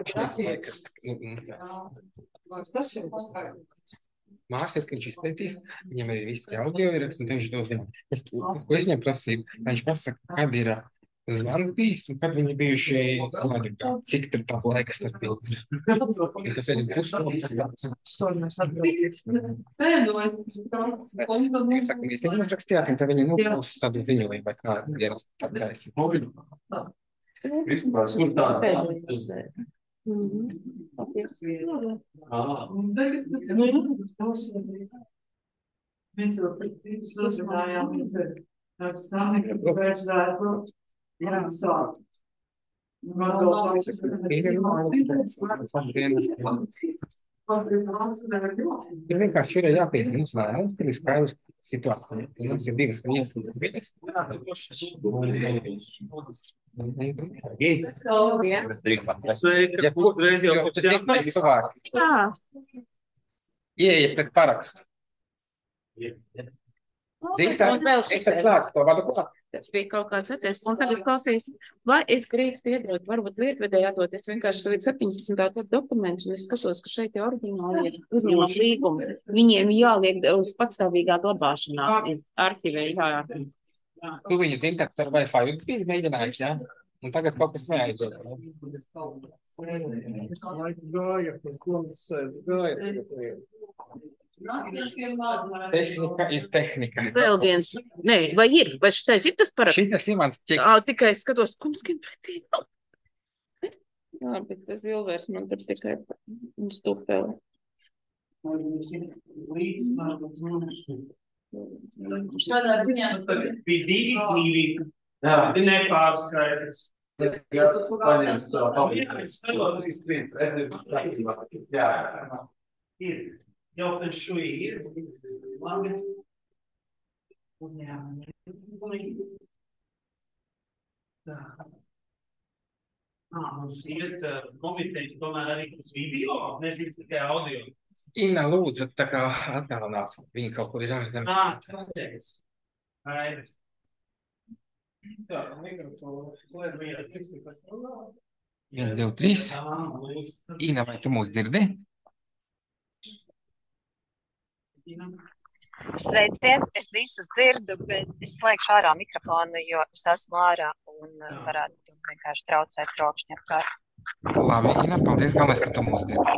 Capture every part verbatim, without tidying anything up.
Es nezināju, ka Tas ir tas Mārcis, ka viņš izpētīs, viņam ir visi tie audio ieraksti, un viņš dos viņam. Es, es, ko es viņam prasīju, lai viņš pasaka, kad ir zvans bijis, un kad viņi bijuši, kādi, cik tur tā laiks starp viņus. Ja tas ir pusstundas. Jūs sakat, jūs neuzrakstījāt, un tad viņi nu būs tādu ziņojumu, vai kā dienas tāpēc. Principā, kur tā? Mēs jau uzzinājāmies ar stāvnieku, ka vajadzētu jāsāk. Ir vienkārši ir jāpīt mums, lai mums ir skaidrs situācija. Mums ir divas viesas viļas. Ja kur jo tas ir paši cilvēki. Ieeja pret parakstu. Zintā, es tad slēgtu to vadu klāt. Tas bija kaut kāds vecais, un tagad klausīs, vai es gribstu iedot, varbūt lietvedēji atdot, es vienkārši savu septiņpadsmitā gadu dokumentus, un es skatos, ka šeit ir oriģināli uzņēmuma līgumi. Viņiem jāliek uz patstāvīgā glabāšanā, arhivē, jā. Tu viņu zintā, ka ar Wi-Fi bija mēģinājis, jā? Un tagad kaut kas neaiziet. Es laiku gāju, ko mēs gāju. Tehnika ir tehnika. Vēl viens, nē, vai ir, vai šitais ir tas paraksts? Šitas ir mans ķeks. Ā, tikai es skatos, ko mums grib pretī. Jā, bet tas Ilvērs man tur tikai uz tupeli. Šādā ziņā Bija divi mīļi. Jā. Nepārskaidrs. Jā, tas paņems to palīdzību. Jā. Ir. Jau pēc šo ir. Labi. Uzņēmumi. Tā. Ā, mums iet komitejas tomēr arī uz video, nevis tikai audio. Ina, lūdzu, tā kā atgādināt, viņi kaut kur ir ārzemē. Ā, kāpēc? Aivis. Jā, mikrofons. Viens, divi, trīs. Ina, vai tu mūs dzirdi? Sveiciens, es visus dzirdu, bet es slēgšu ārā mikrofonu, jo es esmu ārā un varētu vienkārši traucēt trokšņa apkārt. Labi, Ina, paldies, galvenais, ka tu mūs dzirdi.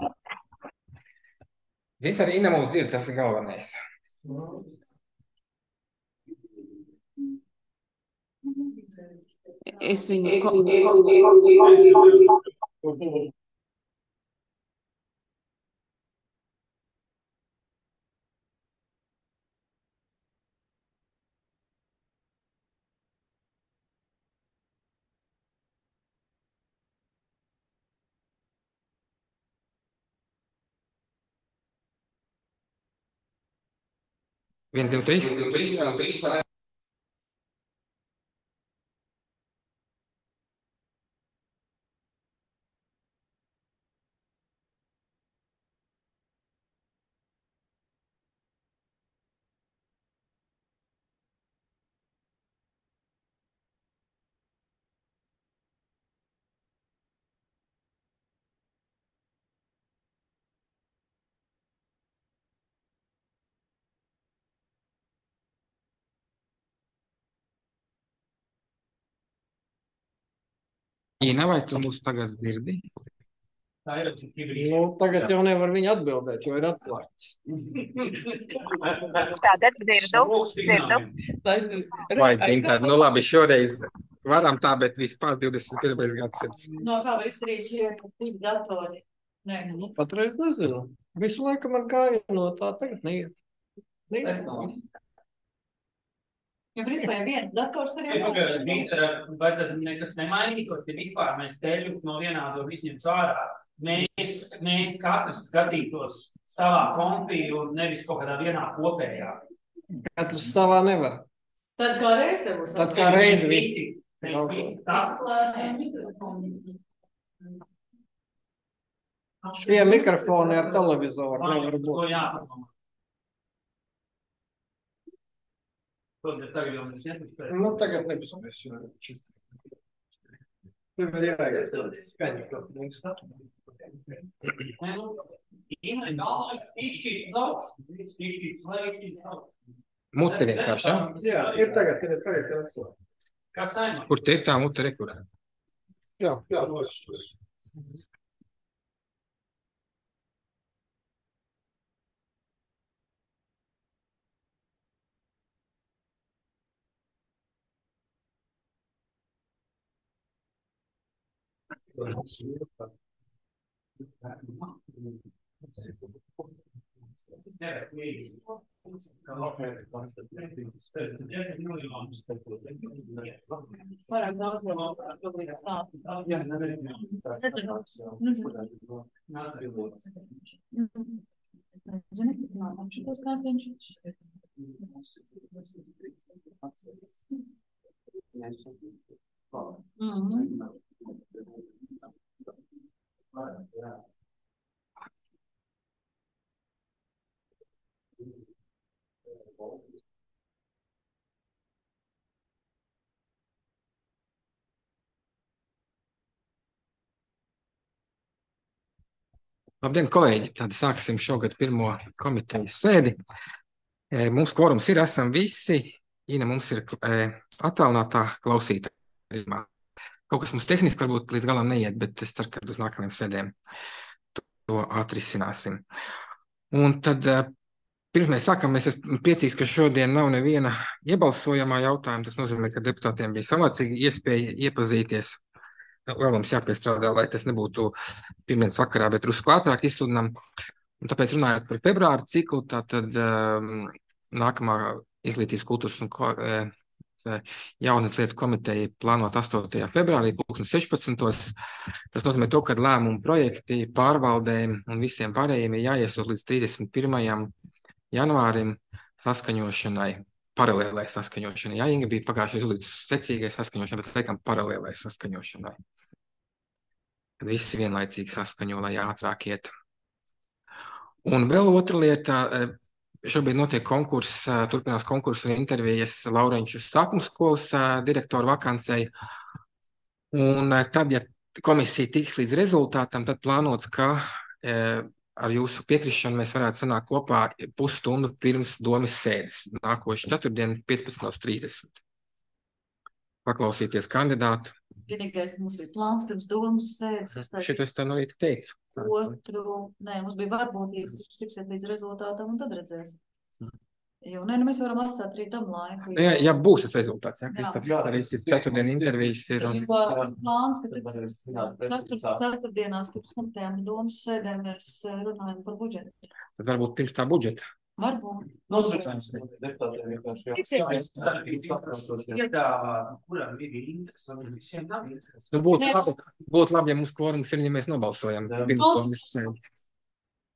Zini, arī Ina mūs dzird, tas ir galvenais. Es viņu... Viens, divi, trīs. Ina, vai tu mūs tagad dzirdi? Nu, tagad jau nevar viņu atbildēt, jo ir atklāts. Tagad dzirdu, dzirdu. Vai, Zintār, nu labi, šoreiz varam tā, bet vispār divdesmit pirmais gadsimts. No kā var izdarīt šie divi datori? Nē, Nu, patreiz nezinu. Visu laiku man gāja no tā, tagad neiet. Neiet. jo principā ja viens dators arī Vai tad nekas nemainītos, ja vispār mēs teļu no vienādo visņem cārā? Mēs, mēs katrs skatītos savā kompī un nevis kaut kādā vienā kopējā. Katrs savā nevar. Tad kā reiz te būs. Tad kā reiz visi. Tā. Šie mikrofoni ar televizoru nevar būt. To jāpadomā. Tagad jau mēs nepaspēsim. Nu, tagad nepaspēsim. Tur var ierēgties tāds skaņu, ka mums Nē, nu, Inai galvenais izšķīt daudz. Izšķīt slēgšķīt daudz. Mute vienkārši, ja? Jā, ir tagad, kad ir tagad, kad atsot. Kā saimā? Kur te ir tā mute, re, kur? Jā, jā, loši. Vairāk daudz vēl šobrīd stāstu. Zini, nākam šitos kārtiņš. Mhm. Labdien, kolēģi! Tad sāksim šogad pirmo komitejas sēdi. E, Mums kvorums ir, esam visi. Ina mums ir e, attālinātā klausītājumā. Kaut kas mums tehniski varbūt līdz galam neiet, bet es ceru, ka uz nākamajām sēdēm to, to atrisināsim. Un tad, e, pirms mēs sākam, es esmu priecīgs, ka šodien nav neviena iebalsojamā jautājuma. Tas nozīmē, ka deputātiem bija saulēcīga iespēja iepazīties. Vēl mums jāpiestrādā, lai tas nebūtu pirmdienas vakarā, bet drusku ātrāk izsludinām. Un tāpēc runājot par februāra ciklu, tātad um, nākamā izglītības kultūras un ko, e, jaunas lietu komiteja plānot astotajā februārī, pulksten sešpadsmitos. Tas nozīmē to, ka lēmumu projekti pārvaldēm un visiem pārējiem ir jāiesūta līdz trīsdesmit pirmajam janvārim saskaņošanai, paralēlai saskaņošanai. Jā, Inga bija pagājušajā līdz secīgai saskaņošanai, bet laikam paralēlai saskaņošanai. Kad visi vienlaicīgi saskaņo, lai ātrāk iet. Un vēl otra lieta, šobrīd notiek konkurss, turpinās konkursu un intervijas Laurenču sākuma skolas direktoru vakancei. Un tad, ja komisija tiks līdz rezultātam, tad plānots, ka ar jūsu piekrišanu mēs varētu sanākt kopā pusstundu pirms domas sēdes. Nākošu ceturtdienu piecpadsmit trīsdesmit. Paklausīties kandidātu. Vienīgais mums bija plāns pirms domas sēdes. Šito es tev no rīta teicu. Otru, nē, mums bija varbūtība, kurš tiksiet līdz rezultātam un tad redzēsim. Jo, nē, nu mēs varam atstāt arī tam laiku. Ja, ja būs tas rezultāts, ja, Jā. Kristaps, arī ceturtdien intervijas ir. Un... Plāns, ka katru ceturtdienās pirms komitejām domas sēdēm mēs runājam par budžetu. Tad varbūt pirms tā budžeta. Varbūt. Piedāvāt, kuram ir interesi, un visiem nav interesi. Nu, būtu Nē. labi, būtu labi, ja mums kvorums ir, ja mēs nobalsojam pirms domas sēdes.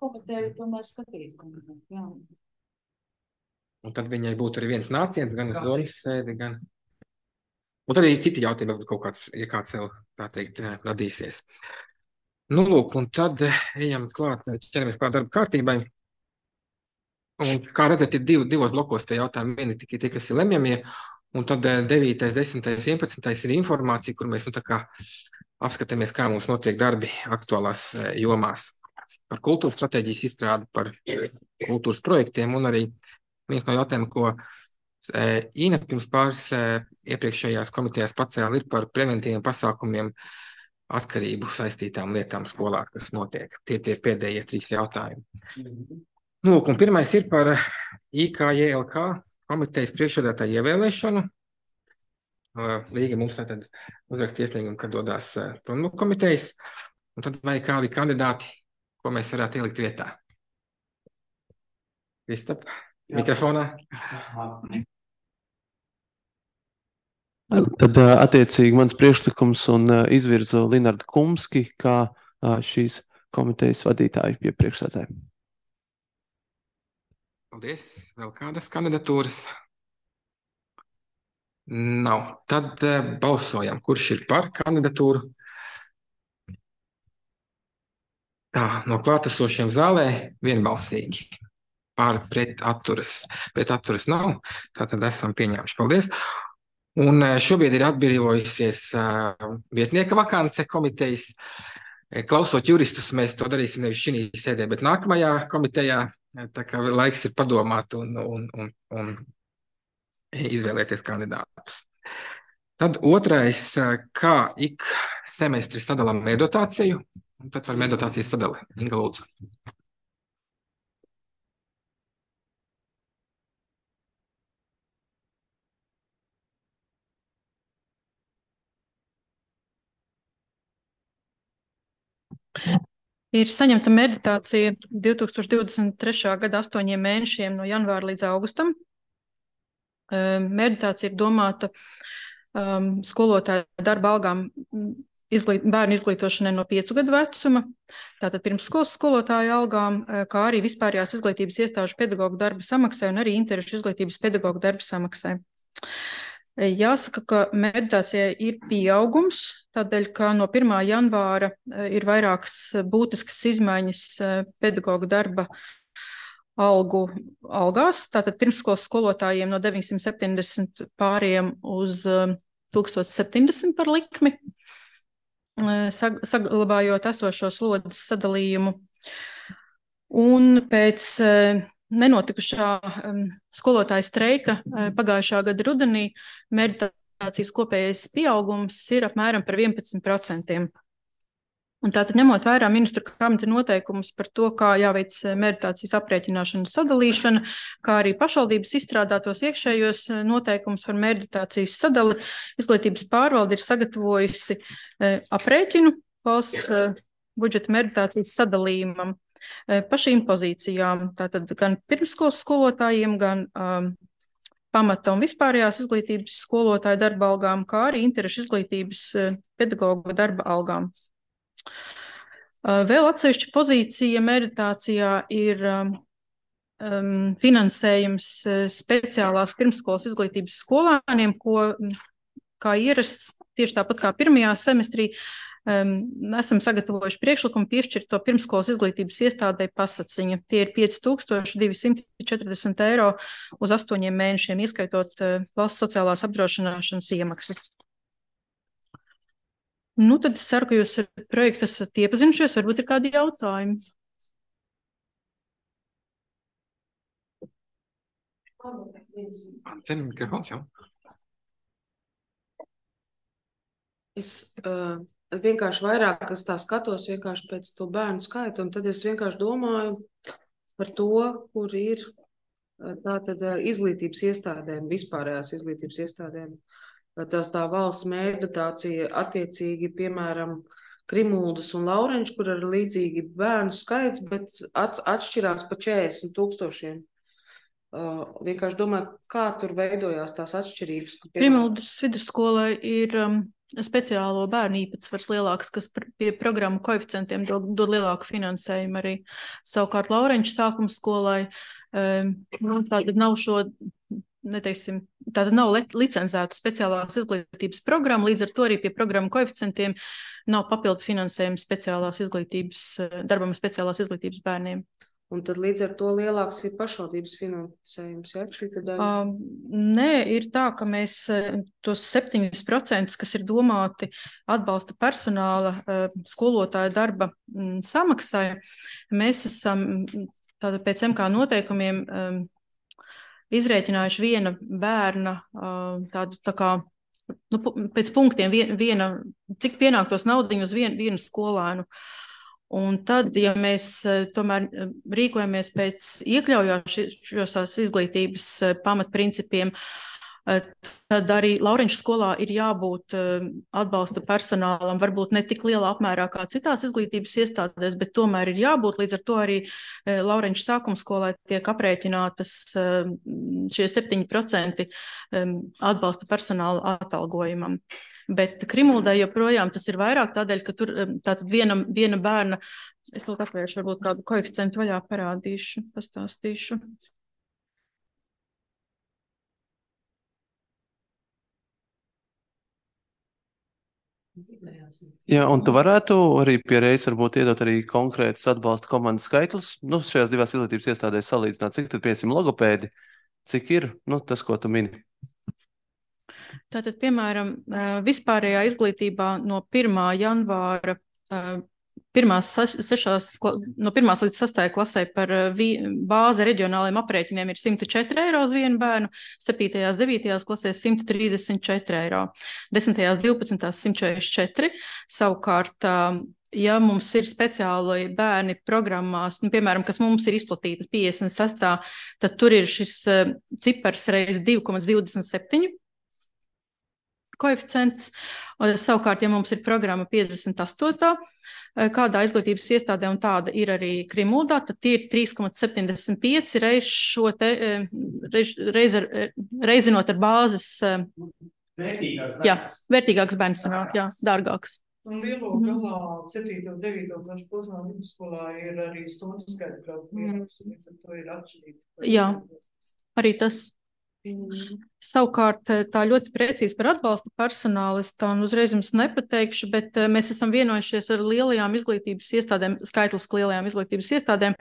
Komiteju tomēr skatīt. Jā. Un tad viņai būtu arī viens nāciens, gan uz domas sēdi, gan... Un tad arī citi jautājumi, varbūt kaut kāds, ja kāds vēl, tā teikt, radīsies. Nu, lūk, un tad ejam klāt, ķeramies klāt darba kārtībai. Un, kā redzat, ir divi, divos blokos tie jautājumi. Vieni tikai tie, kas ir lemjamie, un tad devītais, desmitais, vienpadsmitais ir informācija, kur mēs nu, tā kā apskatāmies, kā mums notiek darbi aktuālās eh, jomās. Par kultūras stratēģijas izstrādi, par kultūras projektiem, un arī viens no jautājumiem, ko eh, Ina pirms pāris eh, iepriekšējās komitejās pacēla, ir par preventīviem pasākumiem atkarību saistītām lietām skolā, kas notiek. Tie tie pēdējie trīs jautājumi. Nu, un pirmais ir par I K J L K komitejas priekšsēdētāju ievēlēšanu. Līga mums tātad uzraksta iesniegumu, kad dodās prom no komitejas. Un tad vai kādi kandidāti, ko mēs varētu ielikt vietā? Kristap, mikrofonā. Tad attiecīgi mans priekšlikums un izvirzu Linardu Kumski kā šīs komitejas vadītāju pie priekšsēdētāja. Paldies. Vēl kādas kandidatūras? Nav. Tad uh, balsojam, kurš ir par kandidatūru. Tā, no klātesošiem zālē vienbalsīgi. Pār pret atturas. Pret atturas nav. Tātad esam pieņēmuši. Paldies. Un eh, šobrīd ir atbrīvojusies uh, vietnieka vakance komitejas. Eh, Klausot juristus, mēs to darīsim nevis šī sēdē, bet nākamajā komitejā. Eh, Tā kā laiks ir padomāt un, un, un, un izvēlēties kandidātus. Tad otrais, eh, kā ik semestri sadalām mērdotāciju, un tad par mērdotācijas sadali. Inga, lūdzu. Ir saņemta meditācija divi tūkstoši divdesmit trešā gada astoņiem mēnešiem no janvāra līdz augustam. Um, Meditācija ir domāta um, skolotāju darba algām mm, izglīt, bērnu izglītošanai no piecu gadu vecuma, tātad pirmsskolas skolotāju algām, eh, kā arī vispārējās izglītības iestāžu pedagoģu darba samaksai un arī interešu izglītības pedagoģu darba samaksai. Eh, Jāsaka, ka meditācijai ir pieaugums, tādēļ, ka no pirmā janvāra eh, ir vairākas eh, būtiskas izmaiņas eh, pedagoģu darba algu algās. Tātad pirmsskolas skolotājiem no deviņsimt septiņdesmit pāriem uz eh, tūkstoš septiņdesmit par likmi, eh, sag- saglabājot esošo slodzes sadalījumu. Un pēc eh, nenotikušā um, skolotāja streika eh, pagājušā gada rudenī meditācijas kopējais pieaugums ir apmēram par vienpadsmit procentiem. Un tātad ņemot vērā ministru kabineta noteikumus par to, kā jāveic eh, meditācijas aprēķināšana un sadalīšana, kā arī pašvaldības izstrādātos iekšējos eh, noteikumus par meditācijas sadali, izglītības pārvalde ir sagatavojusi eh, aprēķinu valsts eh, budžeta meditācijas sadalījumam eh, pa šīm pozīcijām. Tātad gan pirmsskolas skolotājiem, gan um, pamata un vispārējās izglītības skolotāju darba algām, kā arī interešu izglītības eh, pedagoģu darba algām. Uh, Vēl atsevišķa pozīcija meditācijā ir um, um, finansējums uh, speciālās pirmsskolas izglītības skolēniem, ko, mm, kā ierasts, tieši tāpat kā pirmajā semestrī, um, esam sagatavojuši priekšlikumu piešķirt to pirmsskolas izglītības iestādei pasaciņa. Tie ir pieci tūkstoši divi simti četrdesmit eiro uz astoņiem mēnešiem, ieskaitot uh, valsts sociālās apdrošināšanas iemaksas. Nu, tad es ceru, ka jūs ar projektu esat iepazinušies, varbūt ir kādi jautājumi. Ceni mikrofons, jau. Es uh, vienkārši vairāk, es tā skatos vienkārši pēc to bērnu skaitu, un tad es vienkārši domāju par to, kur ir uh, tātad uh, izglītības iestādēm, vispārējās izglītības iestādēm. Tas tā valsts meditācija attiecīgi, piemēram, Krimuldas un Laurenča, kur ir līdzīgi bērnu skaits, bet at, atšķirās pa četrdesmit tūkstošiem. Uh, vienkārši domāju, kā tur veidojās tās atšķirības. Krimuldas vidusskolai ir um, speciālo bērnu īpatsvars lielāks, kas pr pie programmu koeficientiem dod, dod lielāku finansējumu arī. Savukārt Laurenča sākuma skolai um, nu, tātad nav šo, neteiksim, tātad nav licencētu speciālās izglītības programma, līdz ar to arī pie programmu koeficientiem nav papildu finansējuma speciālās izglītības, darbam speciālās izglītības bērniem. Un tad līdz ar to lielāks ir pašvaldības finansējums, ja? Šī tad daļa? Uh, nē, ir tā, ka mēs tos septiņus procentus, kas ir domāti atbalsta personāla uh, skolotāju darba mm, samaksai, mēs esam tātad pēc M K noteikumiem um, izrēķinājuši viena bērna uh, tādu tā kā, nu, pēc punktiem vien, viena, cik pienāktos naudiņu uz vien, vienu skolēnu. Un tad, ja mēs uh, tomēr rīkojamies pēc iekļaujošās izglītības uh, pamatprincipiem, uh, tad arī Laurenča skolā ir jābūt uh, atbalsta personālam, varbūt ne tik lielā apmērā kā citās izglītības iestādēs, bet tomēr ir jābūt, līdz ar to arī uh, Laurenča sākuma skolai tiek aprēķinātas uh, šie septiņi procenti um, atbalsta personāla atalgojumam. Bet Krimuldai joprojām tas ir vairāk tādēļ, ka tur um, tātad viena, viena bērna, es to atvēršu, varbūt kādu koeficientu vaļā parādīšu, pastāstīšu. Jā, un tu varētu arī pie reizes varbūt iedot arī konkrētus atbalsta komandas skaitļus, nu, šajās divās izglītības iestādēs salīdzināt, cik tad, piemēram, logopēdi, cik ir, nu, tas, ko tu mini. Tātad, piemēram, vispārējā izglītībā no pirmā janvāra pirmās sešās, no pirmās līdz sastajai klasē par bāzi reģionāliem aprēķiniem ir simt četri eiro uz vienu bērnu, septītajās, devītajās klasēs simt trīsdesmit četri eiro, desmitajās, divpadsmitās simt četrdesmit četri, savukārt, ja mums ir speciāli bērni programmās, nu, piemēram, kas mums ir izplatītas piecdesmit sestā, tad tur ir šis cipars reiz divi komats divdesmit septiņi koeficients, savukārt, ja mums ir programma piecdesmit astotajā, kādā izglītības iestādē, un tāda ir arī Krimuldā, tad tie ir trīs komats septiņdesmit pieci reiz šo te, reiz, reiz ar, reizinot ar bāzes. Vērtīgāks bērns. Jā, vērtīgāks bērns sanāk, jā, dārgāks. Un lielo galā septīto un devīto klašu posmā vidusskolā ir arī stundu skaits daudz lielāks, un tad to ir atšķirība. Jā, arī tas. Savukārt tā ļoti precīzi par atbalsta personālistu un uzreiz jums nepateikšu, bet mēs esam vienojušies ar lielajām izglītības iestādēm, skaitliski lielajām izglītības iestādēm,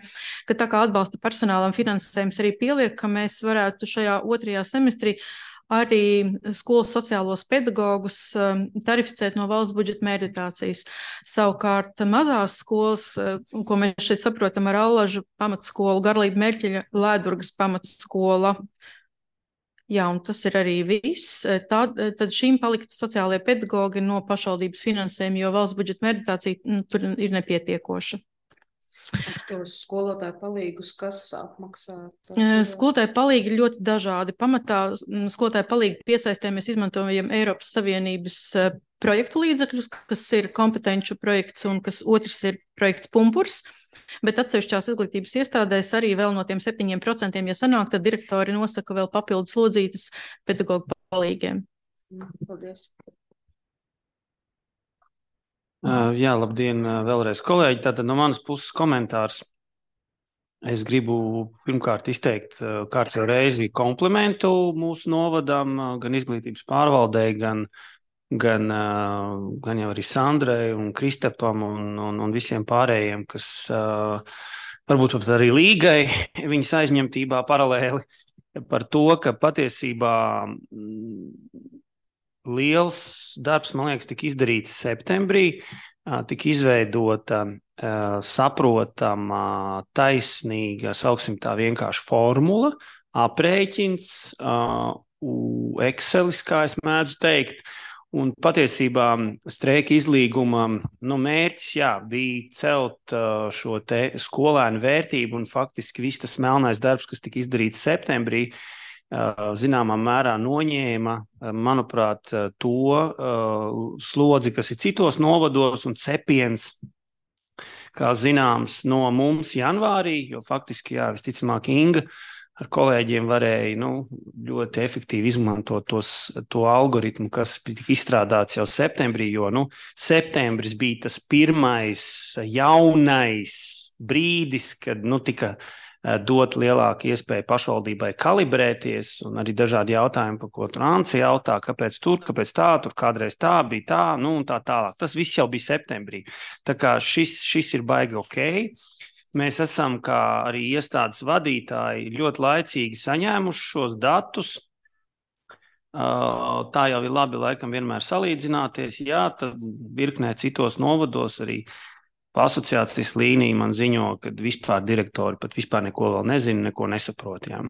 ka tā kā atbalsta personālam finansējums arī pieliek, ka mēs varētu šajā otrajā semestrī arī skolas sociālos pedagogus tarificēt no valsts budžeta mērķitācijas. Savukārt mazās skolas, ko mēs šeit saprotam ar Allažu pamatskolu, Garlība Mērķeļa, Lēdurgas pamatskola, jā, un tas ir arī viss. Tad, tad šīm paliktu sociālajie pedagogi no pašvaldības finansējuma, jo valsts budžeta mērķitācija nu, tur ir nepietiekoša. Tos skolotāju palīgus, kas apmaksā? Ir... Skolotāju palīgi ļoti dažādi. Pamatā skolotāju palīgi piesaistē mēs izmantojam Eiropas Savienības projektu līdzekļus, kas ir kompetenču projekts un kas otrs ir projekts Pumpurs. Bet atsevišķās izglītības iestādēs arī vēl no tiem septiņiem procentiem, ja sanāk, tad direktori nosaka vēl papildus slodzītas pedagogu palīgiem. Paldies. Uh, jā, labdien vēlreiz, kolēģi. Tātad no manas puses komentārs. Es gribu pirmkārt izteikt uh, kārtējo reizi komplimentu mūsu novadam, uh, gan izglītības pārvaldei, gan Gan, gan jau arī Sandrai un Kristapam un, un, un visiem pārējiem, kas uh, varbūt pat arī līgai viņas aizņemtībā paralēli par to, ka patiesībā liels darbs, man liekas, tika izdarīts septembrī, uh, tika izveidota uh, saprotama, taisnīga, sauksim tā vienkārši formula, aprēķins, uh, Excelis, kā es mēdzu teikt. Un patiesībā streika izlīguma nu, mērķis jā, bija celt uh, šo te skolēnu vērtību, un faktiski viss tas melnais darbs, kas tika izdarīts septembrī, uh, zināmā mērā noņēma, uh, manuprāt, uh, to uh, slodzi, kas ir citos novados, un cepiens, kā zināms, no mums janvārī, jo faktiski, jā, visticamāk, Inga ar kolēģiem varēja nu, ļoti efektīvi izmantot tos, to algoritmu, kas tika izstrādāts jau septembrī, jo nu, septembris bija tas pirmais jaunais brīdis, kad nu, tika dot lielāku iespēju pašvaldībai kalibrēties, un arī dažādi jautājumi, par ko tur Anci jautā, kāpēc tur, kāpēc tā, tur kādreiz tā bija tā, nu un tā tālāk. Tas viss jau bija septembrī. Tā kā šis, šis ir baigi ok. Mēs esam, kā arī iestādes vadītāji, ļoti laicīgi saņēmuši šos datus. Tā jau ir labi laikam vienmēr salīdzināties. Jā, tad virknē citos novados arī asociācijas līnija man ziņo, ka vispār direktori pat vispār neko vēl nezina, neko nesaprot. Jā.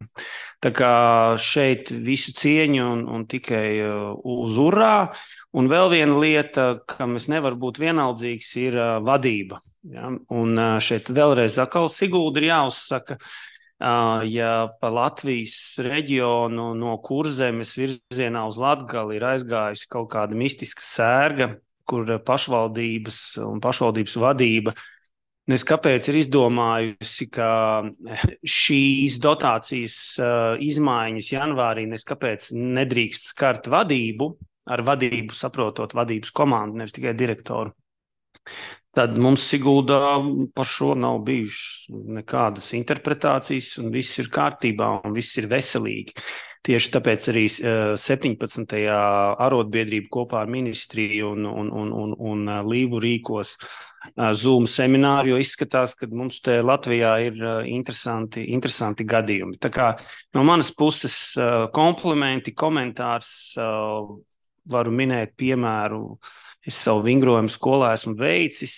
Tā kā šeit visu cieņu un, un tikai uz urā. Un vēl viena lieta, kam es nevaru būt vienaldzīgs, ir vadība. Ja, un šeit vēlreiz atkal Sigulda ir jāuzsaka, ja pa Latvijas reģionu no Kurzemes virzienā uz Latgali ir aizgājusi kaut kāda mistiska sērga, kur pašvaldības un pašvaldības vadība nes kāpēc ir izdomājusi, ka šīs dotācijas izmaiņas janvārī nes kāpēc nedrīkst skart vadību, ar vadību saprotot vadības komandu, nevis tikai direktoru. Tad mums Siguldā par šo nav bijušas nekādas interpretācijas, un viss ir kārtībā, un viss ir veselīgi. Tieši tāpēc arī septiņpadsmitajā arotbiedrība kopā ar ministriju un, un, un, un, un Līvu rīkos Zoom semināru, jo izskatās, ka mums te Latvijā ir interesanti, interesanti gadījumi. Tā kā no manas puses komplimenti, komentārs varu minēt piemēru, es savu vingrojumu skolā esmu veicis,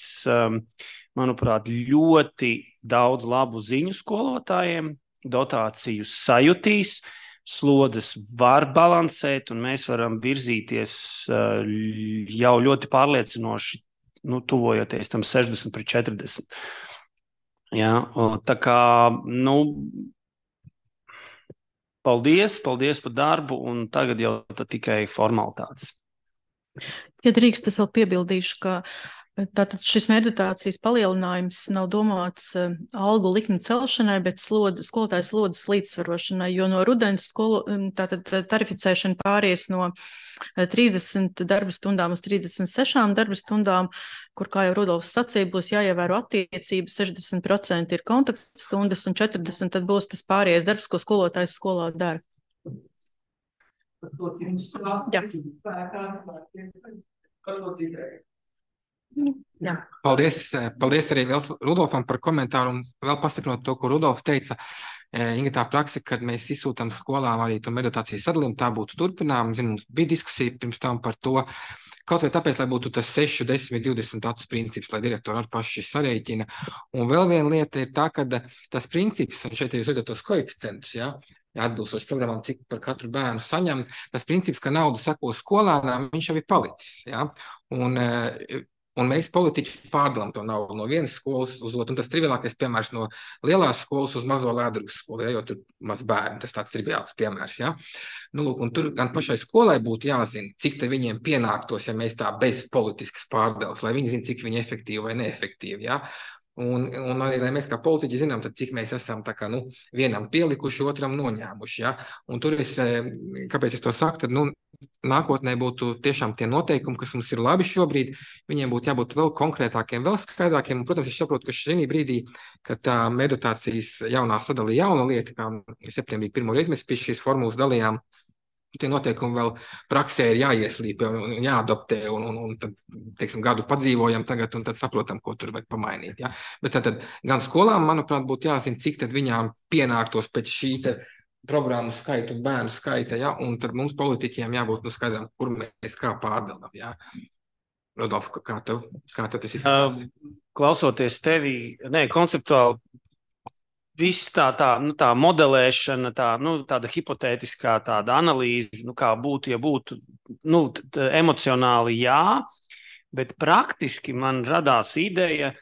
manuprāt, ļoti daudz labu ziņu skolotājiem, dotāciju sajutīs, slodzes var balansēt, un mēs varam virzīties jau ļoti pārliecinoši, nu, tuvojoties tam sešdesmit pret četrdesmit. Jā, tā kā, nu, paldies, paldies par darbu, un tagad jau tikai formalitātes. Ja drīkst, es vēl piebildīšu, ka tātad šis meditācijas palielinājums nav domāts uh, algu likmi celšanai, bet slod, skolotājas slodzes līdzsvarošanai, jo no rudens skolo, tātad tarificēšana pāries no trīsdesmit darba stundām uz trīsdesmit sešām darba stundām, kur, kā jau Rudolfs sacīja, būs jāievēro attiecības, sešdesmit procenti ir kontaktstundas un četrdesmit tad būs tas pārējais darbs, ko skolotājs skolā dara. Jā. Jā. Paldies, paldies arī Rudolfam par komentāru un vēl pastiprinot to, ko Rudolfs teica. Inga, tā praksa, kad mēs izsūtam skolām arī to meditācijas sadalījumu, tā būtu turpinām. Zinu, mums bija diskusija pirms tam par to, kaut vai tāpēc, lai būtu tas seši, desmit, divdesmit acu princips, lai direktori ar paši sarēķina. Un vēl viena lieta ir tā, ka tas princips, un šeit jūs redzat tos koeficientus, ja, atbilstoši programmām, cik par katru bērnu saņem, tas princips, ka nauda sako skolānām, viņš jau ir palicis. Ja? Un, un mēs politiķi pārdalām to naudu no vienas skolas uz otru. Un tas triviālākais piemērs no lielās skolas uz mazo Lēdrugas skolu, ja? Jo tur maz bērni, tas tāds triviāls piemērs. Ja? Nu, lūk, un tur gan pašai skolai būtu jāzina, cik te viņiem pienāktos, ja mēs tā bez politiskas pārdales, lai viņi zina, cik viņi efektīvi vai neefektīvi. Ja? Un, un arī, lai mēs kā politiķi zinām, tad cik mēs esam tā kā, nu, vienam pielikuši, otram noņēmuši. Ja? Un tur es, kāpēc es to saku, tad, nu, nākotnē būtu tiešām tie noteikumi, kas mums ir labi šobrīd, viņiem būtu jābūt vēl konkrētākiem, vēl skaidrākiem. Un, protams, es saprotu, ka šī brīdī, kad tā meditācijas jaunā sadalīja jauna lieta, kā septembrī pirmo reizi mēs pie šīs formulas dalījām, tie noteikumi vēl praksē ir jāieslīpē un jāadoptē, un, un, un tad, teiksim, gadu padzīvojam tagad, un tad saprotam, ko tur vajag pamainīt. Ja? Bet tad, tad gan skolām, manuprāt, būtu jāzina, cik tad viņām pienāktos pēc šī te programmu skaitu un bērnu skaita, ja? Un tad mums politiķiem jābūt nu skaidrām, kur mēs kā pārdalam. Ja? Rodolf, kā tev, kā tev tas ir? Uh, klausoties tevi, ne, konceptuāli, viss tā, tā, nu, tā modelēšana, tā, nu, tāda hipotētiskā tāda analīze, nu, kā būtu, ja būtu, nu, t, emocionāli jā, bet praktiski man radās ideja,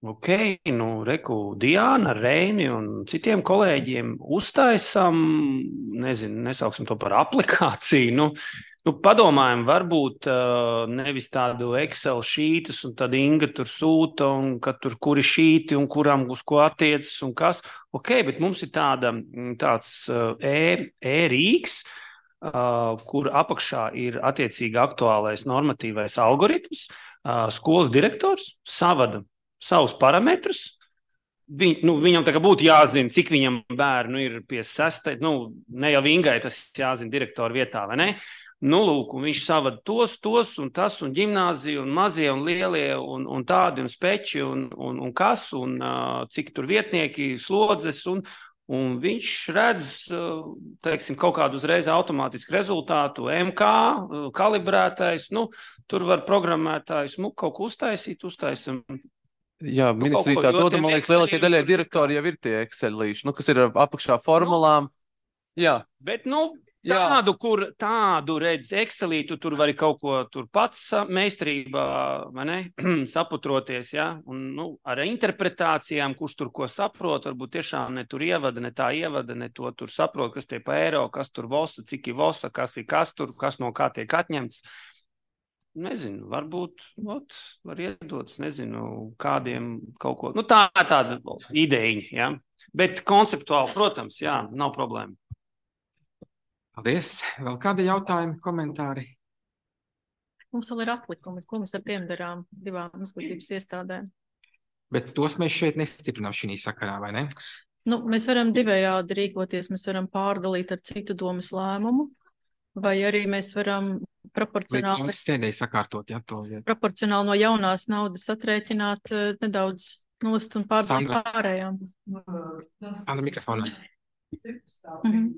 ok, nu, reku, Diana, Reini un citiem kolēģiem uztaisam, nezinu, nesauksim to par aplikāciju, nu, Nu, padomājam, varbūt uh, nevis tādu Excel šītus, un tad Inga tur sūta, un ka tur kuri šīti, un kuram uz ko attiecas, un kas. Ok, bet mums ir tāda, tāds uh, e-rīks, uh, kur apakšā ir attiecīgi aktuālais normatīvais algoritms. Uh, skolas direktors savada savus parametrus. Viņ, nu, viņam tā kā būtu jāzina, cik viņam bērnu ir pie sestai. Nu, ne jau Ingai tas jāzina direktoru vietā, vai ne? Nu, lūk, un viņš savada tos, tos un tas, un ģimnāziju, un mazie, un lielie, un, un tādi, un speči, un, un, un kas, un uh, cik tur vietnieki, slodzes, un, un viņš redz, uh, teiksim, kaut kādu uzreiz automātisku rezultātu, M K, uh, kalibrētais, nu, tur var programmētājs, nu, kaut ko uztaisīt, uztaisam. Jā, nu, ministrī tā dod, man liekas, lielākie daļai direktori jau ir tie Excelīši, nu, kas ir apakšā formulām. Nu, jā. Bet, nu, Tādu, kur tādu redz Excelītu, tur vari kaut ko tur pats meistarībā, vai ne, saputroties, ja, un, nu, ar interpretācijām, kurš tur ko saprot, varbūt tiešām ne tur ievada, ne tā ievada, ne to tur saprot, kas tie pa eiro, kas tur vosa, cik ir vosa, kas ir kas tur, kas no kā tiek atņemts. Nezinu, varbūt, ot, var iedots, nezinu, kādiem kaut ko, nu, tā tāda ideja, ja, bet konceptuāli, protams, jā, nav problēma. Paldies. Vēl kādi jautājumi, komentāri? Mums vēl ir atlikumi, ko mēs ar tiem darām divām izglītības iestādēm. Bet tos mēs šeit nestiprinām šī sakarā, vai ne? Nu, mēs varam divējādi rīkoties, mēs varam pārdalīt ar citu domas lēmumu, vai arī mēs varam proporcionāli, sēdēji sakārtot, ja, to, ja. proporcionāli no jaunās naudas atrēķināt uh, nedaudz nost un pārdalīt pārējām. Sandra, mikrofonā. Mhm.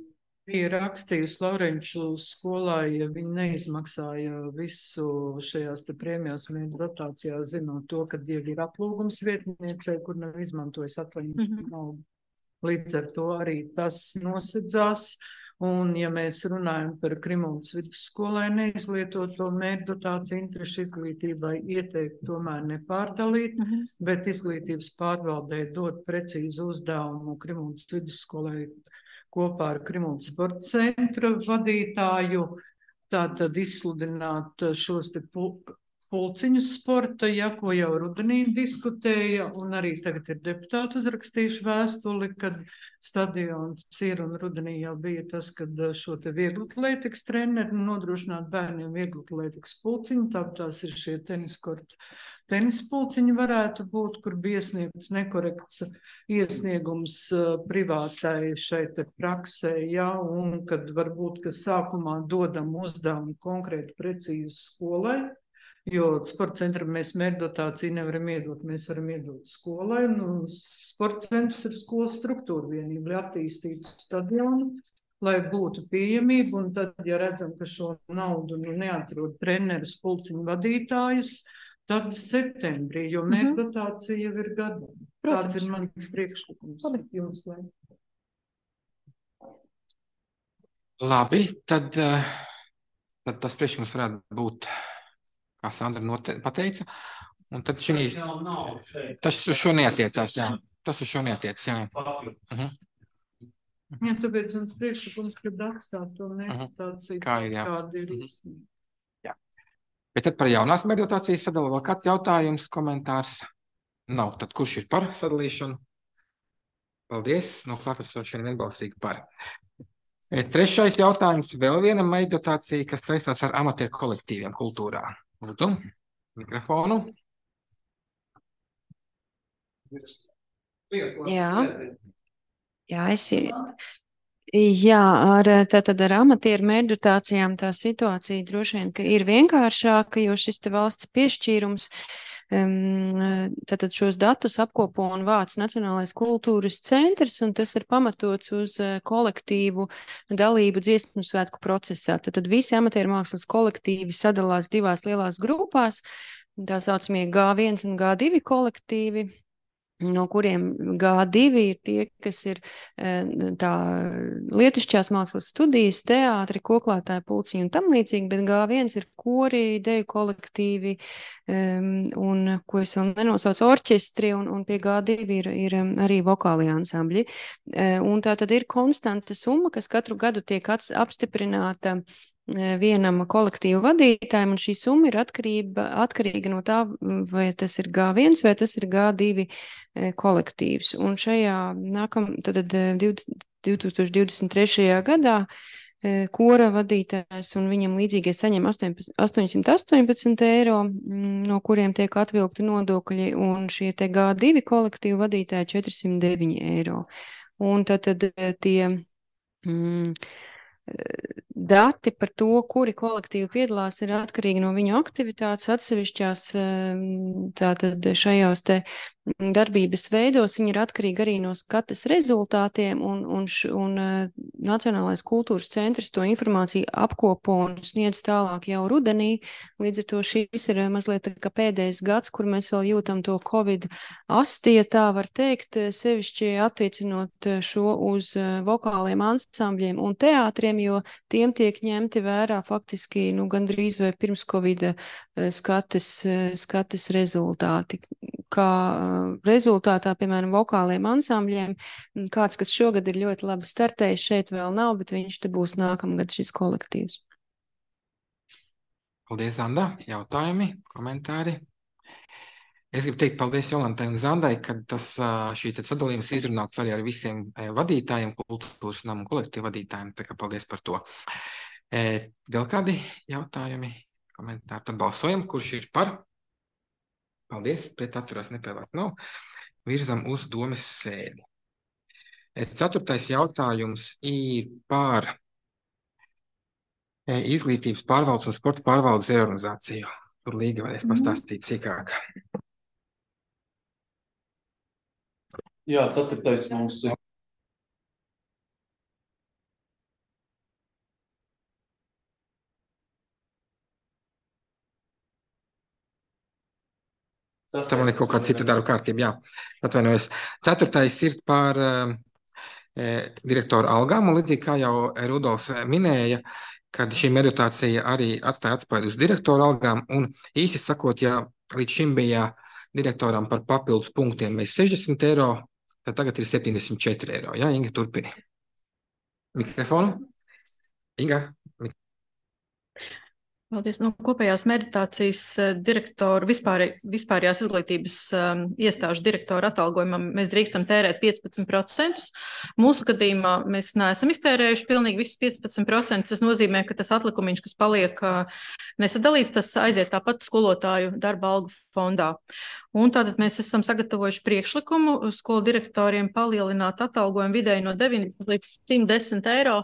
Bija rakstījusi Laurenču skolā, ja viņi neizmaksāja visu šajās te prēmijās mēģi rotācijā, zinot to, ka jau ir aplūgums vietniecei, kur nav izmantojis atvaļinājumu Mhm. naudu. Līdz ar to arī tas nosedzās. Un, ja mēs runājam par Krimuldas vidusskolai neizlietoto mērķu dotāciju interešu izglītībai, ieteikt tomēr nepārdalīt, Mhm. bet izglītības pārvaldē dot precīzu uzdevumu Krimuldas vidusskolai kopā ar Krimuldas sporta centra vadītāju, tātad izsludināt šos te pul pulciņus sporta, ja, ko jau rudenī diskutēja, un arī tagad ir deputāti uzrakstījuši vēstuli, kad stadions ir, un rudenī jau bija tas, kad šo te vieglatlētikas treneri nodrošināt bērniem vieglatlētikas pulciņu, tāpēc tās ir šie teniskorti. Tenis pulciņi varētu būt, kur bija iesniegts nekorekts iesniegums uh, privātai šai te praksē, ja, un kad varbūt, ka sākumā dodam uzdevumu konkrēti precīzi skolai, jo sporta centram mēs mērķdotāciju nevaram iedot, mēs varam iedot skolai, nu, sporta centrs ir skolas struktūra vienība, lai attīstītu stadionu, lai būtu pieejamība, un tad, ja redzam, ka šo naudu nu, neatrod treneris, pulciņu vadītājus, tad septembrī, jo Mhm. mērķdotācija jau ir gada. Protams. Tāds ir mans priekšlikums. Jums, lai. Labi, tad, eh, tad tas priekšlikums varētu būt, kā Sandra note, pateica. Un tad šī, Tas jau nav šeit. tas uz šo neatiecās, jā. Tas uz šo neatiecās, jā. Mhm. Jā, tāpēc mums priekšlikums, ka rakstāt to Mhm. mērķdotāciju, Kā ir, jā. kāda ir Mhm. īstenība. Bet tad par jaunās mērķdotācijas sadalu vēl kāds jautājums, komentārs? Nav. Tad kurš ir par sadalīšanu? Paldies. No klātesošiem vienbalsīgi par. E, Trešais jautājums. Vēl viena mērķdotācija, kas saistās ar amatieru kolektīviem kultūrā. Lūdzu, mikrofonu. Jā. Jā, es ir. Jā, ar, tātad ar amatieru mērķdotācijām tā situācija droši vien, ka ir vienkāršāka, jo šis te valsts piešķīrums um, tātad šos datus apkopo un vāc Nacionālais kultūras centrs, un tas ir pamatots uz uh, kolektīvu dalību dziesmu svētku procesā. Tātad visi amatieru mākslas kolektīvi sadalās divās lielās grupās, tā saucamie G viens un G divi kolektīvi, no kuriem G divi ir tie, kas ir tā lietišķās mākslas studijas, teātri, koklētāji, pulciņi un tam līdzīgi, bet G viens ir kori, deju kolektīvi um, un, ko es vēl nenosaucu, orķestri, un, un pie G divi ir, ir arī vokālie ansambļi. Uh, un tā tad ir konstanta summa, kas katru gadu tiek ats, apstiprināta vienam kolektīvu vadītājam, un šī summa ir atkarība, atkarīga no tā, vai tas ir G viens vai tas ir G divi kolektīvs. Un šajā nākam, tad divi tūkstoši divdesmit trešajā gadā kora vadītājs un viņam līdzīgie saņem astoņsimt astoņpadsmit eiro, no kuriem tiek atvilkti nodokļi, un šie te G divi kolektīvu vadītāji četrsimt deviņi eiro. Un tad, tad tie mm, dati par to, kuri kolektīvi piedalās, ir atkarīgi no viņu aktivitātes atsevišķās, tātad šajās te darbības veidos, viņi ir atkarīgi arī no skates rezultātiem, un, un, š, un Nacionālais kultūras centrs to informāciju apkopo un sniedz tālāk jau rudenī. Līdz ar to šis ir mazliet kā pēdējais gads, kur mēs vēl jūtam to Covid asti, ja tā var teikt, sevišķi attiecinot šo uz vokāliem ansambļiem un teātriem, jo tiem tiek ņemti vērā faktiski nu, gandrīz vai pirms Covid skates, skates rezultāti. Kā rezultātā, piemēram, vokāliem ansambļiem, kāds, kas šogad ir ļoti labi startējis, šeit vēl nav, bet viņš te būs nākamgad šis kolektīvs. Paldies, Zanda. Jautājumi, komentāri? Es gribu teikt paldies Jolantai un Zandai, ka tas, šī sadalījums izrunāts arī ar visiem vadītājiem, kultūras namu kolektīvu vadītājiem, tā kā paldies par to. Vēl kādi jautājumi, komentāri? Tad balsojam, kurš ir par? Paldies, pret atturās nepēlēt nav. Virzam uz domes sēdi. Ceturtais jautājums ir par izglītības pārvaldes un sporta pārvaldes reorganizāciju. Tur Līga varēs pastāstīt sīkāk. Jā, ceturtais mums ir Tā man ir kaut kāda cita darba kārtība, jā. Atvainojos. Ceturtais ir par uh, direktoru algām, un līdzīgi kā jau Rudolf minēja, kad šī meditācija arī atstāja atspēju uz direktoru algām, un īsi sakot, ja līdz šim bija direktoram par papildus punktiem mēs sešdesmit eiro, tad tagad ir septiņdesmit četri eiro. Jā, Inga, turpini. Mikrofonu? Inga? Paldies. No kopējās meditācijas direktoru, vispār, vispārējās izglītības um, iestāžu direktoru atalgojumam mēs drīkstam tērēt piecpadsmit procentus. Mūsu gadījumā mēs neesam iztērējuši pilnīgi visus piecpadsmit procentus. Tas nozīmē, ka tas atlikumiņš, kas paliek uh, nesadalīts, tas aiziet tāpat skolotāju darba algu fondā. Un tātad mēs esam sagatavojuši priekšlikumu skolu direktoriem palielināt atalgojumu vidēji no deviņdesmit līdz simt desmit eiro.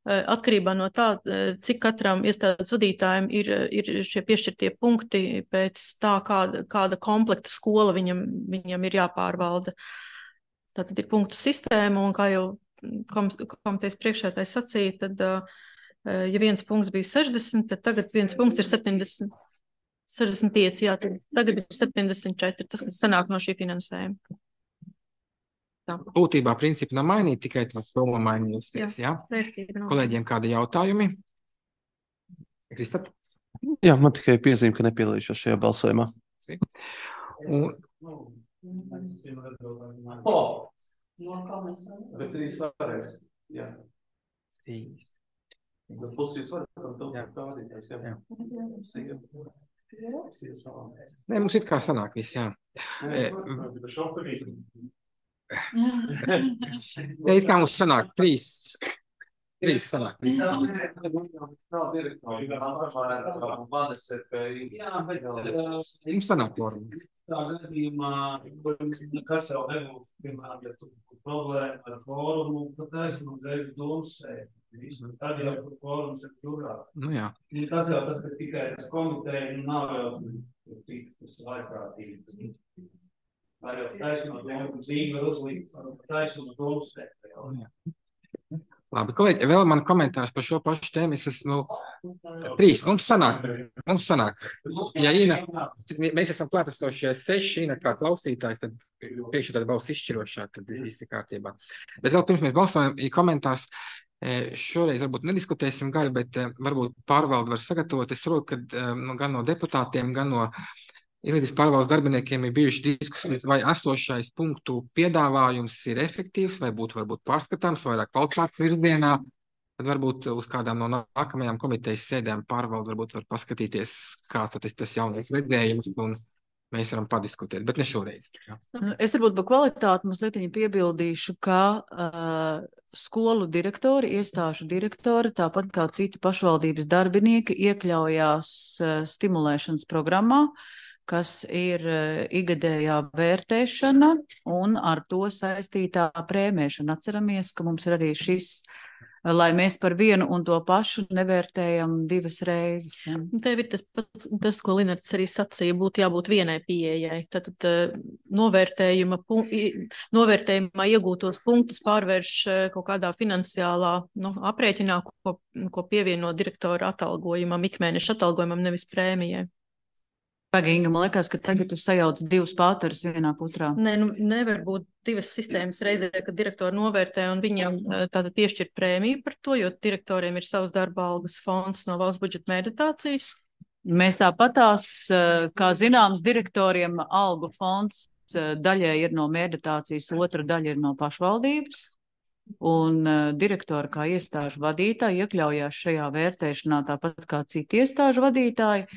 Atkarībā no tā, cik katram iestādes vadītājiem ir, ir šie piešķirtie punkti pēc tā, kāda, kāda komplekta skola viņam, viņam ir jāpārvalda. Tātad ir punktu sistēma, un kā jau komitejas priekšētājs sacīja, tad, ja viens punkts bija sešdesmit, tad tagad viens punkts ir septiņdesmit, sešdesmit pieci, jā, tad tagad ir septiņdesmit četri, tas, kas sanāk no šī finansējuma. Tā. Būtībā principi nav mainīti, tikai tas summa mainījusies, jā? Jā? Kolēģiem kādi jautājumi? Kristap? Jā, man tikai piezīme, ka nepiedalīšos šajā balsojumā. Un... Oh. Bet trīs varēs, jā. Trīs. Bet pusīs var, tad tev kā vadītājs, jā. Jā. Nē, mums it kā sanāk viss, jā. Ja, it kā mums sanāk trīs, trīs sanāk. Mums sanāk norma. Tā gadījumā, kas jau nebūtu, piemēram, ja tu problēma ar kvorumu, tad esmu uzreiz domas sēdi. Tad jau kvorums ir čurā. Nu jā. Tas jau tas, ka tikai tas komiteja nav jau tas laikprātīgi. Vai jau taisnot domu, Zīga var uzlikt, taisnot domu sēdi. Labi, kolēģi, vēl man komentārs par šo pašu tēmu. Es esmu trīs. Mums sanāk. Mums sanāk. Ja Ina, mēs esam klātesošie seši, Ina kā klausītājs, tad priekšā tāda balss izšķirošā, tad viss ir kārtībā. Bet vēl pirms mēs balsojam, ir komentārs. Šoreiz varbūt nediskutēsim gari, bet varbūt pārvalde var sagatavot. Es saprotu, ka nu, gan no deputātiem, gan no izglītības pārvaldes darbiniekiem ir bijuši diskusijas, vai esošais punktu piedāvājums ir efektīvs, vai būtu varbūt pārskatāms, vairāk kvalitātes virzienā. Tad varbūt uz kādām no nākamajām komitejas sēdēm pārvalde varbūt var paskatīties, kāds tas, tas jaunais redzējums, un mēs varam padiskutēt, bet ne šoreiz. Jā. Es varbūt par kvalitāti mazliet piebildīšu, ka uh, skolu direktori, iestāžu direktori, tāpat kā citi pašvaldības darbinieki, iekļaujās uh, stimulēšanas programmā, kas ir igadējā vērtēšana un ar to saistītā prēmēšana. Atceramies, ka mums ir arī šis, lai mēs par vienu un to pašu nevērtējam divas reizes. Ja. Tev ir tas, pats, tas, ko Linards arī sacīja, būtu jābūt vienai pieejai. Tātad novērtējuma, novērtējumā iegūtos punktus pārvērš kaut kādā finansiālā nu, aprēķinā, ko, ko pievieno direktora atalgojumam, ikmēneša atalgojumam, nevis prēmijai. Pagaiņa, man liekas, ka tagad tu sajauc divus pāterus vienā putrā. Nē, nu nevar būt divas sistēmas reizē, kad direktori novērtē un viņam tātad piešķirt prēmiju par to, jo direktoriem ir savs darba algas fonds no valsts budžeta meditācijas. Mēs tāpatās, kā zināms, direktoriem algu fonds daļai ir no meditācijas, otra daļa ir no pašvaldības. Un direktori kā iestāžu vadītāji iekļaujās šajā vērtēšanā tāpat kā citi iestāžu vadītāji.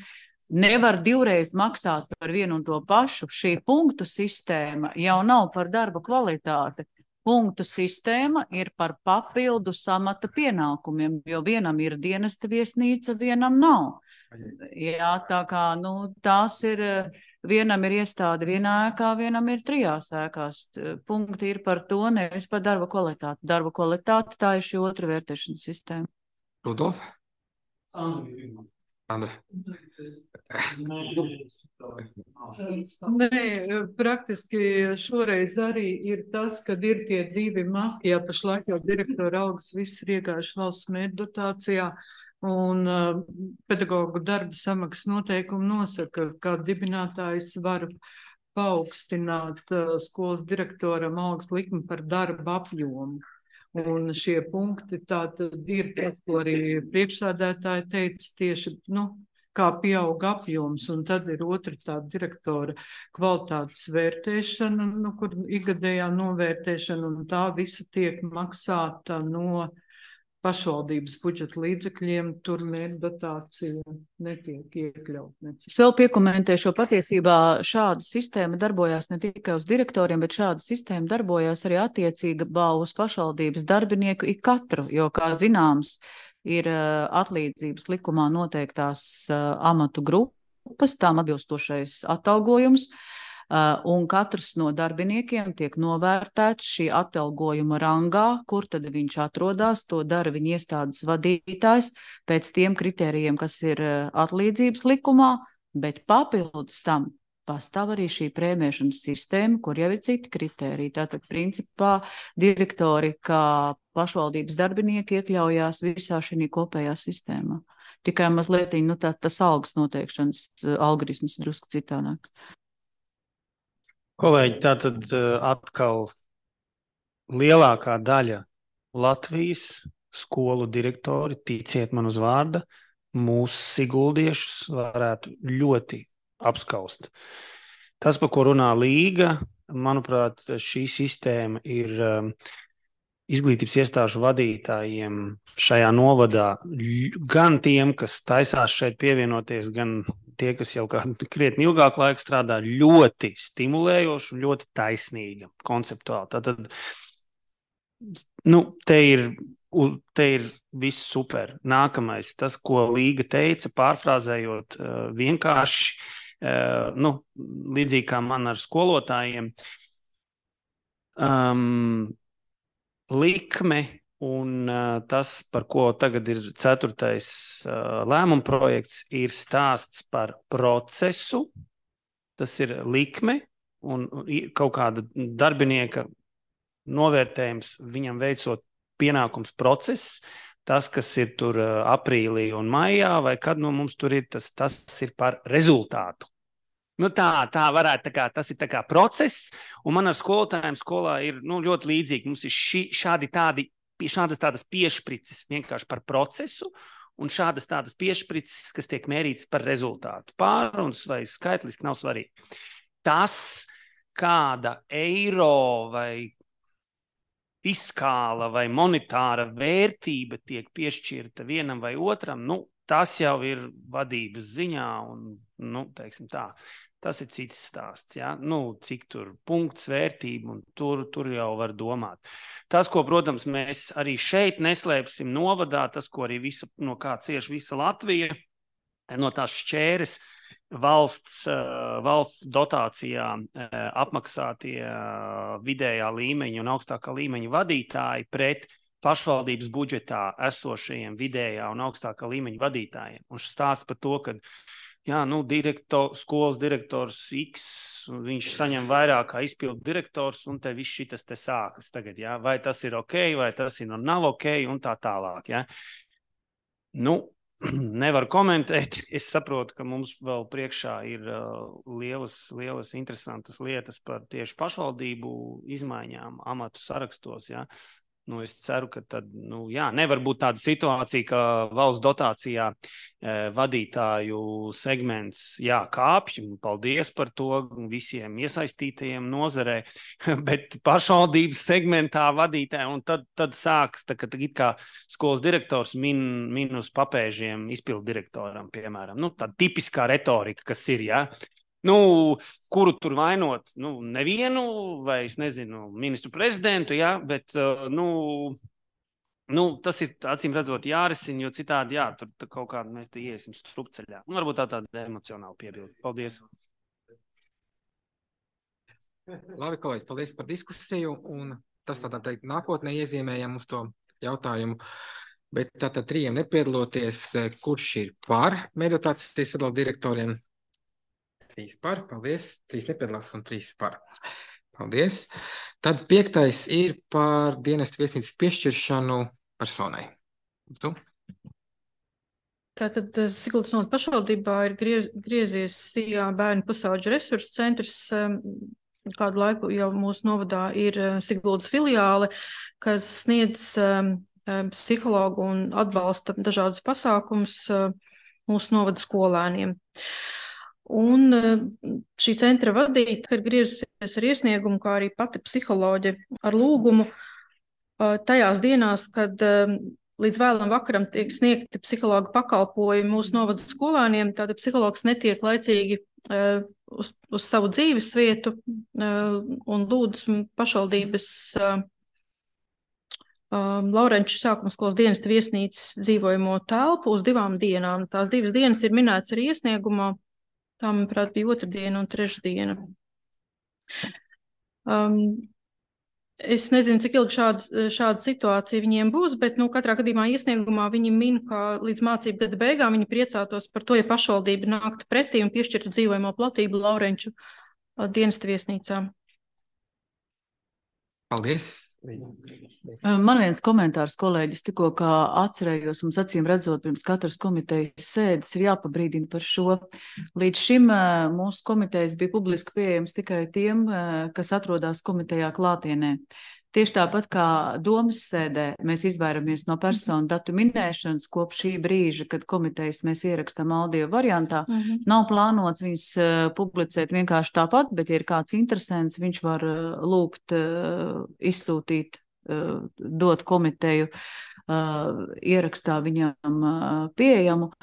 Nevar divreiz maksāt par vienu un to pašu. Šī punktu sistēma jau nav par darba kvalitāti. Punktu sistēma ir par papildu samata pienākumiem, jo vienam ir dienesta viesnīca, vienam nav. Jā, tā kā, nu, tās ir, vienam ir iestāde vienā ēkā, vienam ir trijās ēkās. Punkti ir par to, nevis par darba kvalitāti. Darba kvalitāte, tā ir šī otra vērtēšanas sistēma. Rudolf? Andra. Nē, praktiski šoreiz arī ir tas, kad ir tie divi maki, ja pašlaik jau direktora algas viss ir iegājuši valsts mērķu dotācijā, un uh, pedagogu darba samaksas noteikumi nosaka, ka dibinātājs var paaugstināt uh, skolas direktoram algas likmi par darba apjomu. Un šie punkti tātad ir, ko arī priekšsēdētāji teica, tieši, nu, kā pieaug apjoms, un tad ir otra tāda direktora kvalitātes vērtēšana, nu, kur ikgadējā novērtēšana, un tā visa tiek maksāta no pašvaldības budžeta līdzekļiem, tur mērķdotācija netiek iekļaut. Es vēl piekomentēšu, patiesībā šāda sistēma darbojās ne tikai uz direktoriem, bet šāda sistēma darbojās arī attiecīgā uz pašvaldības darbinieku ik katru, jo, kā zināms, ir uh, atlīdzības likumā noteiktās uh, amatu grupas, tām atbilstošais atalgojums, uh, un katrs no darbiniekiem tiek novērtēts šī atalgojuma rangā, kur tad viņš atrodas, to dara viņa iestādes vadītājs pēc tiem kritērijiem, kas ir uh, atlīdzības likumā, bet papildus tam pastāv arī šī prēmēšanas sistēma, kur jau ir citi kritēriji. Tātad, principā, direktori, kā pašvaldības darbinieki iekļaujās visā šī kopējā sistēmā. Tikai mazliet, nu, tā, tas algas noteikšanas algoritms drusku citādāks. Kolēģi, tātad atkal lielākā daļa Latvijas skolu direktori, ticiet man uz vārda, mūsu siguldiešus varētu ļoti apskaust. Tas, par ko runā Līga, manuprāt, šī sistēma ir um, izglītības iestāžu vadītājiem šajā novadā, gan tiem, kas taisās šeit pievienoties, gan tie, kas jau kādu krietni ilgāku laiku strādā, ļoti stimulējoši un ļoti taisnīga konceptuāli. Tātad, nu, te ir, te ir viss super. Nākamais, tas, ko Līga teica, pārfrāzējot uh, vienkārši, Uh, nu, līdzīgi kā man ar skolotājiem, um, likme un uh, tas, par ko tagad ir ceturtais uh, lēmuma projekts, ir stāsts par procesu, tas ir likme un kaut kāda darbinieka novērtējums viņam veicot pienākums process, tas, kas ir tur aprīlī un maijā, vai kad nu mums tur ir, tas, tas ir par rezultātu. Nu tā, tā varētu, tā kā, tas ir tā kā process, un man ar skolotājiem skolā ir nu, ļoti līdzīgi. Mums ir ši, šādi tādi, šādas tādas piešprices vienkārši par procesu, un šādas tādas piešprices, kas tiek mērītas par rezultātu. Pāruns vai skaitliski nav svarīgi. Tas, kāda eiro vai fiskāla vai monetāra vērtība tiek piešķirta vienam vai otram, nu, tas jau ir vadības ziņā un, nu, teiksim tā, tas ir cits stāsts, ja? Nu, cik tur punkts vērtība un tur, tur jau var domāt. Tas, ko, protams, mēs arī šeit neslēpsim novadā, tas, ko arī visa, no kā cieš visa Latvija, no tās šķēres, valsts, valsts dotācijā apmaksātie vidējā līmeņa un augstākā līmeņa vadītāji pret pašvaldības budžetā esošajiem vidējā un augstākā līmeņa vadītājiem. Un stāsts par to, ka jā, nu, direktor, skolas direktors X, viņš saņem vairāk kā izpildu direktors, un te viss šitas te sākas tagad, jā? Vai tas ir ok, vai tas ir nav ok, un tā tālāk, jā? Nu, nevaru komentēt. Es saprotu, ka mums vēl priekšā ir uh, lielas, lielas interesantas lietas par tieši pašvaldību izmaiņām amatu sarakstos, jā. Nu, es ceru, ka tad, nu, jā, nevar būt tāda situācija, ka valsts dotācijā e, vadītāju segments, jā, kāpj, un paldies par to visiem iesaistītajiem nozarē, bet pašvaldības segmentā vadītāji, un tad, tad sāks, tā, ka it kā skolas direktors min, min uz papēžiem izpildu direktoram, piemēram. Nu, tāda tipiskā retorika, kas ir, jā. Nu, kuru tur vainot? Nu, nevienu, vai es nezinu, ministru prezidentu, jā, bet, uh, nu, nu, tas ir, acīm redzot, jārisina, jo citādi, jā, tur kaut kādā mēs te iesim strupceļā. Nu, varbūt tā tāda emocionāla piebilde. Paldies. Labi, kolēģi, paldies par diskusiju, un tas tādā teikt nākotnē iezīmējam uz to jautājumu. Bet tātad trījiem nepiedaloties, kurš ir par mērķdotācijas sadalu direktoriem? Trīs par, paldies. Trīs nepiedalās un trīs par. Paldies. Tad piektais ir par dienestu viesnīcas piešķiršanu personai. Tu? Tātad Siguldas novada pašvaldībā ir griez, griezies Sijā bērnu pusauģu resursu centrs. Kādu laiku jau mūsu novadā ir Siguldas filiāle, kas sniedz um, psihologu un atbalsta dažādus pasākumus uh, mūsu novada skolēniem. Un uh, šī centra vadīta ir griezusies ar iesniegumu, kā arī pati psiholoģe ar lūgumu uh, tajās dienās, kad uh, līdz vēlam vakaram tiek sniegti psihologa pakalpojumi mūsu novada skolēniem, tātad psihologs netiek laicīgi uh, uz, uz savu dzīves vietu uh, un lūdz pašvaldības uh, uh, Laurenču sākuma skolas dienesta viesnīcas dzīvojamo telpu uz divām dienām. Tās divas dienas ir minēts arī iesniegumā, tā, manuprāt, bija otrdiena un trešdiena. Um, Es nezinu, cik ilgi šāda, šāda situācija viņiem būs, bet nu, katrā gadījumā iesniegumā viņi min, ka līdz mācību gada beigām viņi priecātos par to, ja pašvaldība nāktu pretī un piešķirtu dzīvojamo platību Laurenču dienesta viesnīcām. Paldies! Man viens komentārs, kolēģis, tikko kā atcerējos, mums acīm redzot, pirms katras komitejas sēdes ir jāpabrīdina par šo. Līdz šim mūsu komitejas bija publiski pieejams tikai tiem, kas atrodas komitejā klātienē. Tieši tāpat kā domas sēdē mēs izvairamies no personu datu minēšanas kopš šī brīža, kad komitejas mēs ierakstām audio variantā. Mm-hmm. Nav plānots viņus uh, publicēt vienkārši tāpat, bet ja ir kāds interesants, viņš var uh, lūgt uh, izsūtīt, uh, dot komiteju uh, ierakstā viņam uh, pieejamu.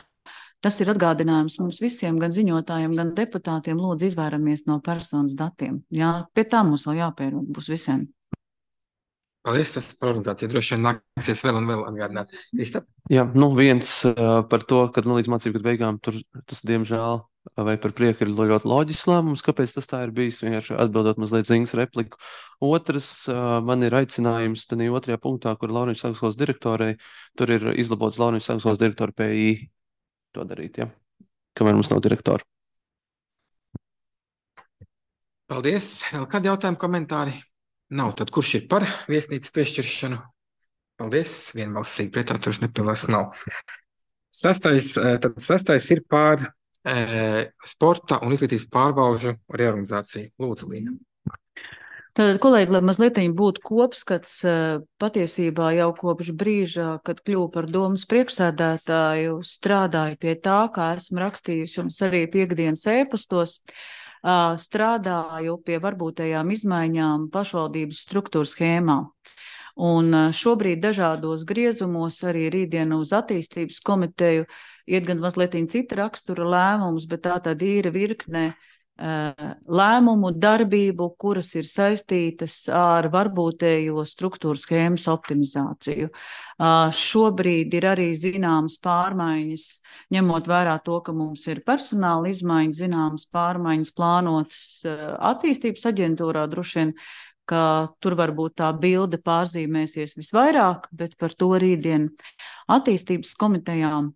Tas ir atgādinājums mums visiem, gan ziņotājiem, gan deputātiem, lūdzu izvairamies no personas datiem. Jā, pie tā mums vēl jāpierod būs visiem. Paldies, tas par organizāciju droši vien nāksies vēl un vēl atgādināt. Kristap? Jā, nu viens uh, par to, ka nu, līdz mācību gadu beigām tur tas, diemžēl, vai par prieku ir ļoti loģisks lēmums, kāpēc tas tā ir bijis, vienkārši atbildot mazliet Ziņas repliku. Otrs, uh, man ir aicinājums tanī otrajā punktā, kur Laurenču sākuma skolas direktorei, tur ir izlabots Laurenču sākuma skolas direktora P I to darīt, ja? Kamēr mums nav direktora. Paldies. Vēl kādi jautājumi, komentāri? Nav, tad kurš ir par viesnīcas piešķiršanu? Paldies, vienbalsīgi pretā, tur nepilnās nav. Sastais, tad sastais ir par e, sporta un izglītības pārbaužu reorganizāciju. Lūdzu, Līna. Tad, kolēģi, lai mazliet būtu kopskats, patiesībā jau kopš brīža, kad kļuvu par domas priekšsēdētāju, strādāju pie tā, kā esmu rakstījusi jums arī piekdienas ēpastos, strādāju pie varbūtējām izmaiņām pašvaldības struktūras schēmā. Un šobrīd dažādos griezumos arī rītdien uz attīstības komiteju iet gan mazliet cita rakstura lēmums, bet tā tad ir virkne lēmumu darbību, kuras ir saistītas ar varbūtējo struktūru schēmas optimizāciju. Šobrīd ir arī zināmas pārmaiņas, ņemot vērā to, ka mums ir personāla izmaiņas, zināmas pārmaiņas plānotas attīstības aģentūrā, droši vien, ka tur varbūt tā bilde pārzīmēsies visvairāk, bet par to rītdien attīstības komitejām.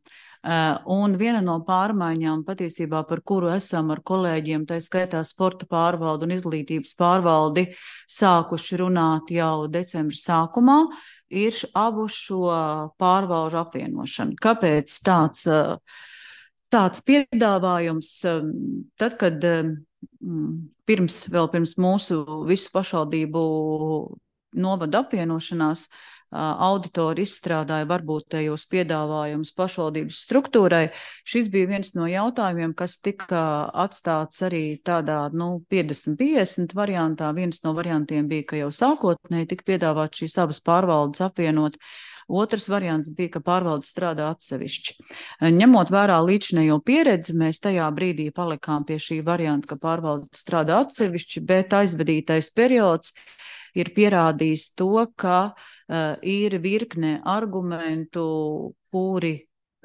Un viena no pārmaiņām patiesībā, par kuru esam ar kolēģiem, tā skaitā sporta pārvaldu un izglītības pārvaldi, sākuši runāt jau decembra sākumā, ir abu šo pārvaldu apvienošana. Kāpēc tāds, tāds piedāvājums? Tad, kad pirms, vēl pirms mūsu visu pašvaldību novada apvienošanās, auditori izstrādāja varbūtējos piedāvājumus pašvaldības struktūrai. Šis bija viens no jautājumiem, kas tika atstāts arī tādā, nu, piecdesmit piecdesmit variantā. Viens no variantiem bija, ka jau sākotnēji tika piedāvāt šīs abas pārvaldes apvienot. Otrs variants bija, ka pārvaldes strādā atsevišķi. Ņemot vērā līdzinējo pieredzi, mēs tajā brīdī palikām pie šī varianta, ka pārvaldes strādā atsevišķi, bet aizvadītais periods ir pierādījis to, ka uh, ir virkne argumentu, kuri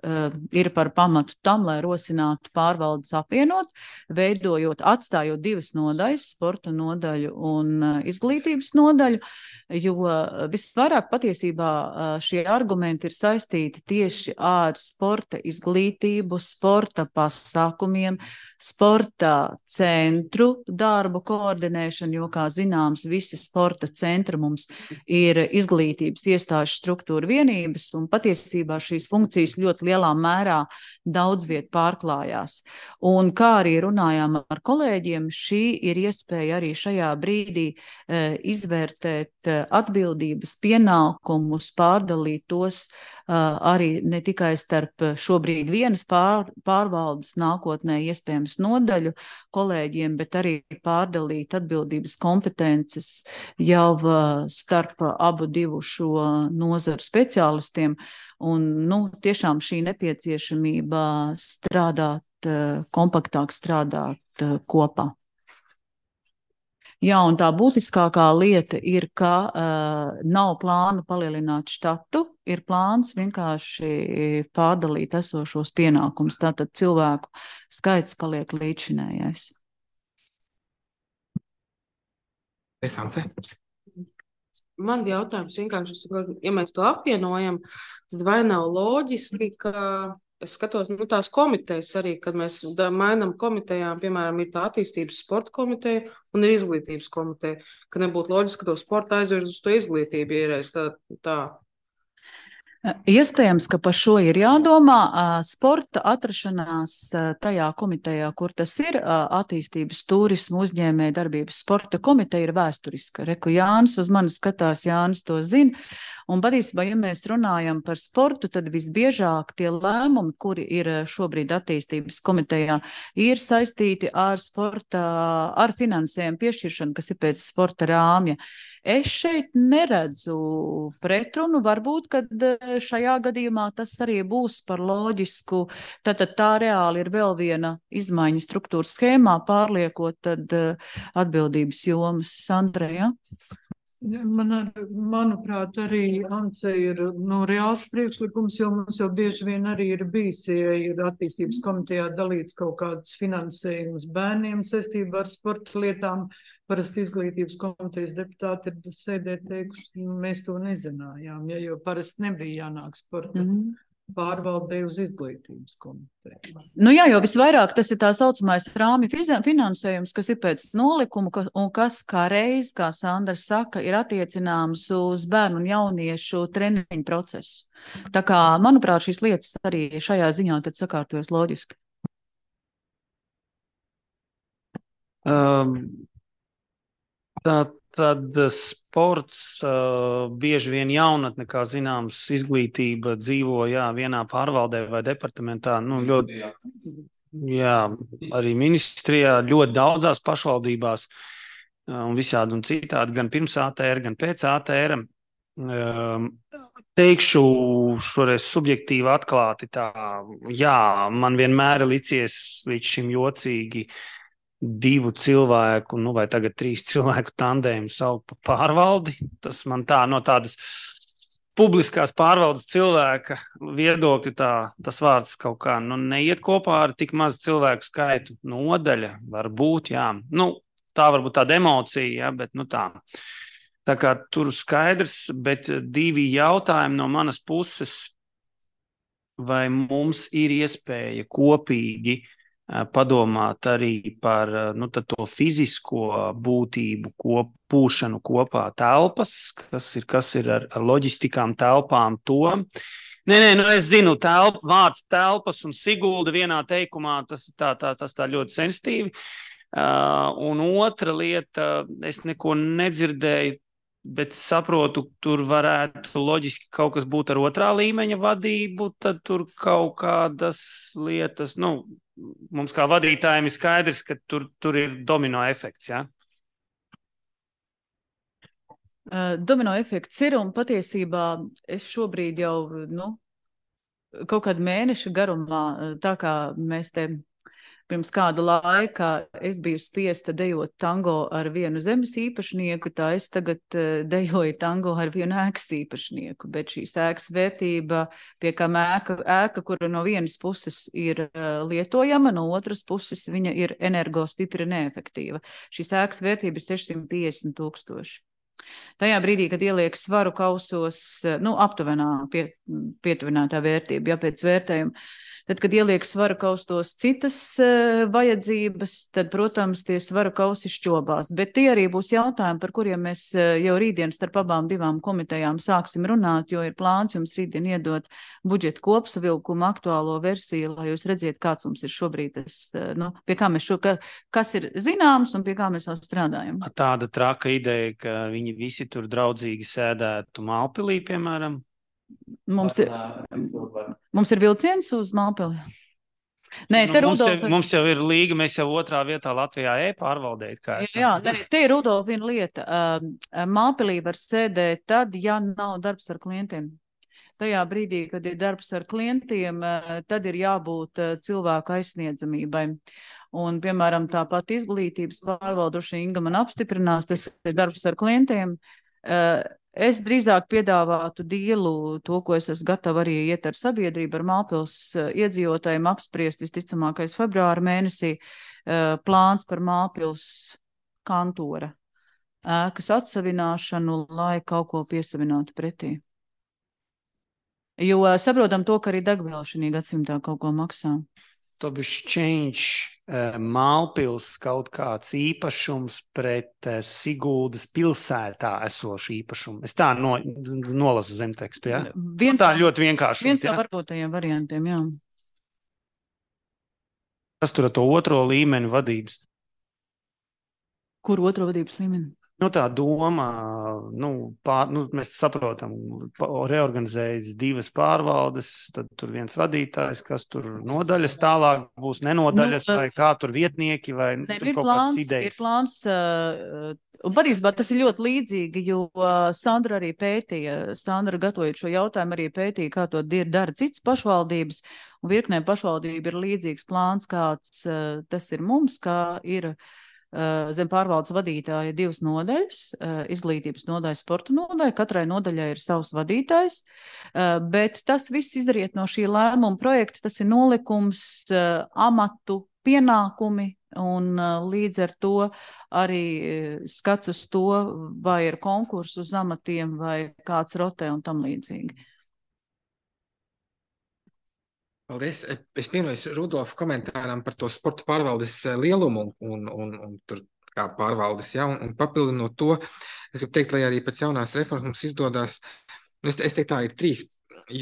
uh, ir par pamatu tam, lai rosinātu pārvaldes apvienot, veidojot, atstājot divas nodaļas, sporta nodaļu un uh, izglītības nodaļu, jo visvairāk patiesībā šie argumenti ir saistīti tieši ar sporta izglītību, sporta pasākumiem, sporta centru darbu koordinēšanu, jo, kā zināms, visi sporta centri mums ir izglītības iestāžu struktūra vienības, un patiesībā šīs funkcijas ļoti lielā mērā daudz viet pārklājās. Un kā arī runājām ar kolēģiem, šī ir iespēja arī šajā brīdī e, izvērtēt atbildības pienākumus, pārdalīt tos Uh, arī ne tikai starp šobrīd vienas pār, pārvaldes nākotnē iespējams nodaļu kolēģiem, bet arī pārdalīt atbildības kompetences jau uh, starp abu divu šo nozaru speciālistiem. Un, nu, tiešām šī nepieciešamība strādāt, uh, kompaktāk strādāt uh, kopā. Jā, un tā būtiskākā lieta ir, ka uh, nav plāna palielināt štatu, ir plāns vienkārši pārdalīt esošos pienākumus, tātad cilvēku skaits paliek līdzinējais. Man jautājums vienkārši, ja mēs to apvienojam, tad vai nav loģiski, ka es skatos, nu, tās komitejas arī, kad mēs mainām komitejām, piemēram, ir tā attīstības sporta komiteja un ir izglītības komiteja, ka nebūtu loģiski, ka to sporta aizvirz uz to izglītību iereiz tā, tā. Iespējams, ka par šo ir jādomā. Sporta atrašanās tajā komitejā, kur tas ir, attīstības turismu uzņēmē darbības sporta komiteja ir vēsturiska. Reku Jānis uz mani skatās, Jānis to zina. Un patiesībā, ja mēs runājam par sportu, tad visbiežāk tie lēmumi, kuri ir šobrīd attīstības komitejā, ir saistīti ar sporta, ar finansējumu piešķiršanu, kas ir pēc sporta rāmja. Es šeit neredzu pretrunu, varbūt, kad šajā gadījumā tas arī būs par loģisku, tātad tā reāli ir vēl viena izmaiņa struktūras schēmā, pārliekot tad atbildības jomas. Sandra, ja? Man ar, manuprāt, arī Ance ir no reāls priekšlikums, jo mums jau bieži vien arī ir bijis, ja ir attīstības komitejā dalīts kaut kāds finansējums bērniem saistībā ar sporta lietām. Parasti izglītības komitejas deputāti ir sēdēt teikuši, mēs to nezinājām, ja, jo parasti nebija jānāk sporta mm. pārvaldē uz izglītības komiteju. Nu jā, jo visvairāk tas ir tā saucamais rāmju finansējums, kas ir pēc nolikuma un kas kā reiz, kā Sandra saka, ir attiecināms uz bērnu un jauniešu treniņu procesu. Tā kā, manuprāt, šīs lietas arī šajā ziņā tad sakārtojas loģiski. Um. Tā, tad sports, uh, bieži vien jaunatne, kā zināms, izglītība dzīvo, jā, vienā pārvaldē vai departamentā, nu, ļoti, jā, arī ministrijā, ļoti daudzās pašvaldībās uh, un visādi un citādi, gan pirms A T R, gan pēc A T R. Um, teikšu šoreiz subjektīvi atklāti tā, jā, man vienmēr licies līdz šim jocīgi divu cilvēku, nu vai tagad trīs cilvēku tandēmu saukt par pārvaldi. Tas man tā no tādas publiskās pārvaldes cilvēka viedokļa tā, tas vārds kaut kā, nu, neiet kopā ar tik mazu cilvēku skaitu. Nodaļa varbūt, jā. Nu, tā varbūt tāda emocija, jā, bet nu tā. Tā kā tur skaidrs, bet divi jautājumi no manas puses, vai mums ir iespēja kopīgi padomāt arī par nu, to fizisko būtību, kop, pūšanu kopā telpas, kas ir, kas ir ar, ar loģistikām telpām to. Nē, nē, nu es zinu, telp, vārds telpas un Sigulda vienā teikumā, tas tā, tā, tas tā ļoti sensitīvi. Uh, un otra lieta, es neko nedzirdēju, bet saprotu, tur varētu loģiski kaut kas būt ar otrā līmeņa vadību, tad tur kaut kādas lietas, nu, mums kā vadītājiem ir skaidrs, ka tur, tur ir domino efekts, jā? Uh, domino efekts ir, un patiesībā es šobrīd jau, nu, kaut kādu mēnešu garumā, tā kā mēs te pirms kāda laika es biju spiesta dejot tango ar vienu zemes īpašnieku, tā es tagad dejoju tango ar vienu ēkas īpašnieku, bet šīs ēkas vērtība, pie kā ēka, ēka, kura no vienas puses ir lietojama, no otras puses viņa ir energo stipri neefektīva. Šīs ēkas vērtība ir sešsimt piecdesmit tūkstoši. Tajā brīdī, kad ieliek svaru kausos, nu, aptuvenā pie, pietuvinātā vērtība, ja pēc vērtējuma, Tad, kad ieliek svaru kaustos citas uh, vajadzības, tad, protams, tie svaru kausi šķobās. Bet tie arī būs jautājumi, par kuriem mēs uh, jau rītdien starp abām divām komitejām sāksim runāt, jo ir plāns jums rītdien iedot budžeta kopsavilkumu aktuālo versiju, lai jūs redziet, kāds mums ir šobrīd tas, uh, nu, pie kā mēs šo, ka, kas ir zināms un pie kā mēs vēl strādājam. Tāda traka ideja, ka viņi visi tur draudzīgi sēdētu Mālpilī, piemēram. Mums ir, mums ir vilciens uz Mālpili? Nē, te nu, mums, Rudolf... jau, mums jau ir līga, mēs jau otrā vietā Latvijā e-pārvaldēt, kā esam. Jā, ne, te ir Rudolf viena lieta. Mālpilī var sēdēt tad, ja nav darbs ar klientiem. Tajā brīdī, kad ir darbs ar klientiem, tad ir jābūt cilvēku aizsniedzamībai. Un, piemēram, tāpat izglītības pārvalduši Inga man apstiprinās, tas ir darbs ar klientiem. Es drīzāk piedāvātu dīlu, to, ko es esmu gatava arī iet ar sabiedrību, ar Mālpils iedzīvotājiem apspriest visticamākais februāra mēnesī, plāns par Mālpils kantora ēkas atsavināšanu, lai kaut ko piesavinātu pretī. Jo saprotam to, ka arī degviela šī gadsimtā kaut ko maksā. To bišķi change uh, Mālpils kaut kāds īpašums pret uh, Siguldas pilsētā esošu īpašumu. Es tā no, nolasu zemtekstu, ja? Viens, tā ļoti vienkārši. Viens no varbotajiem variantiem, jā. Kas tur ar to otro līmeni vadības? Kur otro vadības līmeni? Nu, tā doma, nu, pār, nu, mēs saprotam, reorganizējas divas pārvaldes, tad tur viens vadītājs, kas tur nodaļas tālāk būs, nenodaļas, nu, vai kā tur vietnieki, vai ne, tur kaut plāns, kāds idejas. Ir plāns, uh, un patiesībā tas ir ļoti līdzīgi, jo uh, Sandra arī pētīja, Sandra gatavojot šo jautājumu arī pētīja, kā to dara citas pašvaldības, un virknē pašvaldība ir līdzīgs plāns, kāds uh, tas ir mums, kā ir zem pārvaldes vadītāja divas nodaļas, izglītības nodaļa, sporta nodaļa, katrai nodaļai ir savs vadītājs, bet tas viss izriet no šī lēmuma projekta, tas ir nolikums, amatu pienākumi un līdz ar to arī skats uz to, vai ir konkursu uz amatiem, vai kāds rotē un tam līdzīgi. Paldies. Es pievienojos Rudolfa komentāram par to sporta pārvaldes lielumu un, un, un tur kā pārvaldes, ja, un, un papildinot to, es gribu teikt, lai arī pēc jaunās reformas mums izdodās, es, es teiktu tā, ir trīs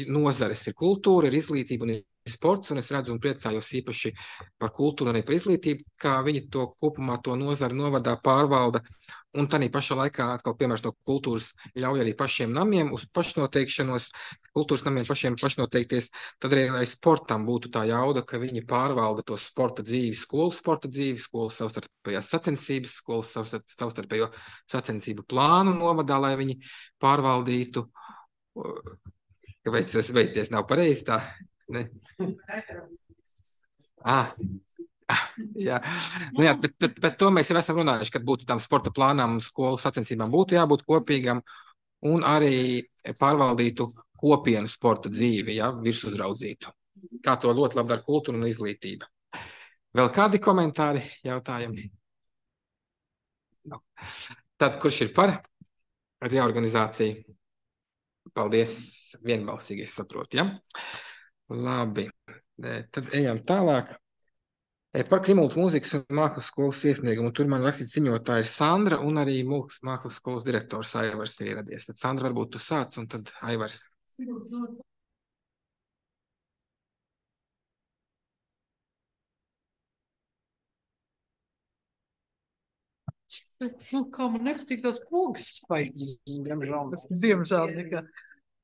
nozares, ir kultūra, ir izglītība un ir sports, un es redzu un priecājos īpaši par kultūru un arī par izglītību, kā viņi to kopumā to nozari novadā pārvalda, un tādā pašā laikā atkal piemērs no kultūras ļauj arī pašiem namiem uz pašnoteikšanos, kultūras namiem pašiem pašnoteikties, tad arī, lai sportam būtu tā jauda, ka viņi pārvalda to sporta dzīvi, skolu sporta dzīvi, skolu savstarpējās sacensības, skolu savstarpējo sacensību plānu novadā, lai viņi pārvaldītu, kāpēc tas beigties nav pareizi tā? Ne. Ah, jā, nu jā bet, bet, bet to mēs jau esam runājuši, kad būtu tam sporta plānām un skolu sacensībām būtu jābūt kopīgam un arī pārvaldītu kopienu sporta dzīvi, ja, virsuzraudzītu. Kā to ļoti labi dara kultūra un izglītība. Vēl kādi komentāri, jautājumi? No. Tad, kurš ir par reorganizāciju? Paldies, vienbalsīgi, es saprotu, ja? Labi, tad ejam tālāk. Par Krimultas mūzikas un mākslas skolas iesniegumu. Tur man rakstīts ziņotāja ir Sandra un arī mākslas skolas direktors Aivars ir ieradies. Tad Sandra, varbūt tu sāc un tad Aivars. Nu, kā man nepatīk tās pogas spaigas. Diemžēl nekā.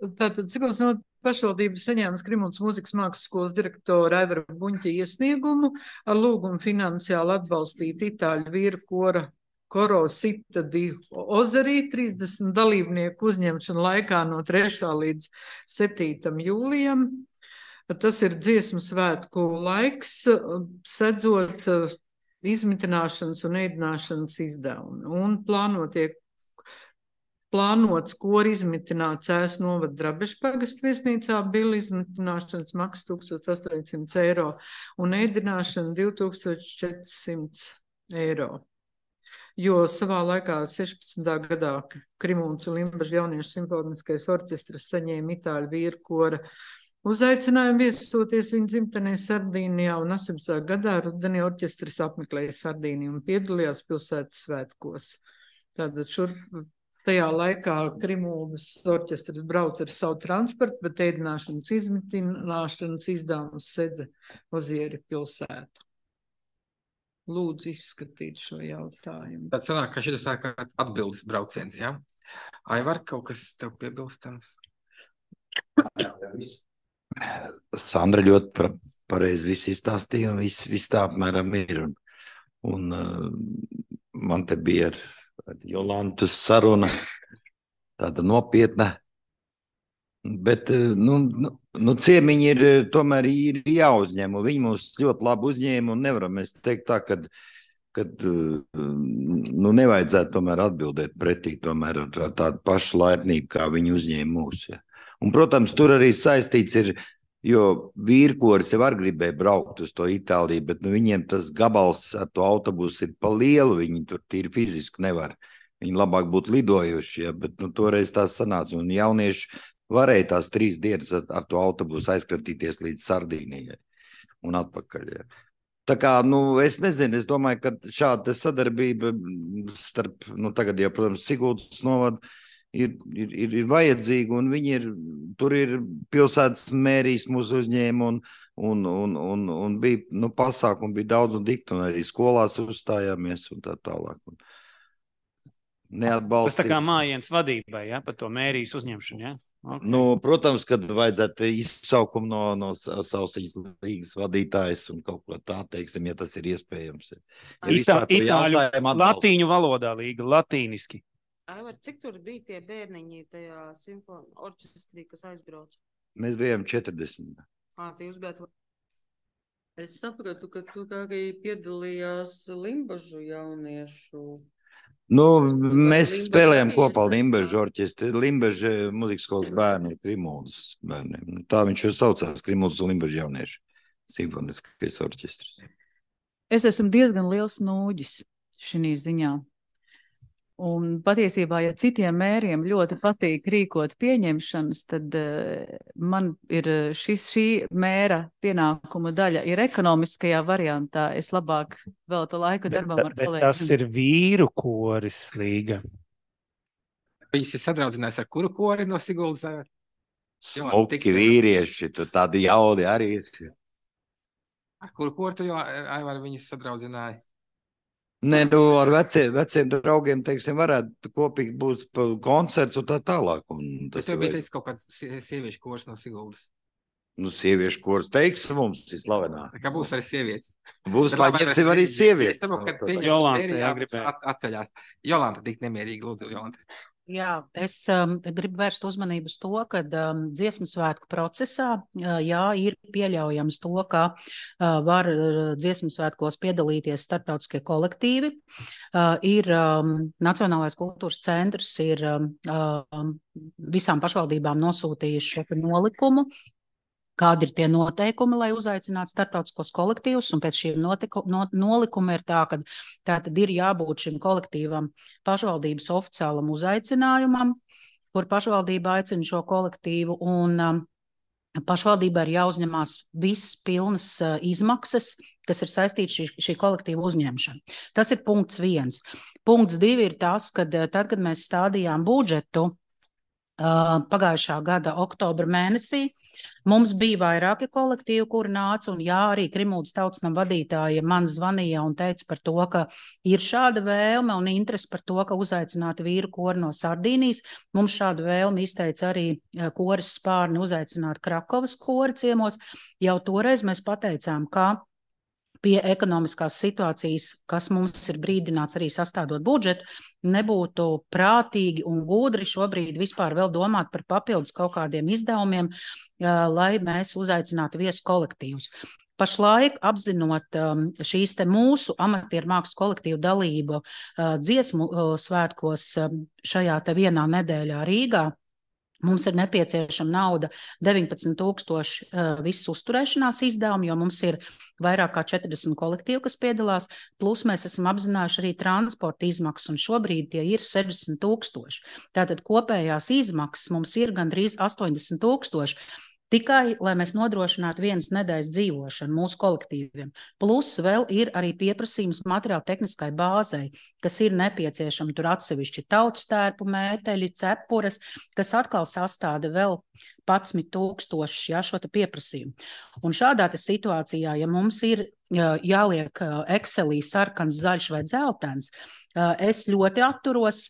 Tātad, cik mums no pašvaldības saņēmas Krimultas mūzikas mākslas skolas direktora Aivara Buņķa iesniegumu ar lūgumu finansiāli atbalstīt itāļu vīru kora Koro Sita di Ozerī trīsdesmit dalībnieku uzņemšanu laikā no trešā līdz septītam jūlijam. Tas ir dziesmu svētku laiks, sedzot izmitināšanas un ēdināšanas izdevumi. Un plānotiek Plānots kori izmitināt Cēs novada Drabešu pagastu viesnīcā, bila izmitināšanas maksa tūkstoš astoņsimt eiro un ēdināšana divi tūkstoši četri simti eiro. Jo savā laikā sešpadsmitā gadā Krimultas un Limbažu jauniešu simfoniskais orķestrs saņēma itāļu vīru kora Uzaicinājumu viesoties viņa dzimtenē Sardīnijā un astoņpadsmitajā gadā rudenī orķestris apmeklēja Sardīniju un piedalījās pilsētas svētkos. Tātad šur tajā laikā Krimuldas orķestris brauc ar savu transportu, bet ēdināšanas izmitināšanas izdevums sedza Ozieri pilsētu. Lūdzu izskatīt šo jautājumu. Tad sanāk, ka šis ir atbildes brauciens, jā? Ja? Aivar, kaut kas tev piebilstams? Sandra ļoti pareizi viss izstāstīja un viss, viss tā apmēram ir. Un, un uh, man te bija ar, ar Jolantu saruna tāda nopietna. Bet uh, nu, nu, nu, ciemiņi ir tomēr ir jāuzņem. Un viņi mums ļoti labi uzņēma un nevaram mēs teikt tā, kad, kad uh, nu, nevajadzētu tomēr atbildēt pretī tomēr ar, ar tādu pašu laipnību, kā viņi uzņēma mūs. Ja. Un, protams, tur arī saistīts ir, jo vīrkoris jau var gribēja braukt uz to Itāliju, bet nu, viņiem tas gabals ar to autobusu ir pa lielu, viņi tur tīri fiziski nevar. Viņi labāk būtu lidojuši, ja, bet nu, toreiz tās sanāca. Un jaunieši varēja tās trīs dienas ar, ar to autobusu aizkratīties līdz Sardīnijai un atpakaļ. Ja. Tā kā, nu, es nezinu, es domāju, ka šāda sadarbība starp, nu, tagad jau, protams, Siguldas novada, Ir, ir, ir, ir vajadzīga, un viņi ir, tur ir pilsētas mērijas mūsu uzņēma, un, un, un, un, un bija, nu, pasākumi bija daudz un dikti, un arī skolās uzstājāmies, un tā tālāk. Un neatbalstīt. Tas tā kā mājiens vadībai, ja, par to mērijas uzņemšanu, ja? Okay. Nu, protams, kad vajadzētu izsaukumu no, no Sausiņas līgas vadītājas un kaut ko tā, teiksim, ja tas ir iespējams. Ja Itā, itāļu, latīņu valodā līga, latīniski. Aivar, cik tur bija tie bērniņi tajā simfonu orķestrī, kas aizbrauc? Mēs bijām četrdesmit. Ā, tie jūs bijāt... Es sapratu, ka tu arī piedalījās Limbažu jauniešu... Nu, mēs Limbažu spēlējām kopā Limbažu orķestri. Limbažu muzikas skolas bērni ir Krimuldas bērniem. Tā viņš jau saucās, Krimuldas un Limbažu jauniešu simfoniskais orķestris. Es esmu diezgan liels nūģis šī ziņā. Un patiesībā, ja citiem mēriem ļoti patīk rīkot pieņemšanas, tad uh, man ir šis, šī mēra pienākuma daļa ir ekonomiskajā variantā. Es labāk veltu laiku darbam ar kolēģiem. Bet tas ir vīru koris līga. Viņas ir sadraudzinājis ar kuru kori no Siguldas? Smuki vīrieši, tu tādi jaudi arī ir. Ar kuru kori tu jau, Aivar, viņas sadraudzināji? Nē, nu, ar veciem, veciem draugiem, teiksim, varētu kopīgi būt koncerts un tā tālāk. Un tas Bet tev bija teicis kaut kāds sieviešu kors no Siguldas? Nu, sieviešu kors, teiksim, mums ir slavenā. Kā būs arī sievietes? Būs, paņemsim arī sievietes. Es saprotu, ka pieņem Jolanta, jā, gribēju. Atceļās. Jolanta tik nemierīgi, lūdzu, Jolanta. Jā, es um, gribu vērst uzmanību uz to, ka um, dziesmu svētku procesā, uh, jā, ir pieļaujams to, ka uh, var uh, dziesmu svētkos piedalīties starptautiskie kolektīvi. Uh, ir um, Nacionālais kultūras centrs, ir um, um, visām pašvaldībām nosūtījuši šo nolikumu, kādi ir tie noteikumi, lai uzaicinātu starptautiskos kolektīvus, un pēc šiem notiku, no, nolikuma ir tā, ka tā tad ir jābūt šim kolektīvam pašvaldības oficiālam uzaicinājumam, kur pašvaldība aicina šo kolektīvu, un um, pašvaldībai ir jāuzņemās viss pilnas uh, izmaksas, kas ir saistīts šī, šī kolektīva uzņemšana. Tas ir punkts viens. Punkts divi ir tas, kad tad, kad mēs stādījām budžetu uh, pagājušā gada oktobra mēnesī, mums bija vairāki kolektīvi, kuri nāca, un jā, arī Krimuldas tautsnama vadītāja man zvanīja un teica par to, ka ir šāda vēlme un interesi par to, ka uzaicinātu vīru kori no Sardīnijas. Mums šādu vēlmi izteica arī koris Spārni uzaicināt Krakovas kori ciemos. Jau toreiz mēs pateicām, ka pie ekonomiskās situācijas, kas mums ir brīdināts arī sastādot budžetu, nebūtu prātīgi un gudri šobrīd vispār vēl domāt par papildus kaut kādiem izdevumiem, lai mēs uzaicinātu viesu kolektīvus. Pašlaik, apzinot šīs te mūsu amatieru mākslas kolektīvu dalību dziesmu svētkos šajā te vienā nedēļā Rīgā, mums ir nepieciešama nauda deviņpadsmit tūkstoši uh, visu uzturēšanās izdevumu, jo mums ir vairāk kā četrdesmit kolektīvi, kas piedalās, plus mēs esam apzinājuši arī transporta izmaksas, un šobrīd tie ir sešdesmit tūkstoši. Tātad kopējās izmaksas mums ir gandrīz astoņdesmit tūkstoši. Tikai, lai mēs nodrošinātu vienas nedēļas dzīvošanu mūsu kolektīviem. Plus vēl ir arī pieprasījums materiāla tehniskai bāzei, kas ir nepieciešama tur atsevišķi tautstērpu mēteļi, cepures, kas atkal sastāda vēl padsmit tūkstošus, ja, šo te pieprasījumu. Un šādā te situācijā, ja mums ir jāliek Excelī sarkans, zaļš vai dzeltens, es ļoti atturos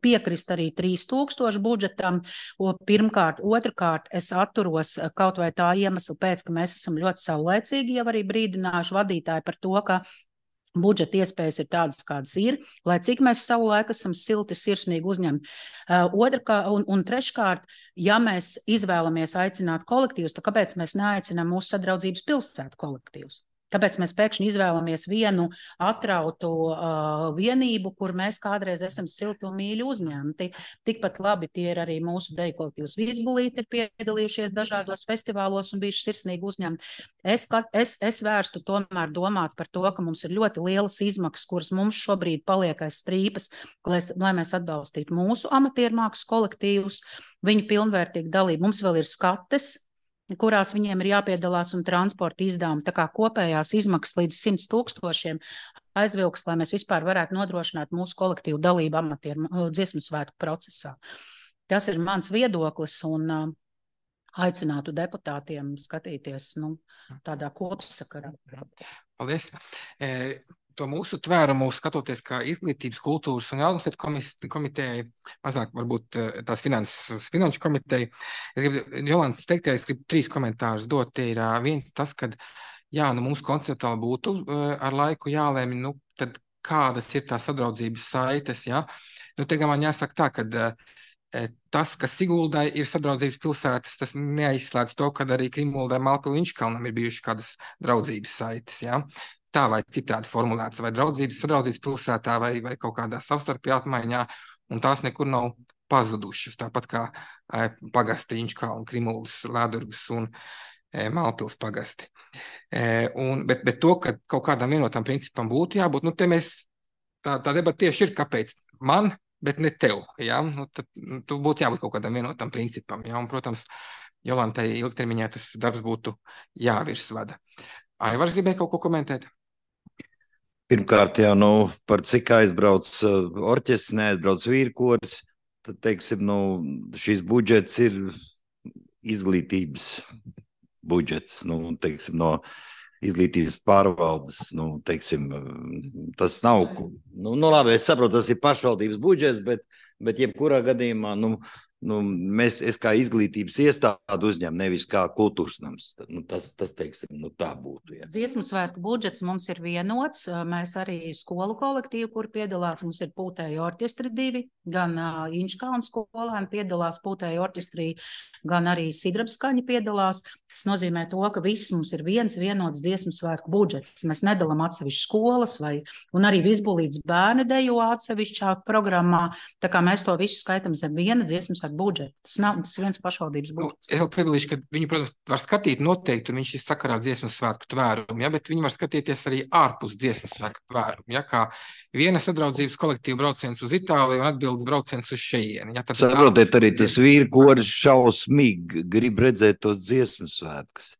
piekrist arī trīs tūkstoši budžetam. Pirmkārt, otrkārt, es atturos kaut vai tā iemesla pēc, ka mēs esam ļoti saulēcīgi jau arī brīdinājuši vadītāji par to, ka budžeta iespējas ir tādas, kādas ir, lai cik mēs savu laiku esam silti, sirsnīgi uzņemti. Otrkārt, un, un treškārt, ja mēs izvēlamies aicināt kolektīvus, tad kāpēc mēs neaicinām mūsu sadraudzības pilsētu kolektīvus? Kāpēc mēs pēkšņi izvēlamies vienu atrautu uh, vienību, kur mēs kādreiz esam silti un mīļi uzņemti? Tikpat labi tie ir arī mūsu deju kolektīvs Vizbulīti, ir piedalījušies dažādos festivālos un bijuši sirsnīgi uzņemti. Es, es, es vērstu tomēr domāt par to, ka mums ir ļoti lielas izmaksas, kuras mums šobrīd paliek aiz strīpas, lai, lai mēs atbalstītu mūsu amatiermākslas kolektīvus, viņu pilnvērtīgu dalību. Mums vēl ir skates, kurās viņiem ir jāpiedalās un transporta izdevumi. Tā kā kopējās izmaksas līdz simts tūkstošiem aizvilks, lai mēs vispār varētu nodrošināt mūsu kolektīvu dalību amatieru dziesmu svētku procesā. Tas ir mans viedoklis un uh, aicinātu deputātiem skatīties nu, tādā kopsakarā. Paldies. E To mūsu tvērumu skatoties kā izglītības, kultūras un jaunatnes komitejai, mazāk varbūt tās finanses, finanšu komiteja. Es gribu, Jolantas teiktajā, es gribu trīs komentārus dot. Tie ir viens tas, kad, jā, nu mums konceptuāli būtu ar laiku jālēmi, nu, tad kādas ir tās sadraudzības saites, jā. Nu, te gan man jāsaka tā, ka tas, kas Siguldai ir sadraudzības pilsētas, tas neaizslēdz to, kad arī Krimuldai, Malpilu, Inčkalnam ir bijuši kādas draudzības saites, jā. Tā vai citādi formulēts, vai draudzības, sadraudzības pilsētā, vai, vai kaut kādā savstarpējā apmaiņā, un tās nekur nav pazudušas, tāpat kā e, pagasti Inčkalna, Krimuldas, Lēdurgas un e, Malpils pagasti. E, un, bet, bet to, ka kaut kādam vienotam principam būtu jābūt, nu te mēs, tā, tā debata tieši ir, kāpēc man, bet ne tev, jā, nu tad nu, tu būtu jābūt kaut kādam vienotam principam, jā, un, protams, Jolantai ilgtermiņā tas darbs būtu jāvirsvada. Aivars gribēja kaut ko komentēt? Pirmkārt, jau nu, par cik aizbrauc uh, orķestris, neaizbrauc vīrkoris, tad, teiksim, nu, šis budžets ir izglītības budžets, nu, teiksim, no izglītības pārvaldes, nu, teiksim, tas nav, nu, nu labi, es saprotu, tas ir pašvaldības budžets, bet, bet jebkurā gadījumā, nu, nu, mēs, es kā izglītības iestādu uzņem, nevis kā kultūras nams. Nu, tas, tas, teiksim, nu, tā būtu. Jā. Dziesmu svētku budžets mums ir vienots. Mēs arī skolu kolektīvu, kur piedalās, mums ir Pūtēju orķestri divi, gan uh, Inčkalna skolēni piedalās Pūtēju orķestrī, gan arī Sidrabskaņi piedalās. Tas nozīmē to, ka viss mums ir viens vienots dziesmu svētku budžets. Mēs nedalām atsevišķi skolas, vai, un arī Vizbulītes bērni dejo atsevišķā programmā. Tā kā mēs to visu skaitam zem viena dziesmu svētku budžetu. Tas nav, tas ir viens pašvaldības budžets. Nu, es vēl piebilīšu, ka viņi, protams, var skatīt noteikti, un viņš ir sakarā ar dziesmu svētku tvērumu, ja, bet viņi var skatīties arī ārpus dziesmu svētku tvērumu, ja, kā viena sadraudzības kolektīva brauciens uz Itāliju un atbildes brauciens uz šejieni. Ja, saprotiet, arī tas vīrkoris šausmīgi grib redzēt tos dziesmu svētkus.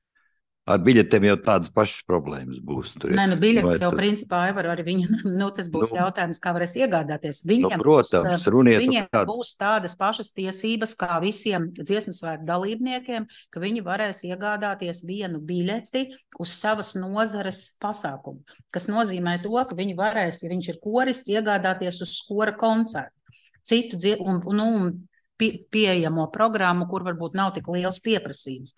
Ar biļetēm jau tādas pašas problēmas būs. Tur, Nē, nu biļetes jau tur... principā Aivar arī viņa, nu tas būs nu, jautājums, kā varēs iegādāties. Viņiem, nu, protams, runiet, viņiem kād... būs tādas pašas tiesības kā visiem dziesmu svētku dalībniekiem, ka viņi varēs iegādāties vienu biļeti uz savas nozares pasākumu, kas nozīmē to, ka viņi varēs, ja viņš ir korists, iegādāties uz skora koncertu. Citu un, un, un pie, pieejamo programmu, kur varbūt nav tik liels pieprasījums.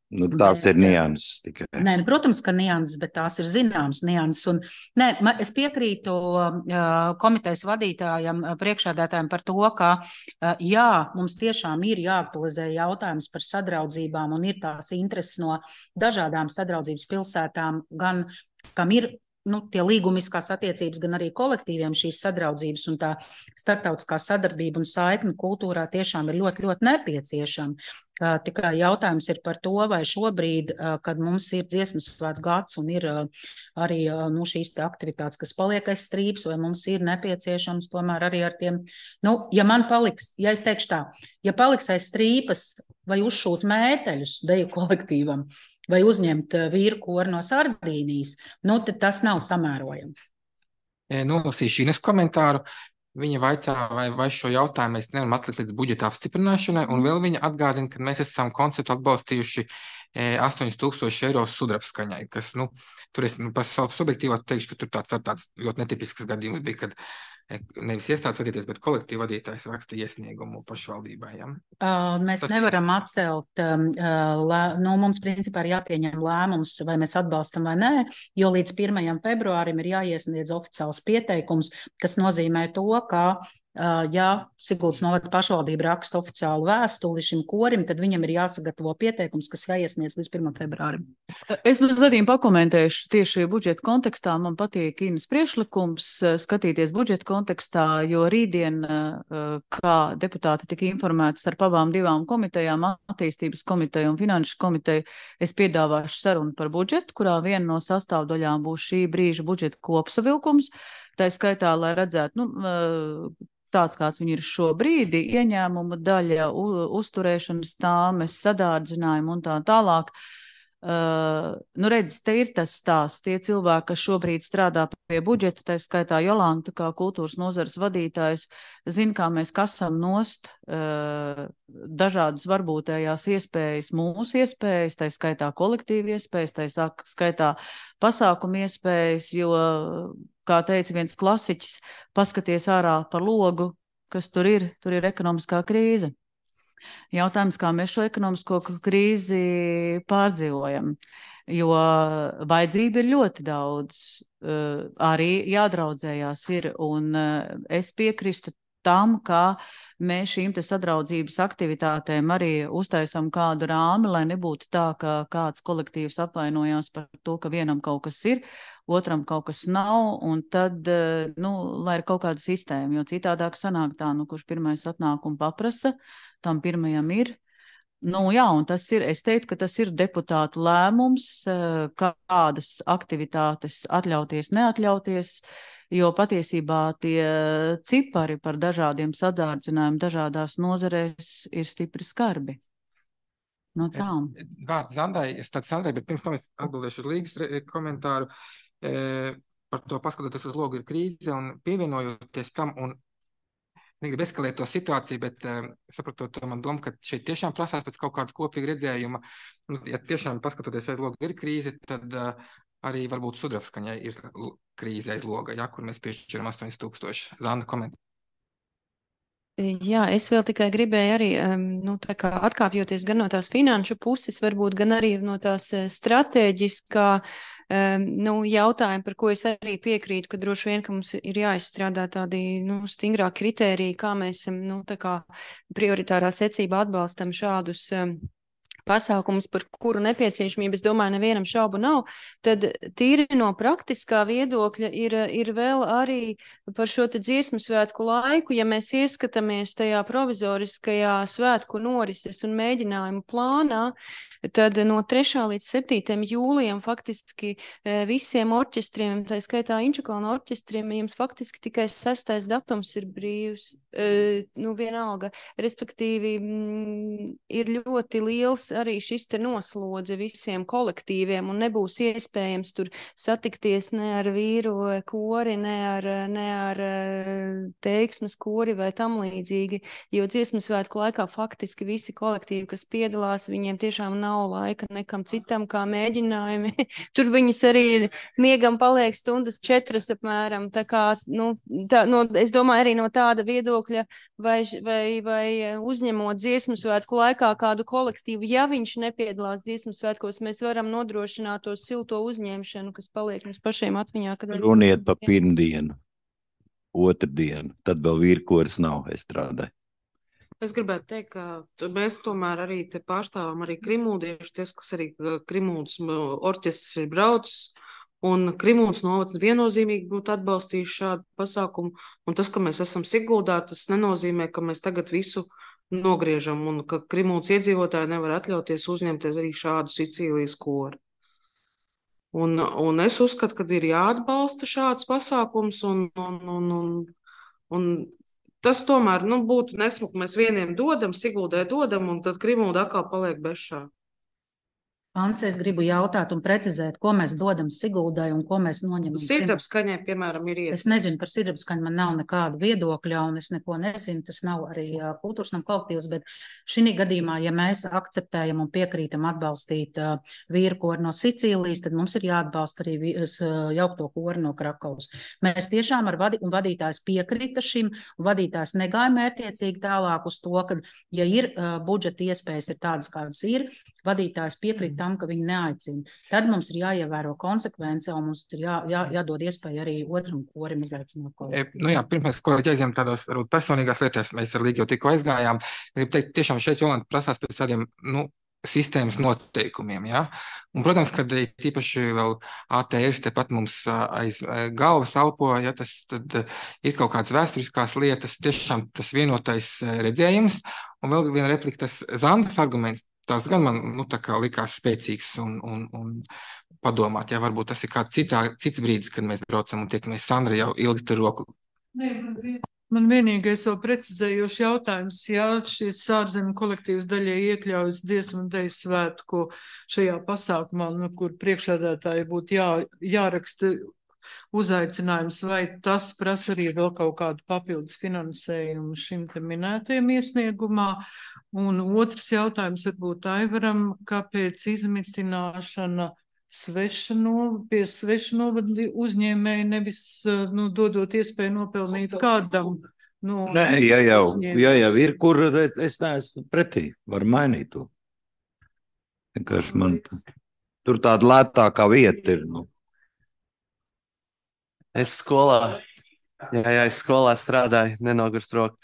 Nu, tās bet, ir nianses tikai. Nē, protams, ka nianses, bet tās ir zināmas nianses. Un, nē, es piekrītu uh, komitejas vadītājam, priekšādātājam par to, ka uh, jā, mums tiešām ir jāaktualizē jautājums par sadraudzībām un ir tās intereses no dažādām sadraudzības pilsētām, gan kam ir nu, tie līgumiskās attiecības, gan arī kolektīviem šīs sadraudzības un tā starptautiskā sadarbība un saikne kultūrā tiešām ir ļoti, ļoti nepieciešama. Tikai jautājums ir par to, vai šobrīd, kad mums ir dziesmu svētku gads un ir arī nu, šīs te aktivitātes, kas paliek aiz strīpas, vai mums ir nepieciešams tomēr arī ar tiem, nu, ja man paliks, ja es teikšu tā, ja paliks aiz strīpas vai uzšūt mēteļus deju kolektīvam, vai uzņemt vīru koru no Sardīnijas, nu, tad tas nav samērojams. Nolasīšu Ines komentāru. Viņa vaicā, vai, vai šo jautājumu mēs nevaram atlikt līdz budžeta apstiprināšanai, un vēl viņa atgādina, ka mēs esam konceptu atbalstījuši astoņus tūkstošus eiro sudrabskaņai, kas, nu, tur es nu, par savu subjektīvo teikšu, ka tur tāds, tāds ļoti netipisks gadījums bija, kad nevis iestādes vadītājs, bet kolektīva vadītājs raksta iesniegumu pašvaldībai. Ja? Uh, mēs Tas... nevaram atcelt, um, uh, lē, nu, mums principā ir jāpieņem lēmums, vai mēs atbalstam vai nē, jo līdz pirmajam februārim ir jāiesniedz oficiāls pieteikums, kas nozīmē to, ka Uh, ja Siguldas novada pašvaldība raksta oficiālu vēstuli šim korim, tad viņam ir jāsagatavo pieteikums, kas jāiesniedz līdz pirmajam februārim. Es mazliet pakomentēšu tieši budžeta kontekstā. Man patīk Ines priekšlikums skatīties budžeta kontekstā, jo rītdien, kā deputāti tika informēti starp abām divām komitejām, attīstības komiteju un finanšu komiteju, es piedāvāšu sarunu par budžetu, kurā viena no sastāvdaļām būs šī brīža budžeta kopsavilkums. Tā skaitā, lai redzētu, nu, tāds, kāds viņi ir šobrīd, ieņēmuma daļa, uzturēšanas tāmes, sadārdzinājumu un tā tālāk. Uh, nu redz, te ir tas stāsts. Tie cilvēki, kas šobrīd strādā pie budžeta, tā skaitā Jolanta, kā kultūras nozares vadītājs, zina, kā mēs kasam nost uh, dažādas varbūtējās iespējas, mūsu iespējas, tā skaitā kolektīvi iespējas, tā skaitā pasākumu iespējas, jo, kā teica viens klasiķis, paskaties ārā par logu, kas tur ir, tur ir ekonomiskā krīze. Jautājums, kā mēs šo ekonomisko krīzi pārdzīvojam, jo vajadzība ir ļoti daudz, arī jādraudzējās ir, un es piekristu tam, ka mēs šīm te sadraudzības aktivitātēm arī uztaisam kādu rāmi, lai nebūtu tā, ka kāds kolektīvs apvainojās par to, ka vienam kaut kas ir, otram kaut kas nav, un tad, nu, lai ir kaut kāda sistēma, jo citādāk sanāk tā, nu, kurš pirmais atnāk un paprasa, tam pirmajam ir. Nu, jā, un tas ir, es teiktu, ka tas ir deputātu lēmums, kādas aktivitātes atļauties, neatļauties, jo patiesībā tie cipari par dažādiem sadārdzinājumiem dažādās nozarēs ir stipri skarbi. No tām. Vārds Zandai, es tad Sandai, bet pirms tam es atbildēšu uz Līgas komentāru. E, par to paskatoties uz logu ir krīze un pievienojoties tam un negribu eskalēt to situāciju, bet uh, saprotot to man domu, ka šeit tiešām prasās pēc kaut kāda kopīga redzējuma. Nu, ja tiešām paskatoties, vai loga ir krīze, tad uh, arī varbūt Sudrabskaņai ir krīze aiz loga, ja, kur mēs piešķiram astoņus tūkstoši. Zana, komentē. Jā, es vēl tikai gribēju arī, um, nu, tā kā atkāpjoties gan no tās finanšu puses, varbūt gan arī no tās stratēģiskā Um, nu, jautājumi, par ko es arī piekrītu, ka droši vien, ka mums ir jāizstrādā tādi nu, stingrāk kritēriji, kā mēs nu, tā kā prioritārā secībā atbalstam šādus um, pasākumus, par kuru nepieciešamību, es domāju, nevienam šaubu nav, tad tīri no praktiskā viedokļa ir, ir vēl arī par šo te dziesmu svētku laiku, ja mēs ieskatāmies tajā provizoriskajā svētku norises un mēģinājumu plānā, tad no trešā līdz septītajam jūlijam faktiski visiem orķestriem, tā skaitā Inčukalna orķestriem, jums faktiski tikai sestais datums ir brīvs, nu vienalga, respektīvi m, ir ļoti liels arī šis te noslodze visiem kolektīviem un nebūs iespējams tur satikties ne ar vīru kori, ne ar, ne ar teiksmes kori vai tam līdzīgi, jo dziesmu svētku laikā faktiski visi kolektīvi, kas piedalās, viņiem tiešām nav laika nekam citam kā mēģinājumi. Tur viņas arī miegam paliek stundas četras apmēram. Tā kā, nu, tā, no, es domāju arī no tāda viedokļa, vai, vai, vai uzņemot dziesmu svētku laikā kādu kolektīvu, ja viņš nepiedalās dziesmu svētkos, mēs varam nodrošināt to silto uzņemšanu, kas paliek mums pašiem atmiņā. Runiet pa pirmdienu, otrdienu, tad vēl vīrkoris nav estrādē. Es gribētu teikt, ka mēs tomēr arī te pārstāvam arī krimūdieši, ties, kas arī Krimūdas orķestris ir braucis, un Krimūdas novada viennozīmīgi būtu atbalstījuši šādu pasākumu, un tas, ka mēs esam Siguldā, tas nenozīmē, ka mēs tagad visu nogriežam, un ka Krimūdas iedzīvotāji nevar atļauties uzņemties arī šādu Sicīlijas koru. Un, un es uzskatu, ka ir jāatbalsta šāds pasākums, un, un, un, un, un tas tomēr, nu, būtu nesmuki, mēs vieniem dodam, Siguldai dodam, un tad Krimulda atkal paliek bešā. Ants, es gribu jautāt un precizēt, ko mēs dodam Siguldai un ko mēs noņemam. Sidrabskaņai, piemēram, ir iet. Es nezinu par sidrabskaņu, man nav nekāda viedokļa, un es neko nezinu, tas nav arī uh, kultūras nam kolektīvs, bet šī gadījumā, ja mēs akceptējam un piekrītam atbalstīt uh, vīru koru no Sicīlijas, tad mums ir jāatbalsta arī vīras, uh, jaukto koru no Krakovas. Mēs tiešām ar vadi, un vadītājs piekrita šim, un vadītājs negāja mērķiecīgi tālāk uz to, ka, ja ir uh, budžeta iespējas ir tādas, kādas ir, vadītājs piekrīt tam, ka viņi neaicina. Tad mums ir jāievēro konsekvence, un mums ir jā, jā, jādod iespēja arī otram korim izaicināt kolēģi. E, nu jā, pirms mēs kolēģi aizjām tādos varbūt personīgās lietās, mēs ar Līgu jau tikko aizgājām. Es gribu teikt, tiešām šeit Jolanta prasās pēc tādiem, nu, sistēmas noteikumiem, jā. Un, protams, kad tīpaši vēl A T R tepat mums aiz galvas alpo, ja tas tad ir kaut kādas vēsturiskās lietas, tiešām tas vienotais redzējums. Un vēl viena replika, tas Zandas arguments, tās gan man, nu, tā kā likās spēcīgs un, un, un padomāt, ja varbūt tas ir kāds citā, cits brīdis, kad mēs braucam un tiekamies. Sandra jau ilgi tur roku. Nē, man vienīgais vēl precizējošs jautājums, ja šis ārzemju kolektīvs daļai iekļaujas dziesmu un deju svētku šajā pasākumā, nu, kur priekšsēdētāji būtu jā, jāraksta uzaicinājums, vai tas prasa arī vēl kaut kādu papildus finansējumu šim te minētajam iesniegumā. Un otrs jautājums varbūt Aivaram, kāpēc izmitināšana svešano, pie svešanovadu uzņēmēji nevis, nu, dodot iespēju nopelnīt kādam. Nu, Nē, ja jau, ja jau ir, kur es neesmu pretī, var mainīt to. Vienkārši man tur tāda lētākā vieta ir, nu. Es skolā, jā, jā, es skolā strādāju, nenogurst roku.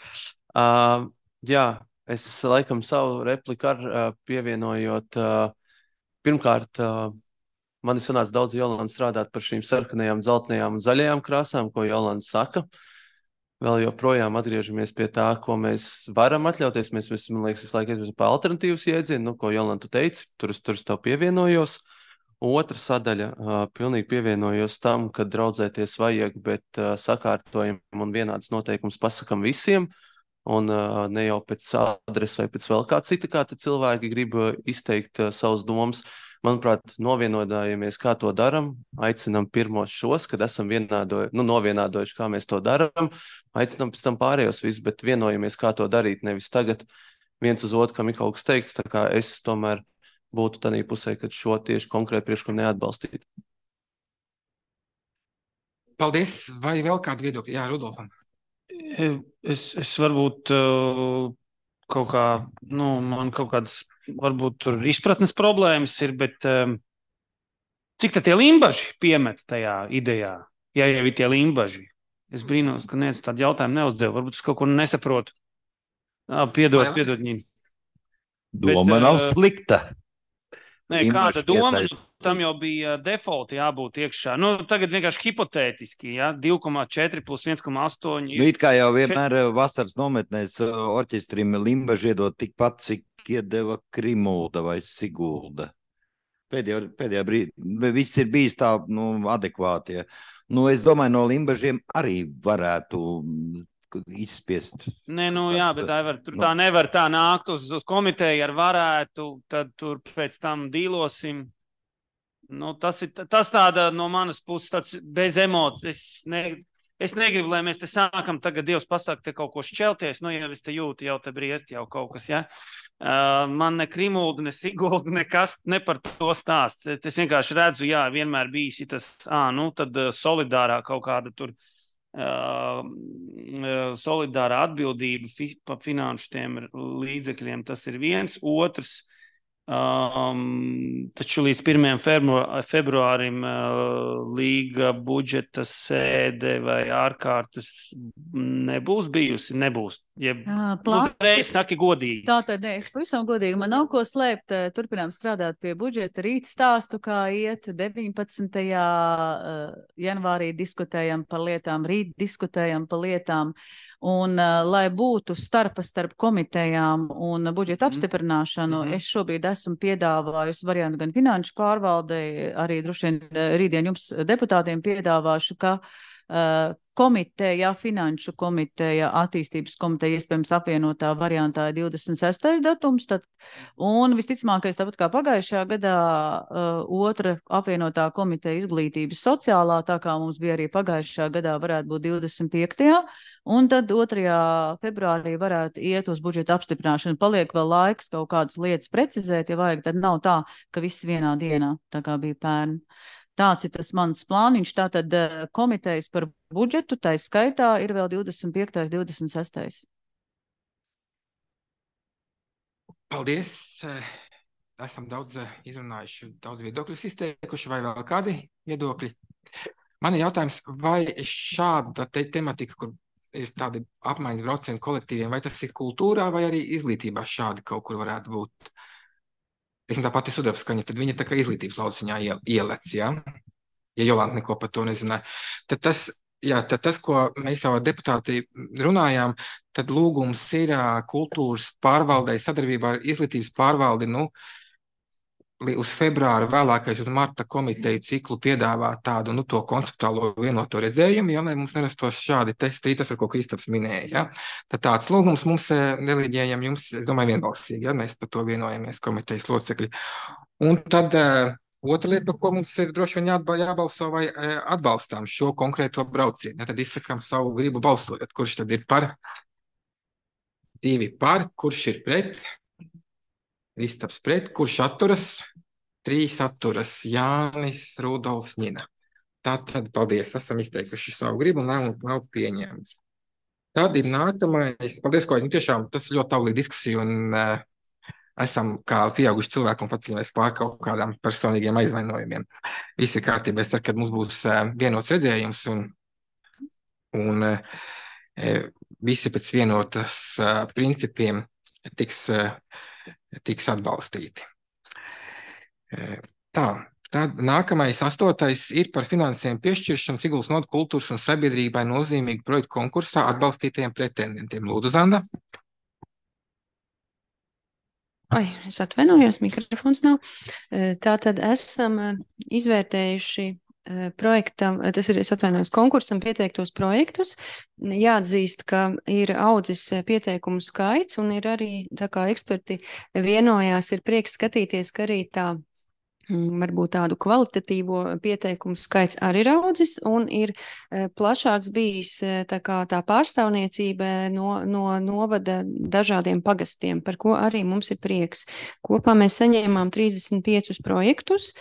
Uh, jā, es laikam savu repliku ar uh, pievienojot. Uh, pirmkārt, uh, man ir sanāca daudz Jolanta strādāt par šīm sarkanajām, dzeltenajām un zaļajām krāsām, ko Jolanta saka. Vēl joprojām atgriežamies pie tā, ko mēs varam atļauties. Mēs, mēs man liekas, visu laiku esam par alternatīvas iedzienu, nu, ko Jolanta teici, tur es tur es tev pievienojos. Otra sadaļa, uh, pilnīgi pievienojos tam, ka draudzēties vajag, bet uh, sakārtojam un vienāds noteikums pasakam visiem, un uh, ne jau pēc adres vai pēc vēl kā cita, kā te cilvēki grib izteikt uh, savus domas. Manuprāt, novienodājamies, kā to daram, aicinam pirmos šos, kad esam vienādojuši, nu, novienādojuši, kā mēs to daram, aicinam pēc tam pārējos visus, bet vienojamies, kā to darīt, nevis tagad viens uz otru, kam ir kaut kas teikts, tā kā es tomēr būtu tādā pusē, kad šo tieši konkrēti priekšlikumu neatbalstīt. Paldies. Vai vēl kādu viedokļu? Jā, Rudolfam. Es, es varbūt uh, kaut kā, nu, man kaut kādas, varbūt tur izpratnes problēmas ir, bet um, cik tad tie limbaži piemet tajā idejā? Ja jau ir tie limbaži. Es brīnos, ka neviens tādu jautājumu neuzdev. Varbūt es kaut ko nesaprotu. Ah, piedod, piedod, Ņini. Doma bet, nav uh, slikta. Nē, kāda doma, tam jau bija default jābūt iekšā. Nu, tagad vienkārši hipotētiski, ja, divi komā četri plus viens komā astoņi. Nu, it kā jau vienmēr vasaras nometnēs orķestrim limbaži iedot tikpat, cik iedeva Krimulda vai Sigulda. Pēdējā, pēdējā brīdī, viss ir bijis tā, nu, adekvāti. Ja. Nu, es domāju, no limbažiem arī varētu izspiest. Nē, nu jā, bet tā, var, tur tā nevar tā nākt uz, uz komiteju ar varētu, tad tur pēc tam dīlosim. Nu, tas ir tas tāda no manas puses tāds bez emocijas. Es, ne, es negribu, lai mēs te sākam tagad Dievs pasaka te kaut ko šķelties, nu, ja es te jūtu, jau te briest jau kaut kas, ja. Uh, man ne Krimulda, ne Sigulda, nekas, ne par to stāsts. Es, es vienkārši redzu, jā, vienmēr bijis tas, ā, nu, tad solidārā kaut kāda tur Uh, solidārā atbildība fi, pa finanšu tiem līdzekļiem, tas ir viens. Otrs, um, taču līdz pirmajam februārim uh, līga budžeta sēde vai ārkārtas nebūs bijusi, nebūs. Jeb, uzreiz saki godīgi. Tā tad, ne, es pavisam godīgi, man nav ko slēpt, turpinām strādāt pie budžeta, rīt stāstu, kā iet, deviņpadsmitajā janvārī diskutējam par lietām, rīt diskutējam par lietām, un lai būtu starpa starp komitejām un budžeta apstiprināšanu, mm-hmm. es šobrīd esmu piedāvājusi variantu gan finanšu pārvaldei, arī droši vien rītdien jums deputātiem piedāvāšu, ka komiteja, finanšu komiteja, attīstības komiteja, iespējams apvienotā variantā ir divdesmit sestais datums, tad, un visticamākais, tāpat kā pagājušajā gadā, otra apvienotā komiteja izglītības sociālā, tā kā mums bija arī pagājušajā gadā, varētu būt divdesmit piektajā un tad otrajā februārī varētu iet uz budžeta apstiprināšanu. Paliek vēl laiks kaut kādas lietas precizēt, ja vajag, tad nav tā, ka viss vienā dienā, tā kā bija pērn. Tāds ir tas mans plāniņš, tātad komitejas par budžetu, tai skaitā ir vēl divdesmit piektais, divdesmit sestais Paldies! Esam daudz izrunājuši, daudz viedokļus izteikuši, vai vēl kādi viedokļi? Man ir jautājums, vai šāda te tematika, kur ir tādi apmaiņas braucienu kolektīviem, vai tas ir kultūrā, vai arī izglītībā šādi kaut kur varētu būt? Tā pati sudrabskaņa, tad viņa tā kā izglītības lauciņā ielec, ja? Ja Jolanta neko par to nezināja. Tad tas, jā, tad tas, ko mēs jau deputāti runājām, tad lūgums ir kultūras pārvaldei sadarbībā ar izglītības pārvaldi, nu, uz februāra vēlākais uz marta komiteju ciklu piedāvā tādu, nu, to konceptuālo vienoto redzējumu, ja, lai mums nerastos šādi testi, tas, ar ko Kristaps minēja, ja. Tad tāds lūgums mums neliģējam jums, es domāju, vienbalsīgi, ja, mēs par to vienojamies komitejas locekļi. Un tad uh, otra lieta, par ko mums ir droši vien jābalso, vai uh, atbalstām šo konkrēto braucienu, ja, tad izsakām savu gribu balsojot, kurš tad ir par, divi par, kurš ir pret, Kristaps pret, kurš atturas, trīs atturas, Jānis, Rudolfs, Nina. Tātad, paldies, esam izteikuši savu gribu un nav, nav pieņemts. Tad ir nākamais, paldies, ko, nu tiešām tas ir ļoti auglīga diskusija un uh, esam kā pieauguši cilvēki un paceļamies pār kaut kādām personīgiem aizvainojumiem. Viss ir kārtībā, es ceru, kad mums būs uh, vienots redzējums un, un uh, visi pēc vienotas uh, principiem tiks uh, tiks atbalstīti. Tā, tad nākamais astotais ir par finansējumu piešķiršanu Siguldas novads kultūras un sabiedrībai nozīmīgu projektu konkursā atbalstītajiem pretendentiem. Lūdzu, Zanda. Ai, es atvainojos, mikrofons nav. Tātad esam izvērtējuši projektam, tas ir, es atvainojos, konkursam pieteiktos projektus. Jāatzīst, ka ir audzis pieteikumu skaits un ir arī, tā kā eksperti vienojās, ir prieks skatīties, ka arī tā varbūt tādu kvalitatīvo pieteikumu skaits arī ir audzis un ir plašāks bijis tā kā tā pārstāvniecība no, no novada dažādiem pagastiem, par ko arī mums ir prieks. Kopā mēs saņēmām trīsdesmit piecus projektus.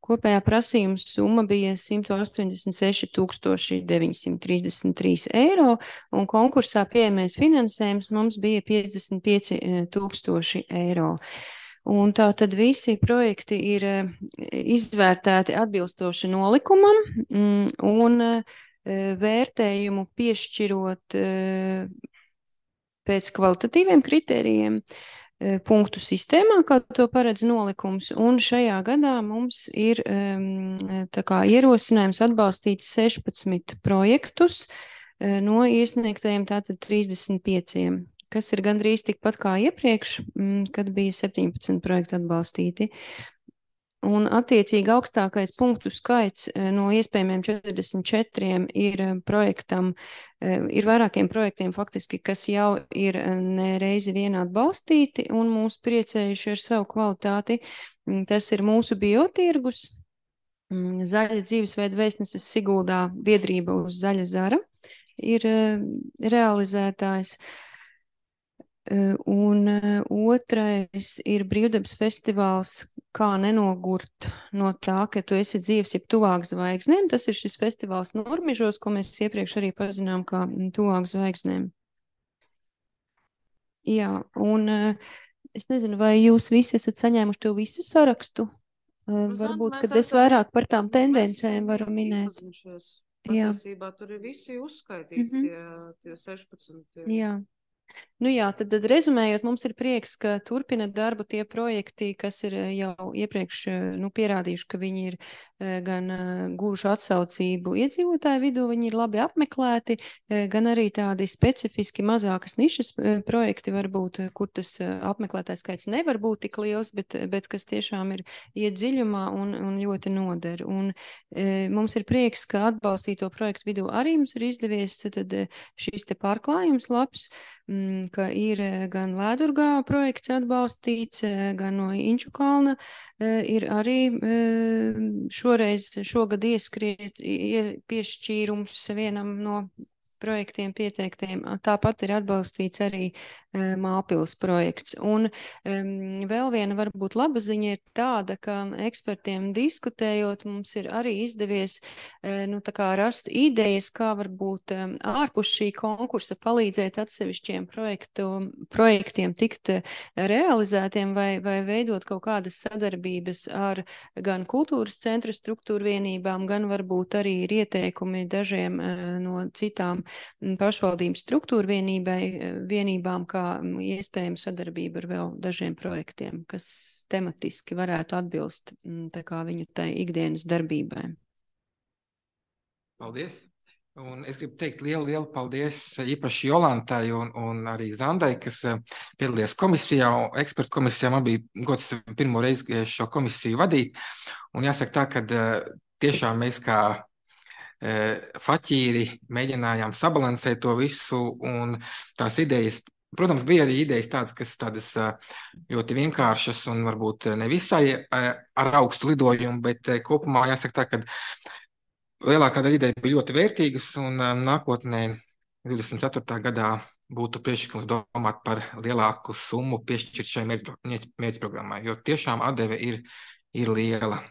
Kopējā prasījuma summa bija simt astoņdesmit seši tūkstoši deviņsimt trīsdesmit trīs eiro, un konkursā pieejamais finansējums mums bija piecdesmit pieci tūkstoši eiro. Un tā tad visi projekti ir izvērtēti atbilstoši nolikumam un vērtējumu piešķirot pēc kvalitatīviem kritērijiem punktu sistēmā, kā to paredz nolikums, un šajā gadā mums ir tā kā ierosinājums atbalstīt sešpadsmit projektus no iesniegtajiem tātad trīsdesmit pieciem, kas ir gandrīz tikpat kā iepriekš, kad bija septiņpadsmit projekti atbalstīti. Un attiecīgi augstākais punktu skaits no iespējamiem četrdesmit četriem ir projektam, ir vairākiem projektiem faktiski, kas jau ir ne reizi vien atbalstīti un mūs priecējuši ar savu kvalitāti. Tas ir mūsu biotirgus, Zaļa dzīvesveida vēstneses Siguldā biedrība uz zaļa zara ir realizētājs. Un otrais ir brīvdabas festivāls Kā nenogurt no tā, ka tu esi dzīves, jeb tuvāk zvaigznēm. Tas ir šis festivāls Nurmižos, ko mēs iepriekš arī pazinām kā tuvāk zvaigznēm. Jā, un es nezinu, vai jūs visi esat saņēmuši to visu sarakstu? Varbūt, kad es vairāk par tām tendencēm varu minēt. Patiesībā tur ir visi uzskaitīti, mm-hmm. tie, tie sešpadsmit. Jā. Nu jā, tad, tad rezumējot, mums ir prieks, ka turpina darbu tie projekti, kas ir jau iepriekš nu, pierādījuši, ka viņi ir gan guvuši atsaucību iedzīvotāju vidū, viņi ir labi apmeklēti, gan arī tādi specifiski mazākas nišas projekti varbūt, kur tas apmeklētājs skaits nevar būt tik liels, bet, bet kas tiešām ir iet dziļumā un, un ļoti noder. Un e, mums ir prieks, ka atbalstīto projektu vidū arī mums ir izdevies tad šīs te pārklājums labs, ka ir gan Lēdurgā projekts atbalstīts, gan no Inču kalna ir arī šoreiz, šogad ieskriet piešķīrums vienam no projektiem pieteiktiem. Tāpat ir atbalstīts arī Māpils projekts. Un um, vēl viena varbūt laba ziņa ir tāda, ka ekspertiem diskutējot mums ir arī izdevies uh, nu, tā kā rast idejas, kā varbūt um, ārpus šī konkursa palīdzēt atsevišķiem projektu, projektiem tikt realizētiem vai, vai veidot kaut kādas sadarbības ar gan kultūras centra struktūra vienībām, gan varbūt arī ir ieteikumi dažiem uh, no citām pašvaldības struktūra vienībai, vienībām, kā iespējama sadarbība ar vēl dažiem projektiem, kas tematiski varētu atbilst tā kā viņu tai ikdienas darbībai. Paldies! Un es gribu teikt lielu, lielu paldies īpaši Jolantai un, un arī Zandai, kas piedalījās komisijā, ekspertu komisijā. Man bija gods pirmo reizi šo komisiju vadīt. Un jāsaka tā, ka tiešām mēs kā faķīri mēģinājām sabalansēt to visu, un tās idejas, protams, bija arī idejas tādas, kas tādas ļoti vienkāršas un varbūt ne visai ar augstu lidojumu, bet kopumā jāsaka tā, ka lielākā daļa ideja bija ļoti vērtīgas, un nākotnē divdesmit ceturtajā gadā būtu priekšlikums domāt par lielāku summu piešķirt šai mērķprogrammai, jo tiešām atdeve ir, ir liela.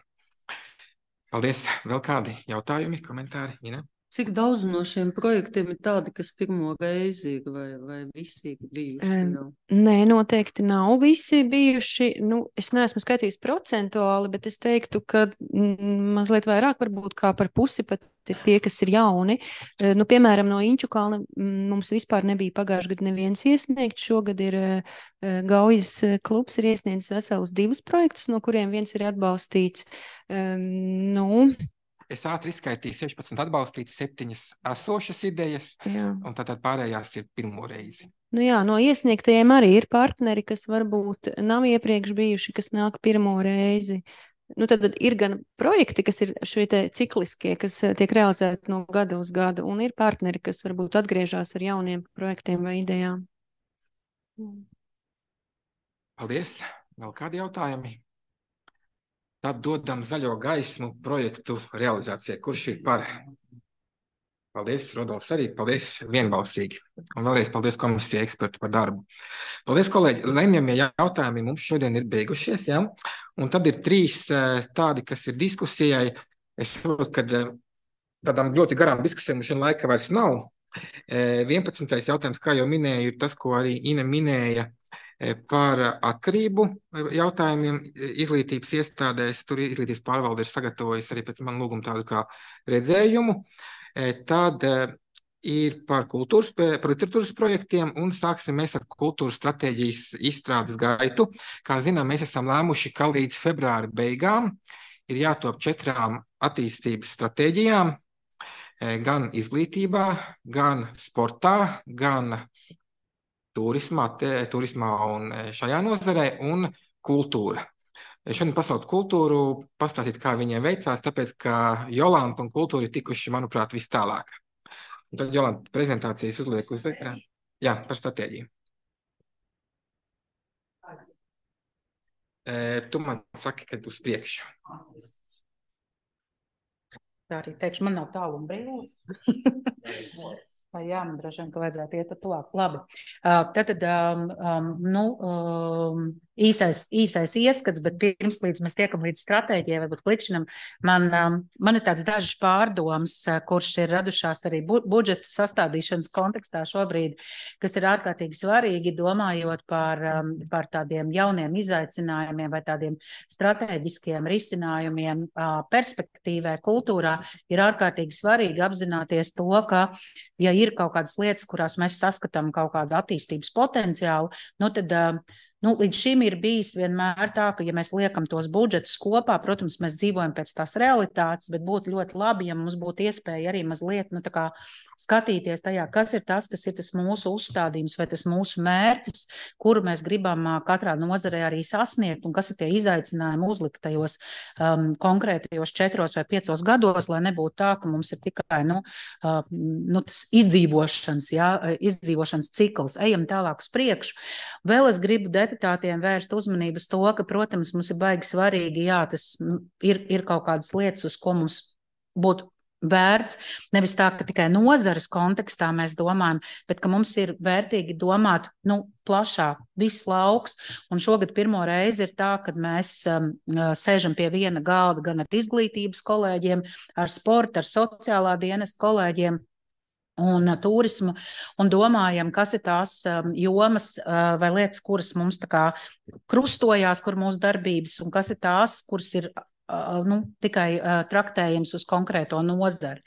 Paldies. Vēl kādi jautājumi, komentāri? Ina? Cik daudz no šiem projektiem ir tādi, kas pirmo reizi ir vai, vai visi ir bijuši jau? Nē, noteikti nav visi bijuši. Nu, es neesmu skatījis procentuāli, bet es teiktu, ka mazliet vairāk varbūt kā par pusi pat ir tie, kas ir jauni. Nu, piemēram, no Inču kalna mums vispār nebija pagājuši gadu neviens iesniegts. Šogad ir Gaujas klubs ir iesniedzis vesels divus projektus, no kuriem viens ir atbalstīts. Um, nu, Es ātri izskaitīju sešpadsmit atbalstītas, septiņas esošas idejas, jā. Un tātad pārējās ir pirmo reizi. Nu jā, no iesniegtajiem arī ir partneri, kas varbūt nav iepriekš bijuši, kas nāk pirmo reizi. Nu, tad ir gan projekti, kas ir šie te cikliskie, kas tiek realizēti no gada uz gadu, un ir partneri, kas varbūt atgriežās ar jauniem projektiem vai idejām. Paldies! Vēl kādi jautājumi? Tad dodam zaļo gaismu projektu realizācijai. Kurš ir par? Paldies, Rodolfs arī. Paldies vienbalsīgi. Un vēlreiz paldies komisijai ekspertu par darbu. Paldies, kolēģi. Lemjamie jautājumi mums šodien ir beigušies, ja? Un tad ir trīs tādi, kas ir diskusijai. Es saprotu, ka tādām ļoti garām diskusijām šodien laika vairs nav. vienpadsmitais jautājums, kā jau minēju, ir tas, ko arī Ina minēja, par atkarību jautājumiem izglītības iestādēs. Tur izglītības pārvalde ir sagatavojusi arī pēc man lūguma tādu kā redzējumu. Tad ir par kultūras, par literatūras projektiem, un sāksim mēs ar kultūras stratēģijas izstrādes gaitu. Kā zinām, mēs esam lēmuši, ka līdz februāra beigām ir jātop četrām attīstības stratēģijām, gan izglītībā, gan sportā, gan turismā, te, turismā un šajā nozarē, un kultūra. Šodien pasauc kultūru, pastāstīt, kā viņiem veicās, tāpēc, ka Jolanta un kultūra ir tikuši, manuprāt, vis tālāk. Un tad Jolanta prezentācijas uzliek uz ekrāna. Jā, par stratēģiju. E, tu man saki, kad uz priekšu. Tā arī teikšu, man nav tālu un brīvs. Vai jā, man droši vien, ka vajadzētu iet tuvāk. Labi. Uh, Tātad, um, um, nu, um, īsais, īsais ieskats, bet pirms līdz mēs tiekam līdz stratēģijai, varbūt klikšķinam, man, man ir tāds dažas pārdomas, kurš ir radušās arī bu budžeta sastādīšanas kontekstā šobrīd, kas ir ārkārtīgi svarīgi, domājot par, par tādiem jauniem izaicinājumiem vai tādiem stratēģiskiem risinājumiem perspektīvē, kultūrā, ir ārkārtīgi svarīgi apzināties to, ka, ja ir kaut kādas lietas, kurās mēs saskatām kaut kādu attīstības potenciālu, nu tad Nu, līdz šim ir bijis vienmēr tā, ka, ja mēs liekam tos budžetus kopā, protams, mēs dzīvojam pēc tās realitātes, bet būtu ļoti labi, ja mums būtu iespēja arī mazliet nu, tā kā skatīties tajā, kas ir tas, kas ir tas mūsu uzstādījums vai tas mūsu mērķis, kuru mēs gribam katrā nozarē arī sasniegt, un kas ir tie izaicinājumi uzliktajos um, konkrētajos četros vai piecos gados, lai nebūtu tā, ka mums ir tikai nu, uh, nu, tas izdzīvošanas, jā, izdzīvošanas cikls. Ejam tālāk uz priekšu. Vēl es gribu deputātiem vērst uzmanību uz to, ka, protams, mums ir baigi svarīgi, jā, tas ir, ir kaut kādas lietas, uz ko mums būtu vērts, nevis tā, ka tikai nozares kontekstā mēs domājam, bet ka mums ir vērtīgi domāt, nu, plašāk, viss lauks, un šogad pirmo reizi ir tā, kad mēs um, sēžam pie viena galda gan ar izglītības kolēģiem, ar sporta, ar sociālā dienesta kolēģiem, un uh, turismu, un domājam, kas ir tās um, jomas uh, vai lietas, kuras mums tā kā krustojās, kur mūsu darbības, un kas ir tās, kuras ir uh, nu, tikai uh, traktējums uz konkrēto nozari.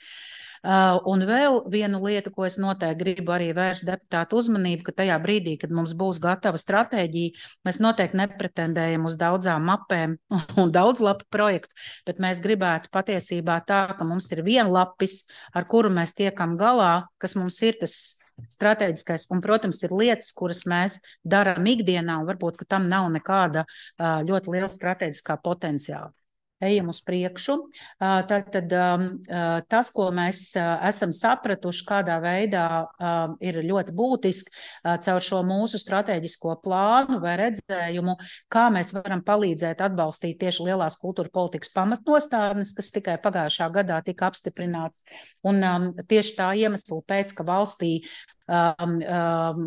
Uh, un vēl vienu lietu, ko es noteikti gribu arī vērst deputātu uzmanību, ka tajā brīdī, kad mums būs gatava stratēģija, mēs noteikti nepretendējam uz daudzām mapēm un daudz lapu projektu, bet mēs gribētu patiesībā tā, ka mums ir vienlapis, ar kuru mēs tiekam galā, kas mums ir tas stratēģiskais, un, protams, ir lietas, kuras mēs darām ikdienā, un varbūt, ka tam nav nekāda uh, ļoti liela stratēģiskā potenciāla. Ejam uz priekšu. Tad, tad tas, ko mēs esam sapratuši, kādā veidā ir ļoti būtiski caur šo mūsu strateģisko plānu vai redzējumu, kā mēs varam palīdzēt atbalstīt tieši lielās kultūra politikas pamatnostādnes, kas tikai pagājušā gadā tika apstiprināts. Un tieši tā iemesla pēc, ka valstī Um, um,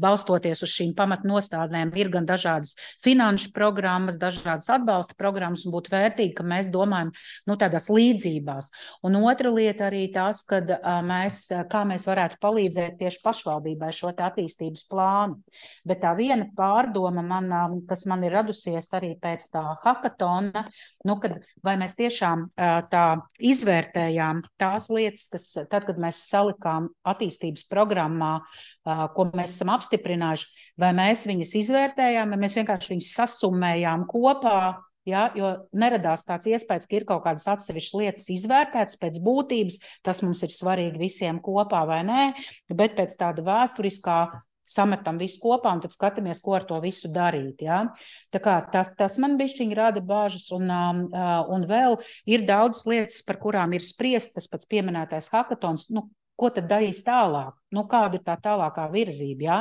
balstoties uz šīm pamatnostādnēm, ir gan dažādas finanšu programmas, dažādas atbalsta programmas, un būtu vērtīgi, ka mēs domājam nu, tādās līdzībās. Un otra lieta arī tas, kad uh, mēs, kā mēs varētu palīdzēt tieši pašvaldībai šo attīstības plānu. Bet tā viena pārdoma, man, kas man ir radusies arī pēc tā hakatona, nu, kad vai mēs tiešām uh, tā izvērtējām tās lietas, kas tad, kad mēs salikām attīstības programmu, ko mēs esam apstiprinājuši, vai mēs viņas izvērtējām, vai mēs vienkārši viņas sasummējām kopā, ja, jo neradās tāds iespējas, ka ir kaut kādas atsevišķas lietas izvērtētas pēc būtības, tas mums ir svarīgi visiem kopā vai nē, bet pēc tāda vēsturiskā sametam visu kopā un tad skatāmies, ko ar to visu darīt. Ja? Tā kā tas, tas man bišķiņi rada bāžas un, un vēl ir daudz lietas, par kurām ir spriest, tas pats pieminētais hakatons, nu, ko tad darīs tālāk? Nu, kāda ir tā tālākā virzība? Ja?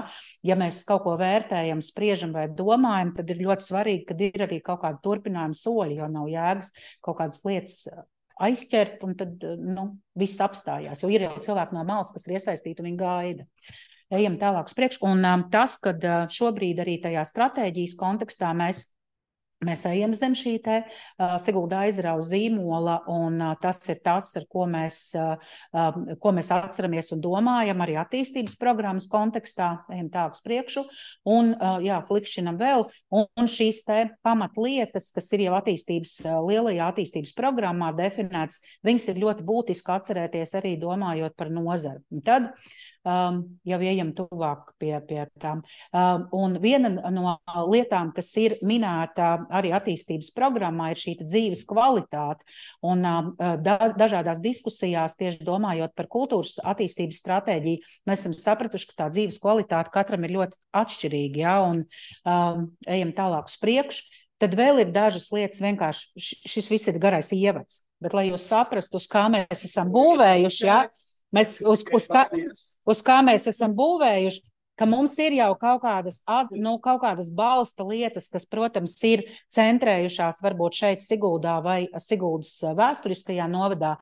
Ja mēs kaut ko vērtējam, spriežam vai domājam, tad ir ļoti svarīgi, kad ir arī kaut kāda turpinājuma soļi, jo nav jēgas kaut kādas lietas aizķert un tad nu, viss apstājās. Jo ir jau cilvēki no malas, kas ir iesaistīti un viņi gaida. Ejam tālāk uz priekšu. Un um, tas, kad uh, šobrīd arī tajā stratēģijas kontekstā mēs Mēs ejam zem šī te uh, Sigulda aizrauga zīmola, un uh, tas ir tas, ar ko mēs, uh, uh, ko mēs atceramies un domājam arī attīstības programmas kontekstā. Ejam tālāk uz priekšu, un uh, jā, klikšķinam vēl, un, un šīs te pamatlietas, kas ir jau attīstības, uh, lielajā attīstības programmā definētas, viņas ir ļoti būtiski atcerēties arī domājot par nozari. Un tad Um, jau ejam tuvāk pie, pie tām. Um, un viena no lietām, kas ir minēta arī attīstības programmā, ir šī dzīves kvalitāte. Un um, da, dažādās diskusijās, tieši domājot par kultūras attīstības stratēģiju, mēs esam sapratuši, ka tā dzīves kvalitāte katram ir ļoti atšķirīga, ja? Un um, ejam tālāk uz priekšu. Tad vēl ir dažas lietas, vienkārši šis viss ir garais ievads. Bet, lai jūs saprastu, uz kā mēs esam būvējuši, ja? Mēs uz, uz, kā, uz kā mēs esam būvējuši, ka mums ir jau kaut kādas, nu, kaut kādas balsta lietas, kas, protams, ir centrējušās varbūt šeit Siguldā vai Siguldas vēsturiskajā novadā,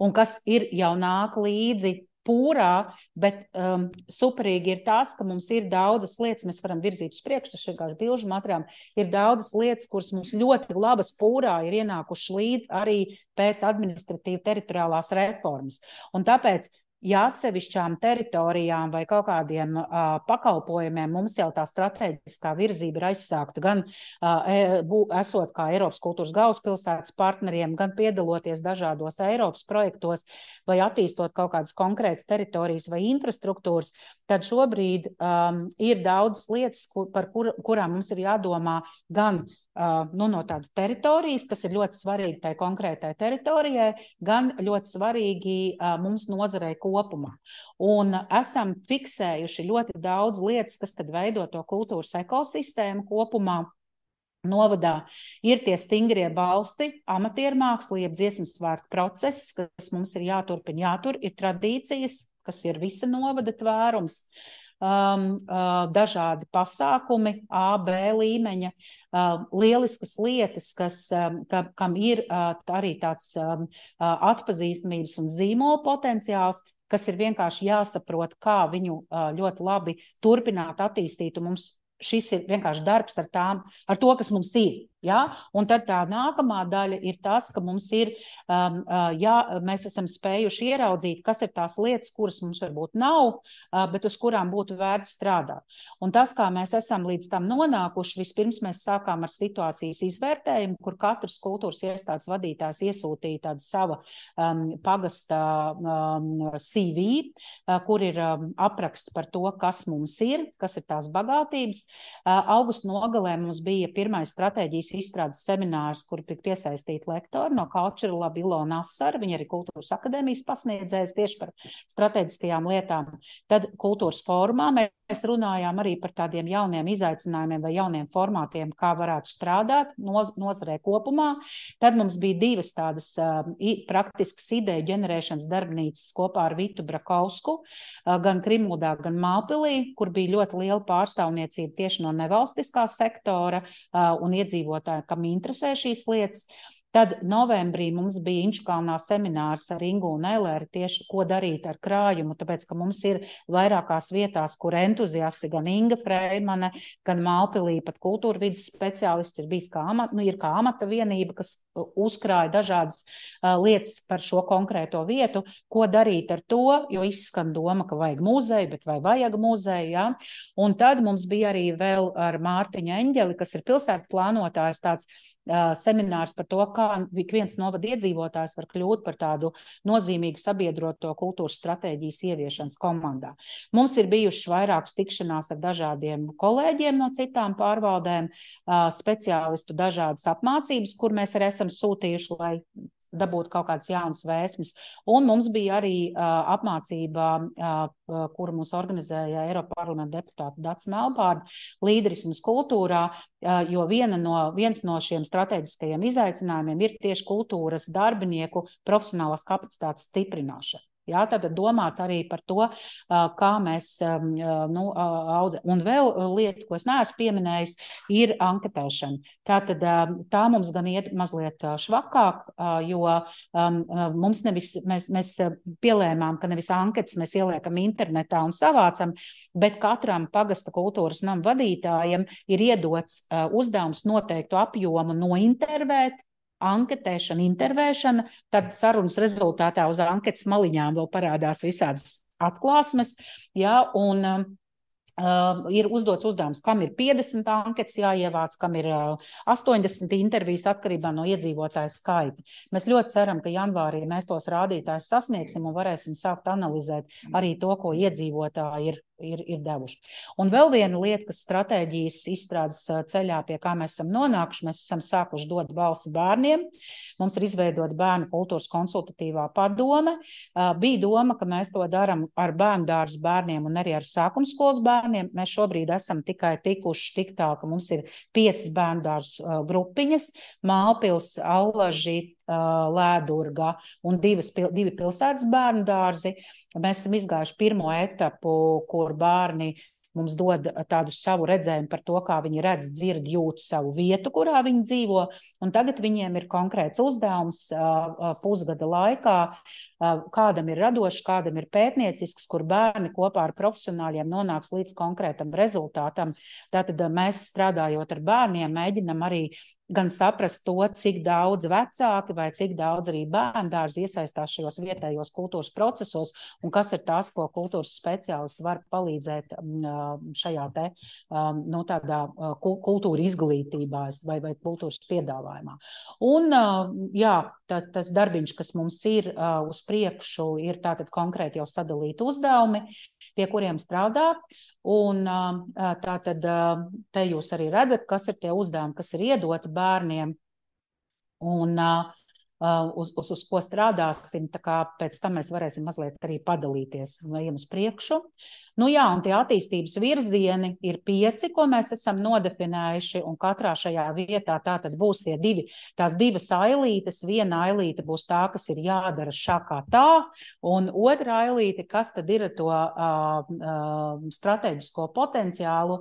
un kas ir jau nāk līdzi pūrā, bet um, superīgi ir tas, ka mums ir daudzas lietas, mēs varam virzīt uz priekšu, tas vienkārši bilžu materiāli, ir daudzas lietas, kuras mums ļoti labas pūrā ir ienākuši līdz arī pēc administratīva teritoriālās reformas. Un tāpēc, ja atsevišķām teritorijām vai kaut kādiem uh, pakalpojumiem mums jau tā strateģiskā virzība ir aizsākta, gan uh, bū, esot kā Eiropas kultūras galvaspilsētas partneriem, gan piedaloties dažādos Eiropas projektos vai attīstot kaut kādas konkrētas teritorijas vai infrastruktūras, tad šobrīd um, ir daudzas lietas, kur, par kur, kurām mums ir jādomā gan Uh, nu, no tādas teritorijas, kas ir ļoti svarīgi tai konkrētai teritorijai, gan ļoti svarīgi uh, mums nozarei kopumā. Un esam fiksējuši ļoti daudz lietas, kas tad veido to kultūras ekosistēmu kopumā. Novadā ir tie stingrie balsti, amatiermāksla, jeb dziesmu svētku process, kas mums ir jāturpina, jātur, ir tradīcijas, kas ir visa novada tvērums. Um, uh, dažādi pasākumi, A, B līmeņa, uh, lieliskas lietas, kas, um, ka, kam ir uh, arī tāds um, uh, atpazīstamības un zīmola potenciāls, kas ir vienkārši jāsaprot, kā viņu uh, ļoti labi turpināt attīstīt, un mums šis ir vienkārši darbs ar tām, ar to, kas mums ir. Ja? Un tad tā nākamā daļa ir tas, ka mums ir, um, uh, jā, mēs esam spējuši ieraudzīt, kas ir tās lietas, kuras mums varbūt nav, uh, bet uz kurām būtu vērts strādāt. Un tas, kā mēs esam līdz tam nonākuši, vispirms mēs sākām ar situācijas izvērtējumu, kur katrs kultūras iestādes vadītājs iesūtīja tādu sava um, pagasta um, C V, uh, kur ir um, apraksts par to, kas mums ir, kas ir tās bagātības. Uh, augusta nogalē mums bija pirmais stratēģijas izstrādes seminārs, kur tika piesaistīti lektori no Culture Lab Ilona Asara, viņa arī kultūras akadēmijas pasniedzējs tieši par strateģiskajām lietām. Tad kultūras fórumā mēs runājām arī par tādiem jauniem izaicinājumiem vai jauniem formātiem, kā varētu strādāt noz nozarē kopumā. Tad mums bija divas tādas uh, praktiskas ideju ģenerēšanas darbnīcas kopā ar Vitu Brakovsku, uh, gan Krimuldā, gan Mālpilī, kur bija ļoti liela pārstāvniecība tieši no nevalstiskā sektora uh, un iedzīvotāju, kam interesē šīs lietas. Tad novembrī mums bija Inčukalnā seminārs ar Ingu un Elēru tieši, ko darīt ar krājumu, tāpēc, ka mums ir vairākās vietās, kur entuziasti, gan Inga Freimane, gan Mālpilī, pat kultūra vidas speciālists ir bijis kā amata, nu, ir kā amata vienība, kas uzkrāja dažādas uh, lietas par šo konkrēto vietu, ko darīt ar to, jo izskan doma, ka vajag muzeju, bet vai vajag muzeju, ja? Un tad mums bija arī vēl ar Mārtiņu Eņģeli, kas ir pilsētu plānotājs, tāds uh, seminārs par to, kā ik viens novada iedzīvotājs var kļūt par tādu nozīmīgu sabiedroto kultūras stratēģijas ieviešanas komandā. Mums ir bijušas vairākas tikšanās ar dažādiem kolēģiem no citām pārvaldēm, uh, speciālistu dažādas apmācības, kur mēs arī esam sūtījuši, lai dabūt kaut kādas jaunas vēsmes. Un mums bija arī uh, apmācība, uh, kuru mums organizēja Eiropa parlamenta deputāta Dats Melbārda, līderismas kultūrā, uh, jo viena no, viens no šiem strateģiskajiem izaicinājumiem ir tieši kultūras darbinieku profesionālās kapacitātes stiprināšana. Jā, tad domāt arī par to, kā mēs nu, audzē. Un vēl lieta, ko es neesmu pieminējis, ir anketēšana. Tātad tā mums gan iet mazliet švakāk, jo mums nevis, mēs, mēs pielēmām, ka nevis anketas mēs ieliekam internetā un savācam, bet katram pagasta kultūras nama vadītājiem ir iedots uzdevums noteiktu apjomu nointervēt, anketēšana, intervēšana, tad sarunas rezultātā uz anketas maliņām vēl parādās visādas atklāsmes, jā, un uh, ir uzdots uzdevums, kam ir piecdesmit anketas jāievāc, kam ir uh, astoņdesmit intervijas atkarībā no iedzīvotāju skaita. Mēs ļoti ceram, ka janvārī mēs tos rādītājus sasniegsim un varēsim sākt analizēt arī to, ko iedzīvotāji ir Ir, ir devuši. Un vēl viena lieta, kas stratēģijas izstrādes ceļā, pie kā mēs esam nonākuši, mēs esam sākuši dot balsi bērniem. Mums ir izveidota bērnu kultūras konsultatīvā padome. Bija doma, ka mēs to daram ar bērnu dārzu bērniem un arī ar sākumskolas bērniem. Mēs šobrīd esam tikai tikuši tik tā, ka mums ir piecas bērnu dārzu grupiņas, Mālpils, Allaži, Lēdurga un divas, divi pilsētas bērnu dārzi. Mēs esam izgājuši pirmo etapu, kur bērni mums dod tādu savu redzējumu par to, kā viņi redz, dzird, jūt savu vietu, kurā viņi dzīvo, un tagad viņiem ir konkrēts uzdevums pusgada laikā, kādam ir radošs, kādam ir pētniecisks, kur bērni kopā ar profesionāļiem nonāks līdz konkrētam rezultātam. Tātad mēs strādājot ar bērniem, mēģinam arī gan saprast to, cik daudz vecāki vai cik daudz arī bērndārzi iesaistās šajos vietējos kultūras procesos un kas ir tās, ko kultūras speciālisti var palīdzēt šajā te, nu, tādā kultūra izglītībā vai, vai kultūras piedāvājumā. Un, jā, tā, tas darbiņš, kas mums ir uz priekšu, ir tātad konkrēti jau sadalīti uzdevumi, pie kuriem strādā. Un tātad te jūs arī redzat, kas ir tie uzdevumi, kas ir iedoti bērniem un uz, uz, uz ko strādāsim, tā kā pēc tam mēs varēsim mazliet arī padalīties un ejam uz priekšu. Nu jā, un tie attīstības virzieni ir pieci, ko mēs esam nodefinējuši, un katrā šajā vietā tātad būs tie divi, tās divas ailītes. Viena ailīte būs tā, kas ir jādara šā kā tā, un otra ailīte, kas tad ir to uh, uh, strateģisko potenciālu,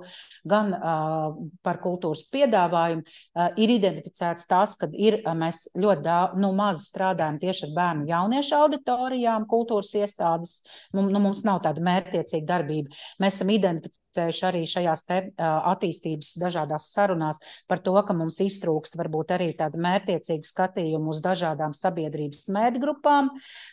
gan uh, par kultūras piedāvājumu, uh, ir identificēts tas, kad ir, uh, mēs ļoti daudz, nu, maz strādājam tieši ar bērnu jauniešu auditorijām, kultūras iestādes, nu, mums nav tāda mērķtiecīga darba. Mēs esam identificējuši arī šajās te attīstības dažādās sarunās par to, ka mums iztrūkst varbūt arī tāda mērķtiecīga skatījuma uz dažādām sabiedrības mērķgrupām,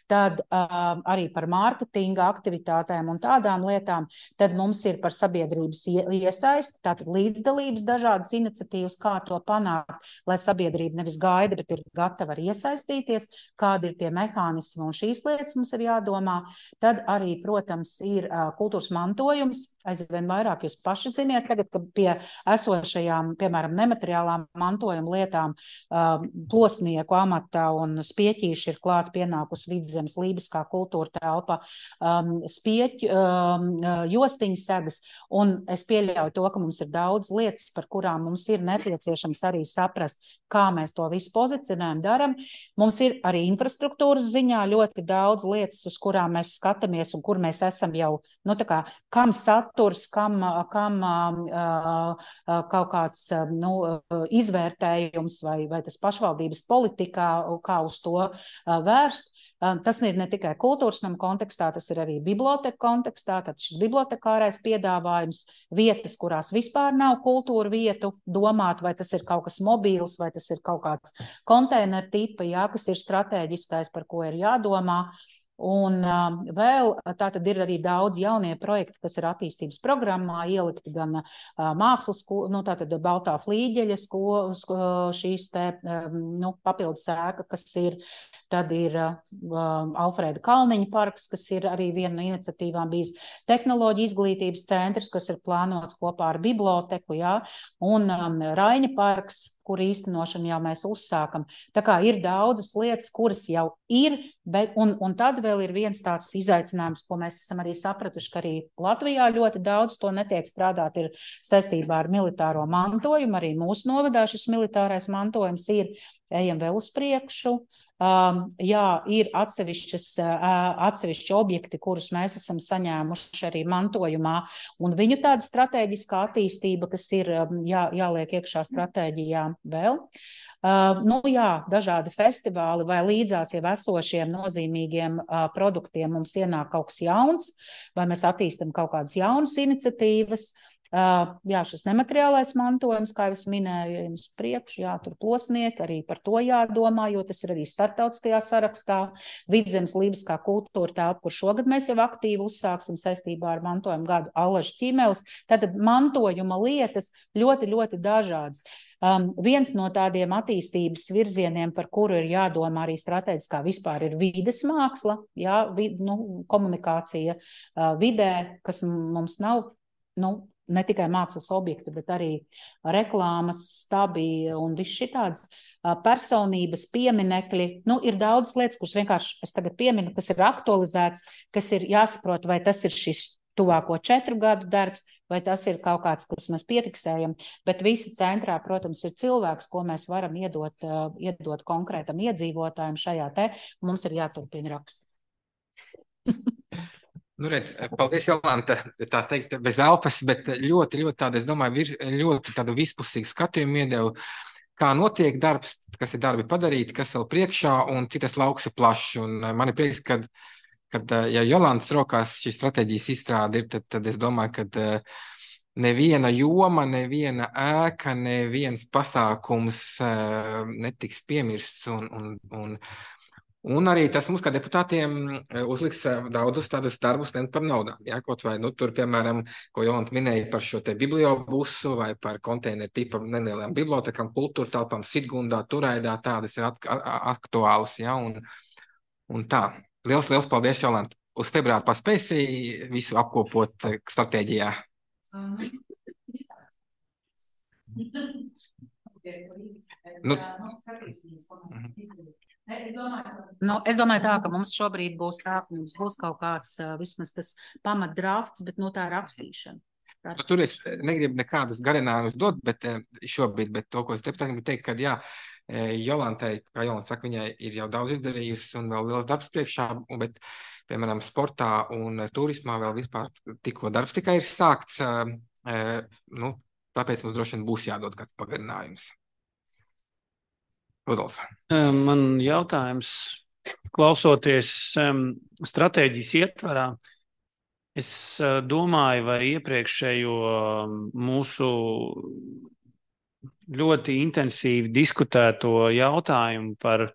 tad uh, arī par mārketinga aktivitātēm un tādām lietām, tad mums ir par sabiedrības iesaisti, tātad līdzdalības dažādas iniciatīvas, kā to panākt, lai sabiedrība nevis gaida, bet ir gatava arī iesaistīties, kādi ir tie mehānismi un šīs lietas mums ir jādomā. Tad arī, protams, ir uh, kultūras mantojums, aizvien vairāk jūs paši ziniet, tagad, ka pie esošajām, piemēram, nemateriālām mantojuma lietām uh, plosnieku amata un spieķīši ir klāt pienākus Vidzemes lībiskā kultūra telpa, um, spieķu um, jostiņu segas, un es pieļauju to, ka mums ir daudz lietas, par kurām mums ir nepieciešams arī saprast, kā mēs to visu pozicionējam, daram. Mums ir arī infrastruktūras ziņā ļoti daudz lietas, uz kurām mēs skatāmies un kur mēs esam jau, nu tā kā, kam saturs, kam, kam uh, kaut kāds nu, izvērtējums vai, vai tas pašvaldības politikā, kā uz to uh, vērst. Uh, tas ir ne tikai kultūras nama kontekstā, tas ir arī biblioteka kontekstā, tad šis bibliotekārais piedāvājums, vietas, kurās vispār nav kultūra vietu, domāt, vai tas ir kaut kas mobīls, vai tas ir kaut kāds konteineru tipa, jā, kas ir strateģiskais, par ko ir jādomā. Un uh, vēl tā tad ir arī daudz jaunie projekti, kas ir attīstības programmā ielikti gan uh, mākslas, nu tā tad Baltā flīģeļa sko, sko, šīs te um, nu, papildus ēka, kas ir, tad ir uh, Alfrēda Kalniņa parks, kas ir arī viena no iniciatīvām bijis, tehnoloģija izglītības centrs, kas ir plānots kopā ar biblioteku, jā, un um, Raiņa parks, kur īstenošanu jau mēs uzsākam. Tā kā ir daudzas lietas, kuras jau ir, bet, un, un tad vēl ir viens tāds izaicinājums, ko mēs esam arī sapratuši, ka arī Latvijā ļoti daudz to netiek strādāt, ir saistībā ar militāro mantojumu, arī mūsu novadā šis militārais mantojums ir, ejam vēl uz priekšu. Um, jā, ir atsevišķas, uh, atsevišķi objekti, kurus mēs esam saņēmuši arī mantojumā, un viņu tāda strateģiskā attīstība, kas ir um, jā, jāliek iekšā stratēģijā vēl. Uh, nu jā, dažādi festivāli vai līdzās jau esošiem nozīmīgiem uh, produktiem mums ienāk kaut kas jauns, vai mēs attīstam kaut kādas jaunas iniciatīvas. Uh, jā, šis nemateriālais mantojums, kā jau es minēju, jums priekš, jā, tur plosnieki, arī par to jādomā, jo tas ir arī starptautiskajā sarakstā. Vidzemes lībiskā kultūra telpa, kur šogad mēs jau aktīvi uzsāksim saistībā ar mantojumu gadu Allaža ķīmeles. Tātad mantojuma lietas ļoti, ļoti dažādas. Um, viens no tādiem attīstības virzieniem, par kuru ir jādomā arī strateģiskā vispār, ir vides māksla, jā, vid, nu, komunikācija uh, vidē, kas mums nav, nu, ne tikai mākslas objekti, bet arī reklāmas, stabi un viss šitāds personības, pieminekļi. Nu, ir daudz lietas, kuras vienkārši es tagad pieminu, kas ir aktualizēts, kas ir jāsaprot, vai tas ir šis tuvāko četru gadu darbs, vai tas ir kaut kāds, kas mēs piefiksējam, bet visi centrā, protams, ir cilvēks, ko mēs varam iedot, uh, iedot konkrētam iedzīvotājiem šajā te, mums ir jāturpina rakstīt. Nu, redz, paldies, Jolanta, tā teikt, bez elpas, bet ļoti, ļoti tāda, es domāju, vir, ļoti tādu vispusīgu skatījumu iedevu, kā notiek darbs, kas ir darbi padarīti, kas vēl priekšā, un cik tas lauks ir plašs. Un man ir prieks, kad, kad ja Jolantas rokās šī stratēģijas izstrāde ir, tad, tad es domāju, ka neviena joma, neviena ēka, neviens pasākums netiks piemirsts, un, un, un Un arī tas mums, kā deputātiem, uzliks daudzus tādus darbus ne par naudām. Ja? Kaut vai, nu, tur, piemēram, ko Jolanta minēja par šo te bibliobusu vai par konteineru tipa nelielām bibliotekām, kultūra telpām, Sitgundā, Turaidā, tādas ir aktuālas. Ja? Un, un tā. Liels, liels paldies, Jolanta. Uz februāru paspēsi visu apkopot stratēģijā. Nu, Nu, es domāju tā, ka mums šobrīd būs tā, ka mums būs kaut kāds vismaz tas pamatdrafts, bet nu tā rakstīšana. Tā... Nu, tur es negribu nekādus garinājumus dot, bet šobrīd, bet to, ko es deputātiem gribu teikt, ka jā, Jolantai, kā Jolanta saka, viņai ir jau daudz izdarījusi un vēl liels darbs priekšā, bet, piemēram, sportā un turismā vēl vispār tikko darbs tikai ir sākts, nu, tāpēc mums droši vien būs jādod kāds pagarinājums. Rudolf. Man jautājums, klausoties um, stratēģijas ietvarā, es uh, domāju, vai iepriekšējo um, mūsu ļoti intensīvi diskutēto jautājumu par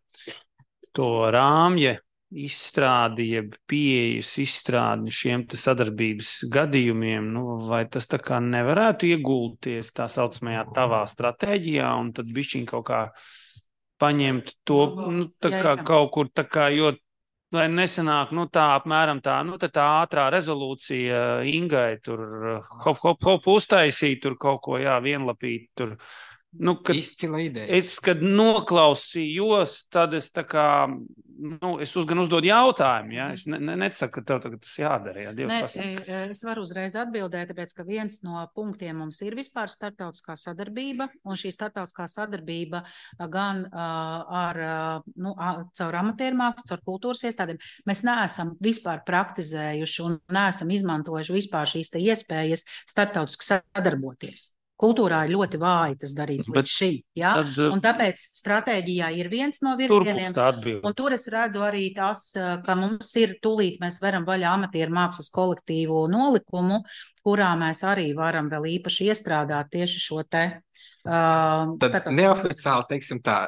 to rāmja izstrādi, jeb pieejas izstrādi šiem te sadarbības gadījumiem, nu, vai tas tā kā nevarētu iegulties tā saucamajā tavā stratēģijā un tad bišķiņ kaut kā paņemt to, nu, tā kā jā, jā. Kaut kur tā kā, jo, lai nesanāk, nu, tā apmēram tā, nu, tā, tā ātrā rezolūcija Ingai tur hop, hop, hop uztaisīt, tur kaut ko, jā, vienlapīt, tur, nu, kad izcila ideja. Es, kad noklausījos, tad es tā kā, nu, es uz, gan uzdodu jautājumu, ja, es ne, ne, nesaku, ka tev tagad tas jādara, ja, Dievs ne, pasaka. Es varu uzreiz atbildēt, tāpēc, ka viens no punktiem mums ir vispār starptautiskā sadarbība, un šī starptautiskā sadarbība gan uh, ar, uh, nu, caur amatiermākslu, caur kultūras iestādēm, mēs neesam vispār praktizējuši un neesam izmantojuši vispār šīs te iespējas starptautiski sadarboties. Kultūrā ir ļoti vāji tas darīts līdz šī, ja? Tad, un tāpēc stratēģijā ir viens no virzieniem, un tur es redzu arī tas, ka mums ir tūlīt mēs varam vaļā amatieru mākslas kolektīvu nolikumu, kurā mēs arī varam vēl īpaši iestrādāt tieši šo te. Uh, Tad tātad... neoficiāli, teiksim tā,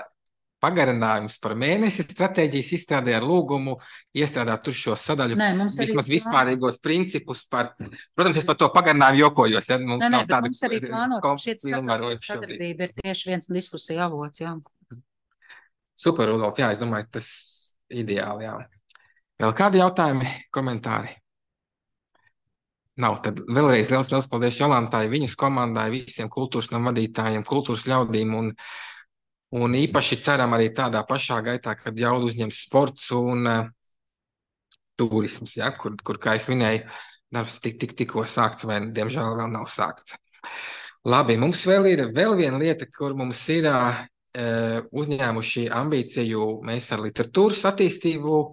pagarinājums par mēnesi stratēģijas izstrādē ar lūgumu iestrādāt tur šo sadaļu, Nē, vismaz vispārīgos principus par, protams, es par to pagarinājumu jokojos, ja mums Nē, nav tāda mums arī plānot, šī sadarbība ir tieši viens diskusija avots, jā. Super, Rudolf, jā, es domāju, tas ideāli, jā. Vēl kādi jautājumi, komentāri? Nav, tad vēlreiz liels, liels paldies Jolantai, viņas komandai, visiem kultūras nam vadītājiem, kultūras ļaudīm un Un īpaši ceram arī tādā pašā gaitā, kad jaudu uzņems sports un uh, turisms, ja, kur, kur, kā es minēju, darbs tik, tik, tikko sākts vai, diemžēl, vēl nav sākts. Labi, mums vēl ir vēl viena lieta, kur mums ir uh, uzņēmuši ambīciju mēs ar literatūras attīstību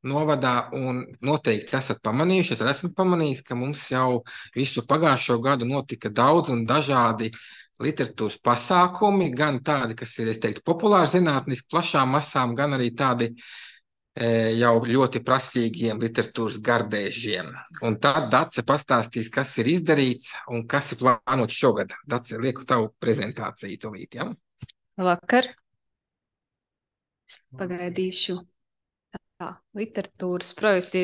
novadā un noteikti esat pamanījuši, es esmu pamanījis, ka mums jau visu pagājušo gadu notika daudz un dažādi literatūras pasākumi, gan tādi, kas ir, es teiktu, populāri zinātniski plašām masām, gan arī tādi e, jau ļoti prasīgiem literatūras gardēžiem. Un tad Dace pastāstīs, kas ir izdarīts un kas ir plānots šogad. Dace, lieku tavu prezentāciju tūlīt, ja? Vakar. Es pagaidīšu. Tā, literatūras projekti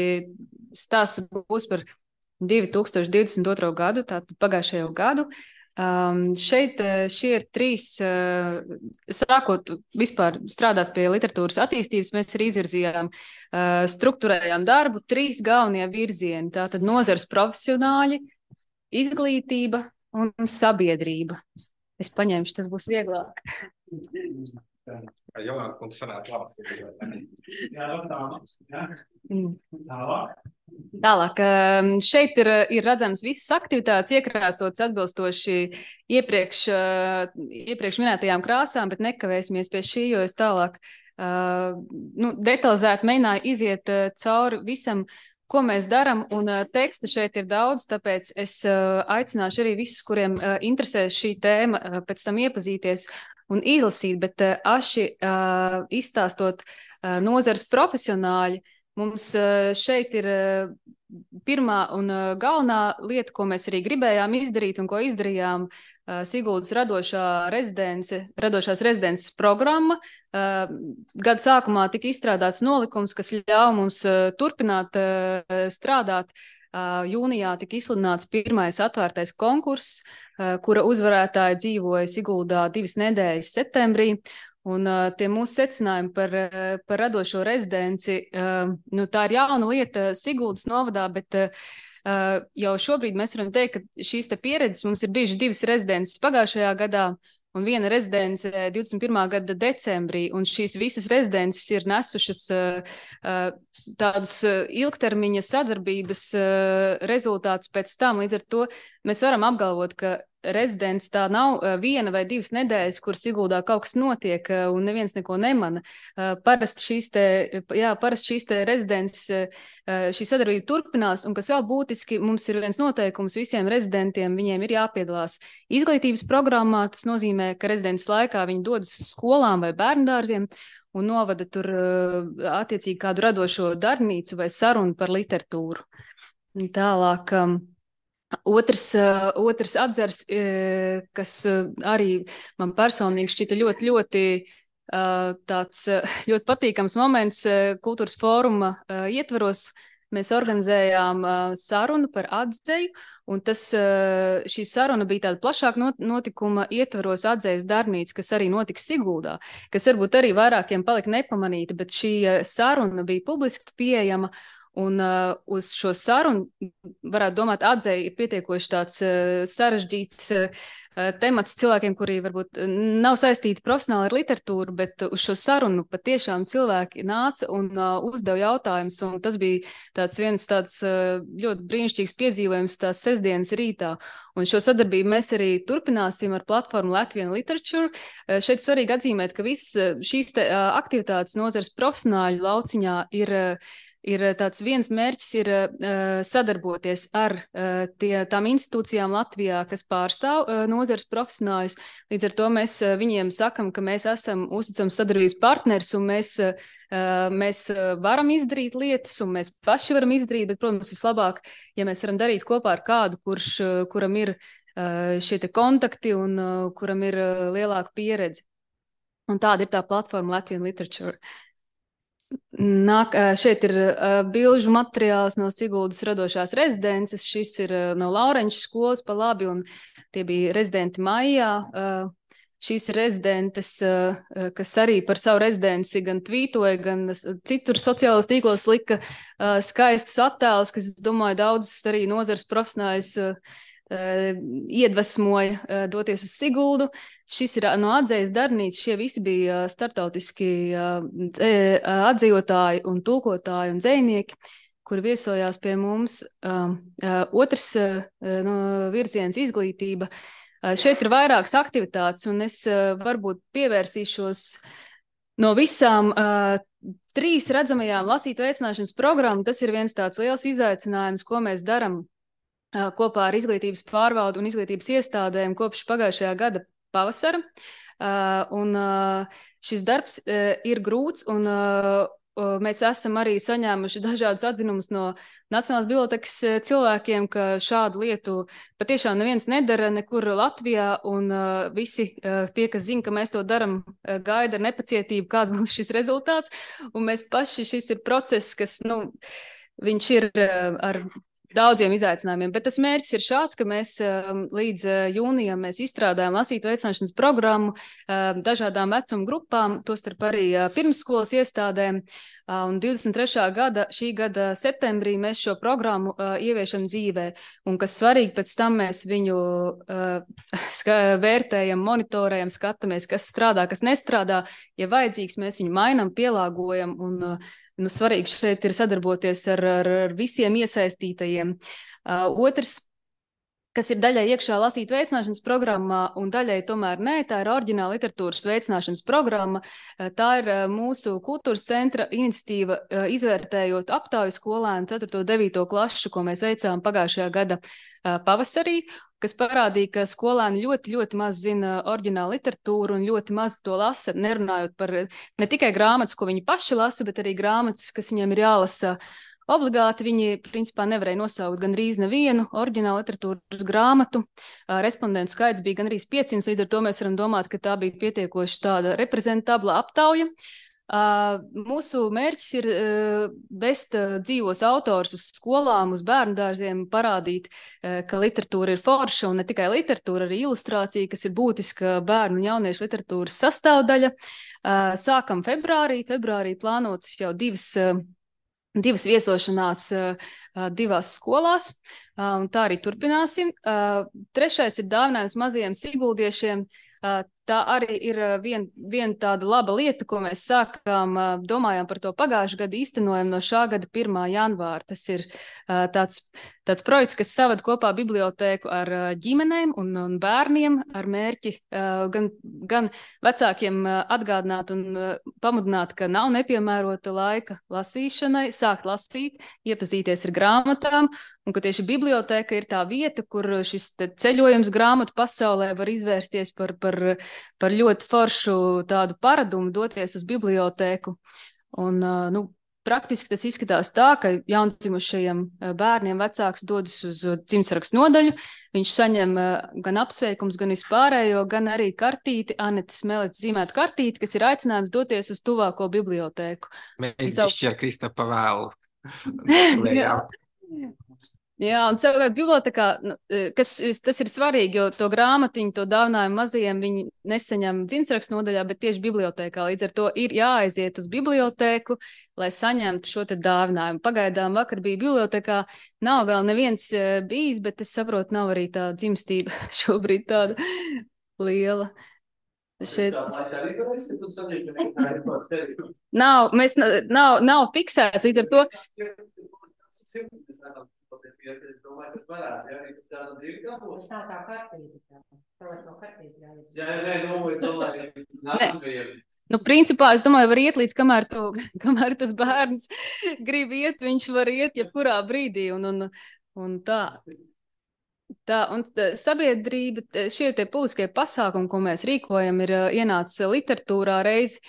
stāsts būs par divi tūkstoši divdesmit otro gadu, tātad pagājušajo gadu. Um, šeit šie ir trīs, uh, sākot vispār strādāt pie literatūras attīstības, mēs arī izvirzījām, uh, strukturējām darbu, trīs galvenie virzieni, tātad nozares profesionāļi, izglītība un sabiedrība. Es paņemšu, tas būs vieglāk. Jolanta, un tu sanāk labas. Tālāk. Tālāk, šeit ir, ir redzams visas aktivitātes iekrāsotas atbilstoši iepriekš, iepriekš minētajām krāsām, bet nekavēsimies pie šī, jo es tālāk uh, nu, detalizēti mēģināju iziet cauri visam ko mēs darām, un uh, teksta šeit ir daudz, tāpēc es uh, aicināšu arī visus, kuriem uh, interesē šī tēma, uh, pēc tam iepazīties un izlasīt, bet uh, aši uh, izstāstot uh, nozars profesionāļi, mums uh, šeit ir uh, pirmā un uh, galvenā lieta, ko mēs arī gribējām izdarīt un ko izdarījām, uh, Siguldas radošā rezidence, radošās rezidences programma. Uh, gada sākumā tika izstrādāts nolikums, kas ļauj mums uh, turpināt uh, strādāt. Uh, jūnijā tika izsludināts pirmais atvērtais konkurss, uh, kura uzvarētāji dzīvoja Siguldā divas nedēļas septembrī. Un uh, tie mūsu secinājumi par, uh, par radošo rezidenci, uh, nu, tā ir jauna lieta Siguldas novadā, bet uh, jau šobrīd mēs varam teikt, ka šīs te pieredzes mums ir bijušas divas rezidences pagājušajā gadā un viena rezidence divdesmit pirmā gada decembrī, un šīs visas rezidences ir nesušas uh, uh, tādus uh, ilgtermiņa sadarbības uh, rezultātus pēc tam. Līdz ar to mēs varam apgalvot, ka rezidents tā nav uh, viena vai divas nedēļas, kur Siguldā kaut kas notiek uh, un neviens neko nemana. Uh, parasti šīs te, jā, parasti šīs te rezidents, uh, šī sadarbība turpinās, un kas vēl būtiski, mums ir viens noteikums visiem rezidentiem, viņiem ir jāpiedalās izglītības programmā. Tas nozīmē, ka rezidents laikā viņi dodas uz skolām vai bērndārziem un novada tur uh, attiecīgi kādu radošo darbnīcu vai sarunu par literatūru. Tālāk. Um, Otrs, uh, otrs atzars, uh, kas uh, arī man personīgi šķita ļoti, ļoti, uh, tāds, uh, ļoti patīkams moments uh, kultūras fóruma uh, ietvaros. Mēs organizējām uh, sarunu par atzeju, un tas, uh, šī saruna bija tāda plašāka notikuma ietvaros atzejas darbnīca, kas arī notiks Siguldā, kas varbūt arī vairākiem palika nepamanīta, bet šī uh, saruna bija publiski pieejama. Un uh, uz šo sarunu, varētu domāt, atzeja ir pietiekoši tāds uh, sarežģīts uh, temats cilvēkiem, kuri varbūt nav saistīti profesionāli ar literatūru, bet uz šo sarunu patiešām cilvēki nāca un uh, uzdeva jautājumus, un tas bija tāds viens tāds uh, ļoti brīnišķīgs piedzīvojums tās sestdienas rītā. Un šo sadarbību mēs arī turpināsim ar platformu Latvian Literature. Uh, šeit svarīgi atzīmēt, ka visas šīs te, uh, aktivitātes nozars profesionāļu lauciņā ir uh, Ir tāds viens mērķis ir uh, sadarboties ar uh, tie, tām institūcijām Latvijā, kas pārstāv uh, nozars profesionāļus. Līdz ar to mēs uh, viņiem sakam, ka mēs esam uzticams sadarbības partners un mēs, uh, mēs varam izdarīt lietas un mēs paši varam izdarīt, bet, protams, vislabāk, ja mēs varam darīt kopā ar kādu, kurš, uh, kuram ir uh, šie te kontakti un uh, kuram ir uh, lielāka pieredze. Un tāda ir tā platforma Latvian Literature. Nāk, šeit ir uh, bilžu materiāls no Siguldas radošās rezidences. Šis ir uh, no Laurenča skolas pa labi, un tie bija rezidenti maijā. Uh, šīs rezidentes, uh, kas arī par savu rezidenci gan tvītoja, gan citur sociālos tīklos lika uh, skaistus attēlus, kas, es domāju, daudzus arī nozars profesionāļus uh, iedvesmoja uh, doties uz Siguldu. Šis ir no atzejas darbnīcas, šie visi bija startautiski uh, atzejotāji un tulkotāji un dzejnieki, kuri viesojās pie mums. Uh, uh, otrs uh, no virziens izglītība. Uh, šeit ir vairākas aktivitātes, un es uh, varbūt pievērsīšos no visām uh, trīs redzamajām lasīt veicināšanas programmu. Tas ir viens tāds liels izaicinājums, ko mēs daram kopā ar izglītības pārvaldu un izglītības iestādēm kopš pagājušajā gada pavasara. Uh, un uh, šis darbs uh, ir grūts, un uh, mēs esam arī saņēmuši dažādus atzinumus no Nacionālās bibliotekas cilvēkiem, ka šādu lietu patiešām neviens nedara nekur Latvijā, un uh, visi uh, tie, kas zina, ka mēs to daram, uh, gaida ar nepacietību, kāds būs šis rezultāts. Un mēs paši, šis ir process, kas, nu, viņš ir uh, ar daudziem izaicinājumiem, bet tas mērķis ir šāds, ka mēs līdz jūnijam mēs izstrādājam lasīt veicināšanas programmu dažādām vecuma grupām, tostarp arī pirmsskolas iestādēm, un divdesmit trešā gada, šī gada septembrī mēs šo programmu ieviešam dzīvē, un kas svarīgi, pēc tam mēs viņu vērtējam, monitorējam, skatāmies, kas strādā, kas nestrādā, ja vajadzīgs, mēs viņu mainam, pielāgojam, un nu, svarīgi šeit ir sadarboties ar, ar, ar visiem iesaistītajiem. Uh, otrs, kas ir daļai iekšā lasīt veicināšanas programmā un daļai tomēr nē, tā ir oriģināla literatūras veicināšanas programma. Tā ir mūsu kultūras centra iniciatīva, izvērtējot aptauju skolēnu ceturto un devīto klašu, ko mēs veicām pagājušajā gada pavasarī, kas parādīja, ka skolēni ļoti, ļoti maz zina oriģinālu literatūru un ļoti maz to lasa, nerunājot par ne tikai grāmatas, ko viņi paši lasa, bet arī grāmatas, kas viņiem ir jālasa obligāti. Viņi, principā, nevarēja nosaukt gandrīz nevienu oriģinālu literatūras grāmatu. Respondentu skaits bija gandrīz piecsimt, līdz ar to mēs varam domāt, ka tā bija pietiekoši tāda reprezentabla aptauja. Mūsu mērķis ir vest dzīvos autors uz skolām, uz bērnu dārziem, parādīt, ka literatūra ir forša un ne tikai literatūra, arī ilustrācija, kas ir būtiska bērnu un jauniešu literatūras sastāvdaļa. Sākam februārī. Februārī plānotas jau divas divas viesošanās divās skolās, un tā arī turpināsim. Trešais ir dāvinājums mazajiem siguldiešiem. Tā arī ir viena vien tāda laba lieta, ko mēs sākām, domājām par to pagājušā gada, īstenojam no šā gada pirmā janvāra. Tas ir tāds, tāds projekts, kas saved kopā bibliotēku ar ģimenēm un, un bērniem ar mērķi gan, gan vecākiem atgādināt un pamudināt, ka nav nepiemērota laika lasīšanai, sākt lasīt, iepazīties ar grāmatām, un ka tieši bibliotēka ir tā vieta, kur šis ceļojums grāmatu pasaulē var izvērsties par, par, par ļoti foršu tādu paradumu, doties uz bibliotēku. Un, nu, praktiski tas izskatās tā, ka jaundzimušajiem bērniem vecāks dodas uz dzimtsrakstu nodaļu, viņš saņem gan apsveikums, gan vispārējo, gan arī kartīti, Anetes Meletes zīmētu kartīti, kas ir aicinājums doties uz tuvāko bibliotēku. Mēs Savu... bišķi ar Kristapa vēlu. Jā. Jā, un savukārt bibliotekā, nu, kas, tas ir svarīgi, jo to grāmatiņu, to dāvinājumu mazajiem viņi nesaņem dzimtsrakstu nodaļā, bet tieši bibliotēkā. Līdz ar to ir jāaiziet uz bibliotēku, lai saņemtu šo te dāvinājumu. Pagaidām vakar bija bibliotekā, nav vēl neviens bijis, bet es saprotu, nav arī tā dzimstība šobrīd tāda liela. Šeit... Nav, mēs, nav, nav fiksēts, līdz ar to... Es domāju, kas varētu, ja arī tāda divi gabos. Tā kā kartīte. Tā var to kartīte jāiet. Jā, nē, domāju, domāju, nākamajiem. Nu, principā, es domāju, var iet līdz, kamēr, tu, kamēr tas bērns grib iet, viņš var iet jebkurā brīdī, un, un, un tā. Tā, un sabiedrība, šie tie publiskie pasākumi, ko mēs rīkojam, ir ienācis literatūrā reizi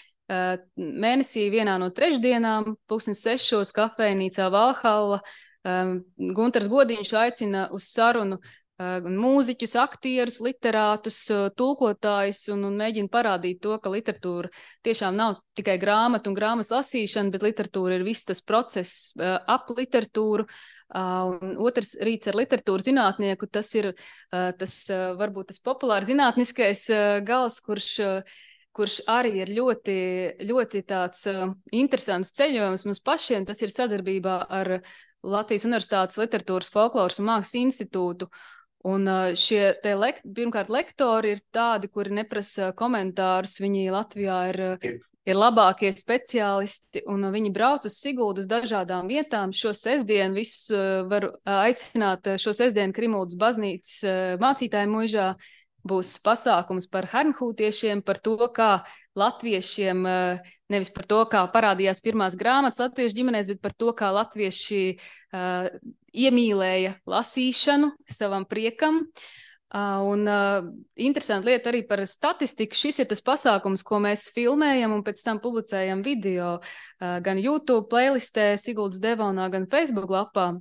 mēnesī vienā no trešdienām, pulkstens sešos kafejnīcā Valhalla. Guntars Godiņš aicina uz sarunu mūziķus, aktierus, literātus, tulkotājus un, un mēģina parādīt to, ka literatūra tiešām nav tikai grāmata un grāmatas lasīšana, bet literatūra ir viss tas process ap literatūru. Un otrs rīts ar literatūru zinātnieku, tas ir tas, varbūt tas populāri zinātniskais gals, kurš kurš arī ir ļoti, ļoti tāds interesants ceļojums mums pašiem. Tas ir sadarbībā ar Latvijas Universitātes literatūras, folkloras un mākslas institūtu. Un šie te lek, pirmkārt lektori ir tādi, kuri neprasa komentārus. Viņi Latvijā ir, ir labākie speciālisti, un viņi brauc uz Siguldu uz dažādām vietām. Šo sestdienu visus var aicināt, šo sestdienu Krimuldas baznīcas mācītāju muižā būs pasākums par hermhūtiešiem, par to, kā latviešiem, nevis par to, kā parādījās pirmās grāmatas latviešu ģimenēs, bet par to, kā latvieši uh, iemīlēja lasīšanu savam priekam. Uh, un uh, interesanti lieta arī par statistiku. Šis ir tas pasākums, ko mēs filmējam un pēc tam publicējam video uh, gan YouTube playlistē, Siguldas Devonā, gan Facebook lapā.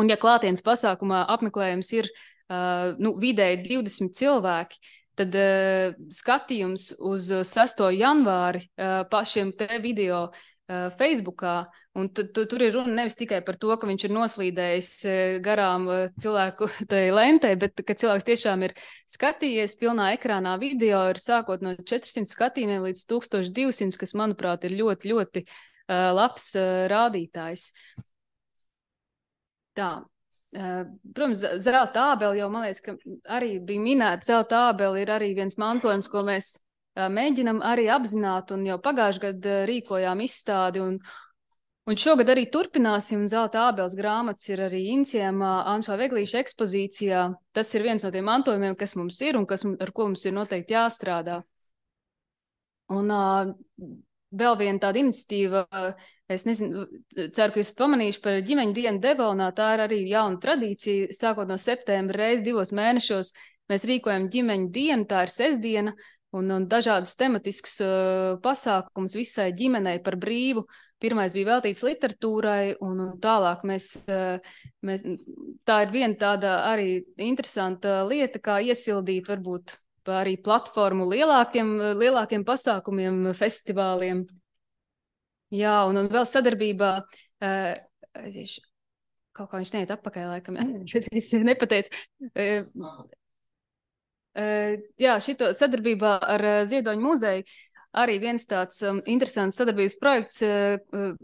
Un ja klātienes pasākumā apmeklējums ir Uh, nu, vidēji divdesmit cilvēki, tad uh, skatījums uz sesto janvāri uh, pašiem te video uh, Facebookā, un tu, tu, tur ir runa nevis tikai par to, ka viņš ir noslīdējis uh, garām uh, cilvēku tai lentei, bet ka cilvēks tiešām ir skatījies pilnā ekrānā video, ir sākot no četrsimt skatījumiem līdz tūkstoš divsimt, kas, manuprāt, ir ļoti, ļoti uh, labs uh, rādītājs. Tā. Protams, zelta ābeli jau, man liekas, ka arī bija minēta. Zelta ābeli ir arī viens mantojums, ko mēs mēģinam arī apzināt, un jau pagājušajā gadā rīkojām izstādi, un, Un šogad arī turpināsim, Zelta ābeles grāmatas ir arī iniciējama Anšā Veglīša ekspozīcijā. Tas ir viens no tiem mantojumiem, kas mums ir un kas, ar ko mums ir noteikti jāstrādā. Un uh, vēl viena tāda iniciatīva, es nezinu, ceru, ka jūs esat pamanījuši par ģimeņu dienu Devonā, tā ir arī jauna tradīcija, sākot no septembra reiz divos mēnešos mēs rīkojam ģimeņu dienu, tā ir sestdiena, un, un dažādas tematiskas uh, pasākums visai ģimenei par brīvu. Pirmais bija veltīts literatūrai, un, un tālāk mēs, mēs, tā ir viena tāda arī interesanta lieta, kā iesildīt varbūt arī platformu lielākiem, lielākiem pasākumiem, festivāliem. Jā, un, un vēl sadarbībā, aiziešu, kaut kā viņš neiet atpakaļ laikam, bet es nepateicu. Jā, šito sadarbībā ar Ziedoņu muzeju arī viens tāds um, interesants sadarbības projekts, uh,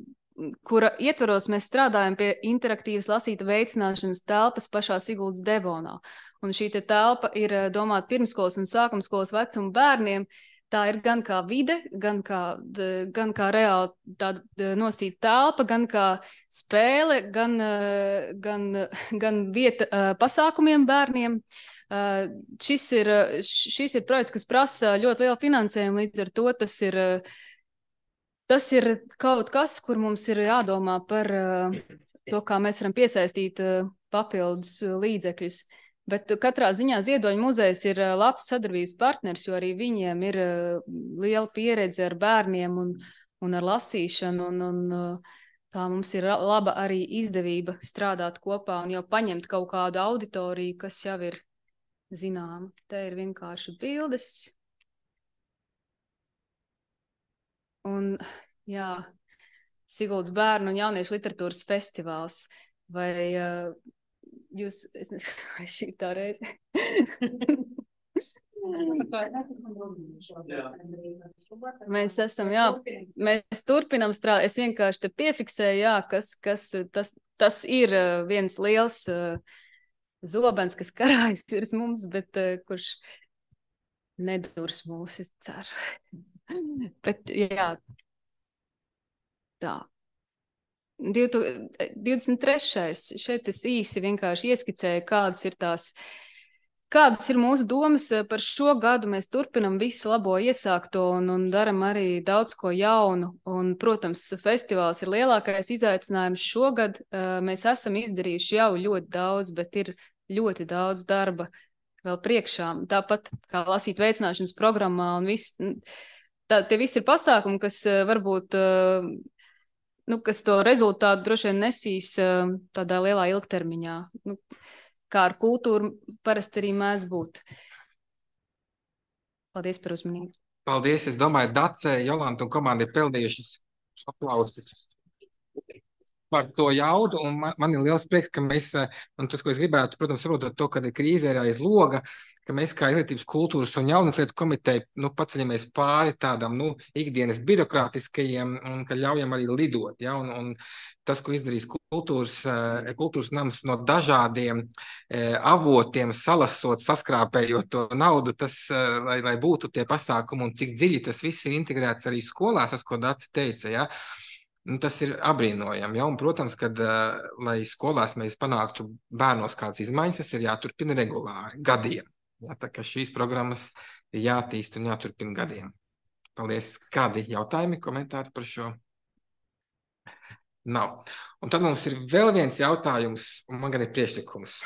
kura ietvaros mēs strādājam pie interaktīvas lasīta veicināšanas telpas pašā Siguldas Devonā. Un šī te telpa ir uh, domāta pirmskolas un sākumskolas vecuma bērniem. Tā ir gan kā vide, gan kā, d, gan kā reāli tāda nosīta telpa, gan kā spēle, gan, uh, gan, gan vieta uh, pasākumiem bērniem. Uh, šis, ir, šis ir projekts, kas prasa ļoti lielu finansējumu, līdz ar to tas ir, tas ir kaut kas, kur mums ir jādomā par uh, to, kā mēs varam piesaistīt uh, papildus līdzekļus. Bet katrā ziņā Ziedoņu muzejs ir uh, labs sadarbības partners, jo arī viņiem ir uh, liela pieredze ar bērniem un, un ar lasīšanu, un, un uh, tā mums ir laba arī izdevība strādāt kopā un jau paņemt kaut kādu auditoriju, kas jau ir zinām. Te ir vienkārši bildes. Un, jā, Siguldas bērnu un jauniešu literatūras festivāls. Vai uh, jūs, es nezinu, vai šī tā reize? Mēs esam, jā, mēs turpinam strādāt. Es vienkārši te piefiksēju, jā, kas, kas tas, tas ir viens liels uh, zobens, kas karājas virs mums, bet uh, kurš nedurs mūs, es ceru. Bet, jā, tā. divdesmit trešais Šeit es īsi vienkārši ieskicēju, kādas ir tās, kādas ir mūsu domas par šo gadu. Mēs turpinam visu labo iesākto un, un daram arī daudz ko jaunu. Un, protams, festivāls ir lielākais izaicinājums šogad. Mēs esam izdarījuši jau ļoti daudz, bet ir ļoti daudz darba vēl priekšā. Tāpat kā lasīt veicināšanas programmā un viss, tā, tie visi ir pasākumi, kas varbūt, nu, kas to rezultātu droši vien nesīs tādā lielā ilgtermiņā. Nu, kā ar kultūru parasti arī mēdz būt. Paldies par uzmanību. Paldies, es domāju, Dace, Jolanta un komanda ir pelnījušas aplausus par to jaudu, un man, man ir liels prieks, ka mēs, un tas, ko es gribētu, protams, saprotot to, kad ir krīze ir aiz loga, ka mēs kā Izglītības kultūras un jaunas lietu komiteja, nu, paceļamies pāri tādam, nu, ikdienas birokrātiskajiem, un ka ļaujam arī lidot, ja, un, un tas, ko izdarīs kultūras, kultūras nams no dažādiem eh, avotiem, salasot, saskrāpējot to naudu, tas, eh, lai, lai būtu tie pasākumi, un cik dziļi tas viss ir integrēts arī skolās, tas, ko Dace teica, ja. Nu, tas ir apbrīnojami, ja, un, protams, kad, uh, lai skolās mēs panāktu bērnos kādas izmaiņas, tas ir jāturpina regulāri, gadiem. Ja, tā kā šīs programmas ir jātīst un jāturpina gadiem. Paldies. Kādi jautājumi, komentāri par šo? Nav. Un tad mums ir vēl viens jautājums, un man gan ir priekšlikums.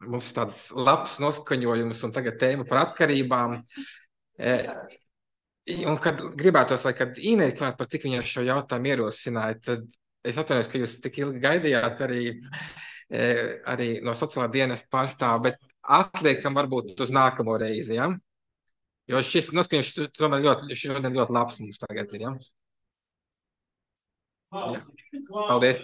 Mums ir tāds labs noskaņojums un tagad tēma par atkarībām. E, Un, kad gribētos, lai kad Ine ir klāt, par cik viņa šo jautājumu ierosināja, tad es atvainojos, ka jūs tik ilgi gaidījāt arī, arī no sociālā dienesta pārstāva, bet atliekam varbūt uz nākamo reizi, ja? Jo šis noskaņojums tomēr ļoti, šodien ļoti labs mums tagad ir, ja? Ja. Paldies!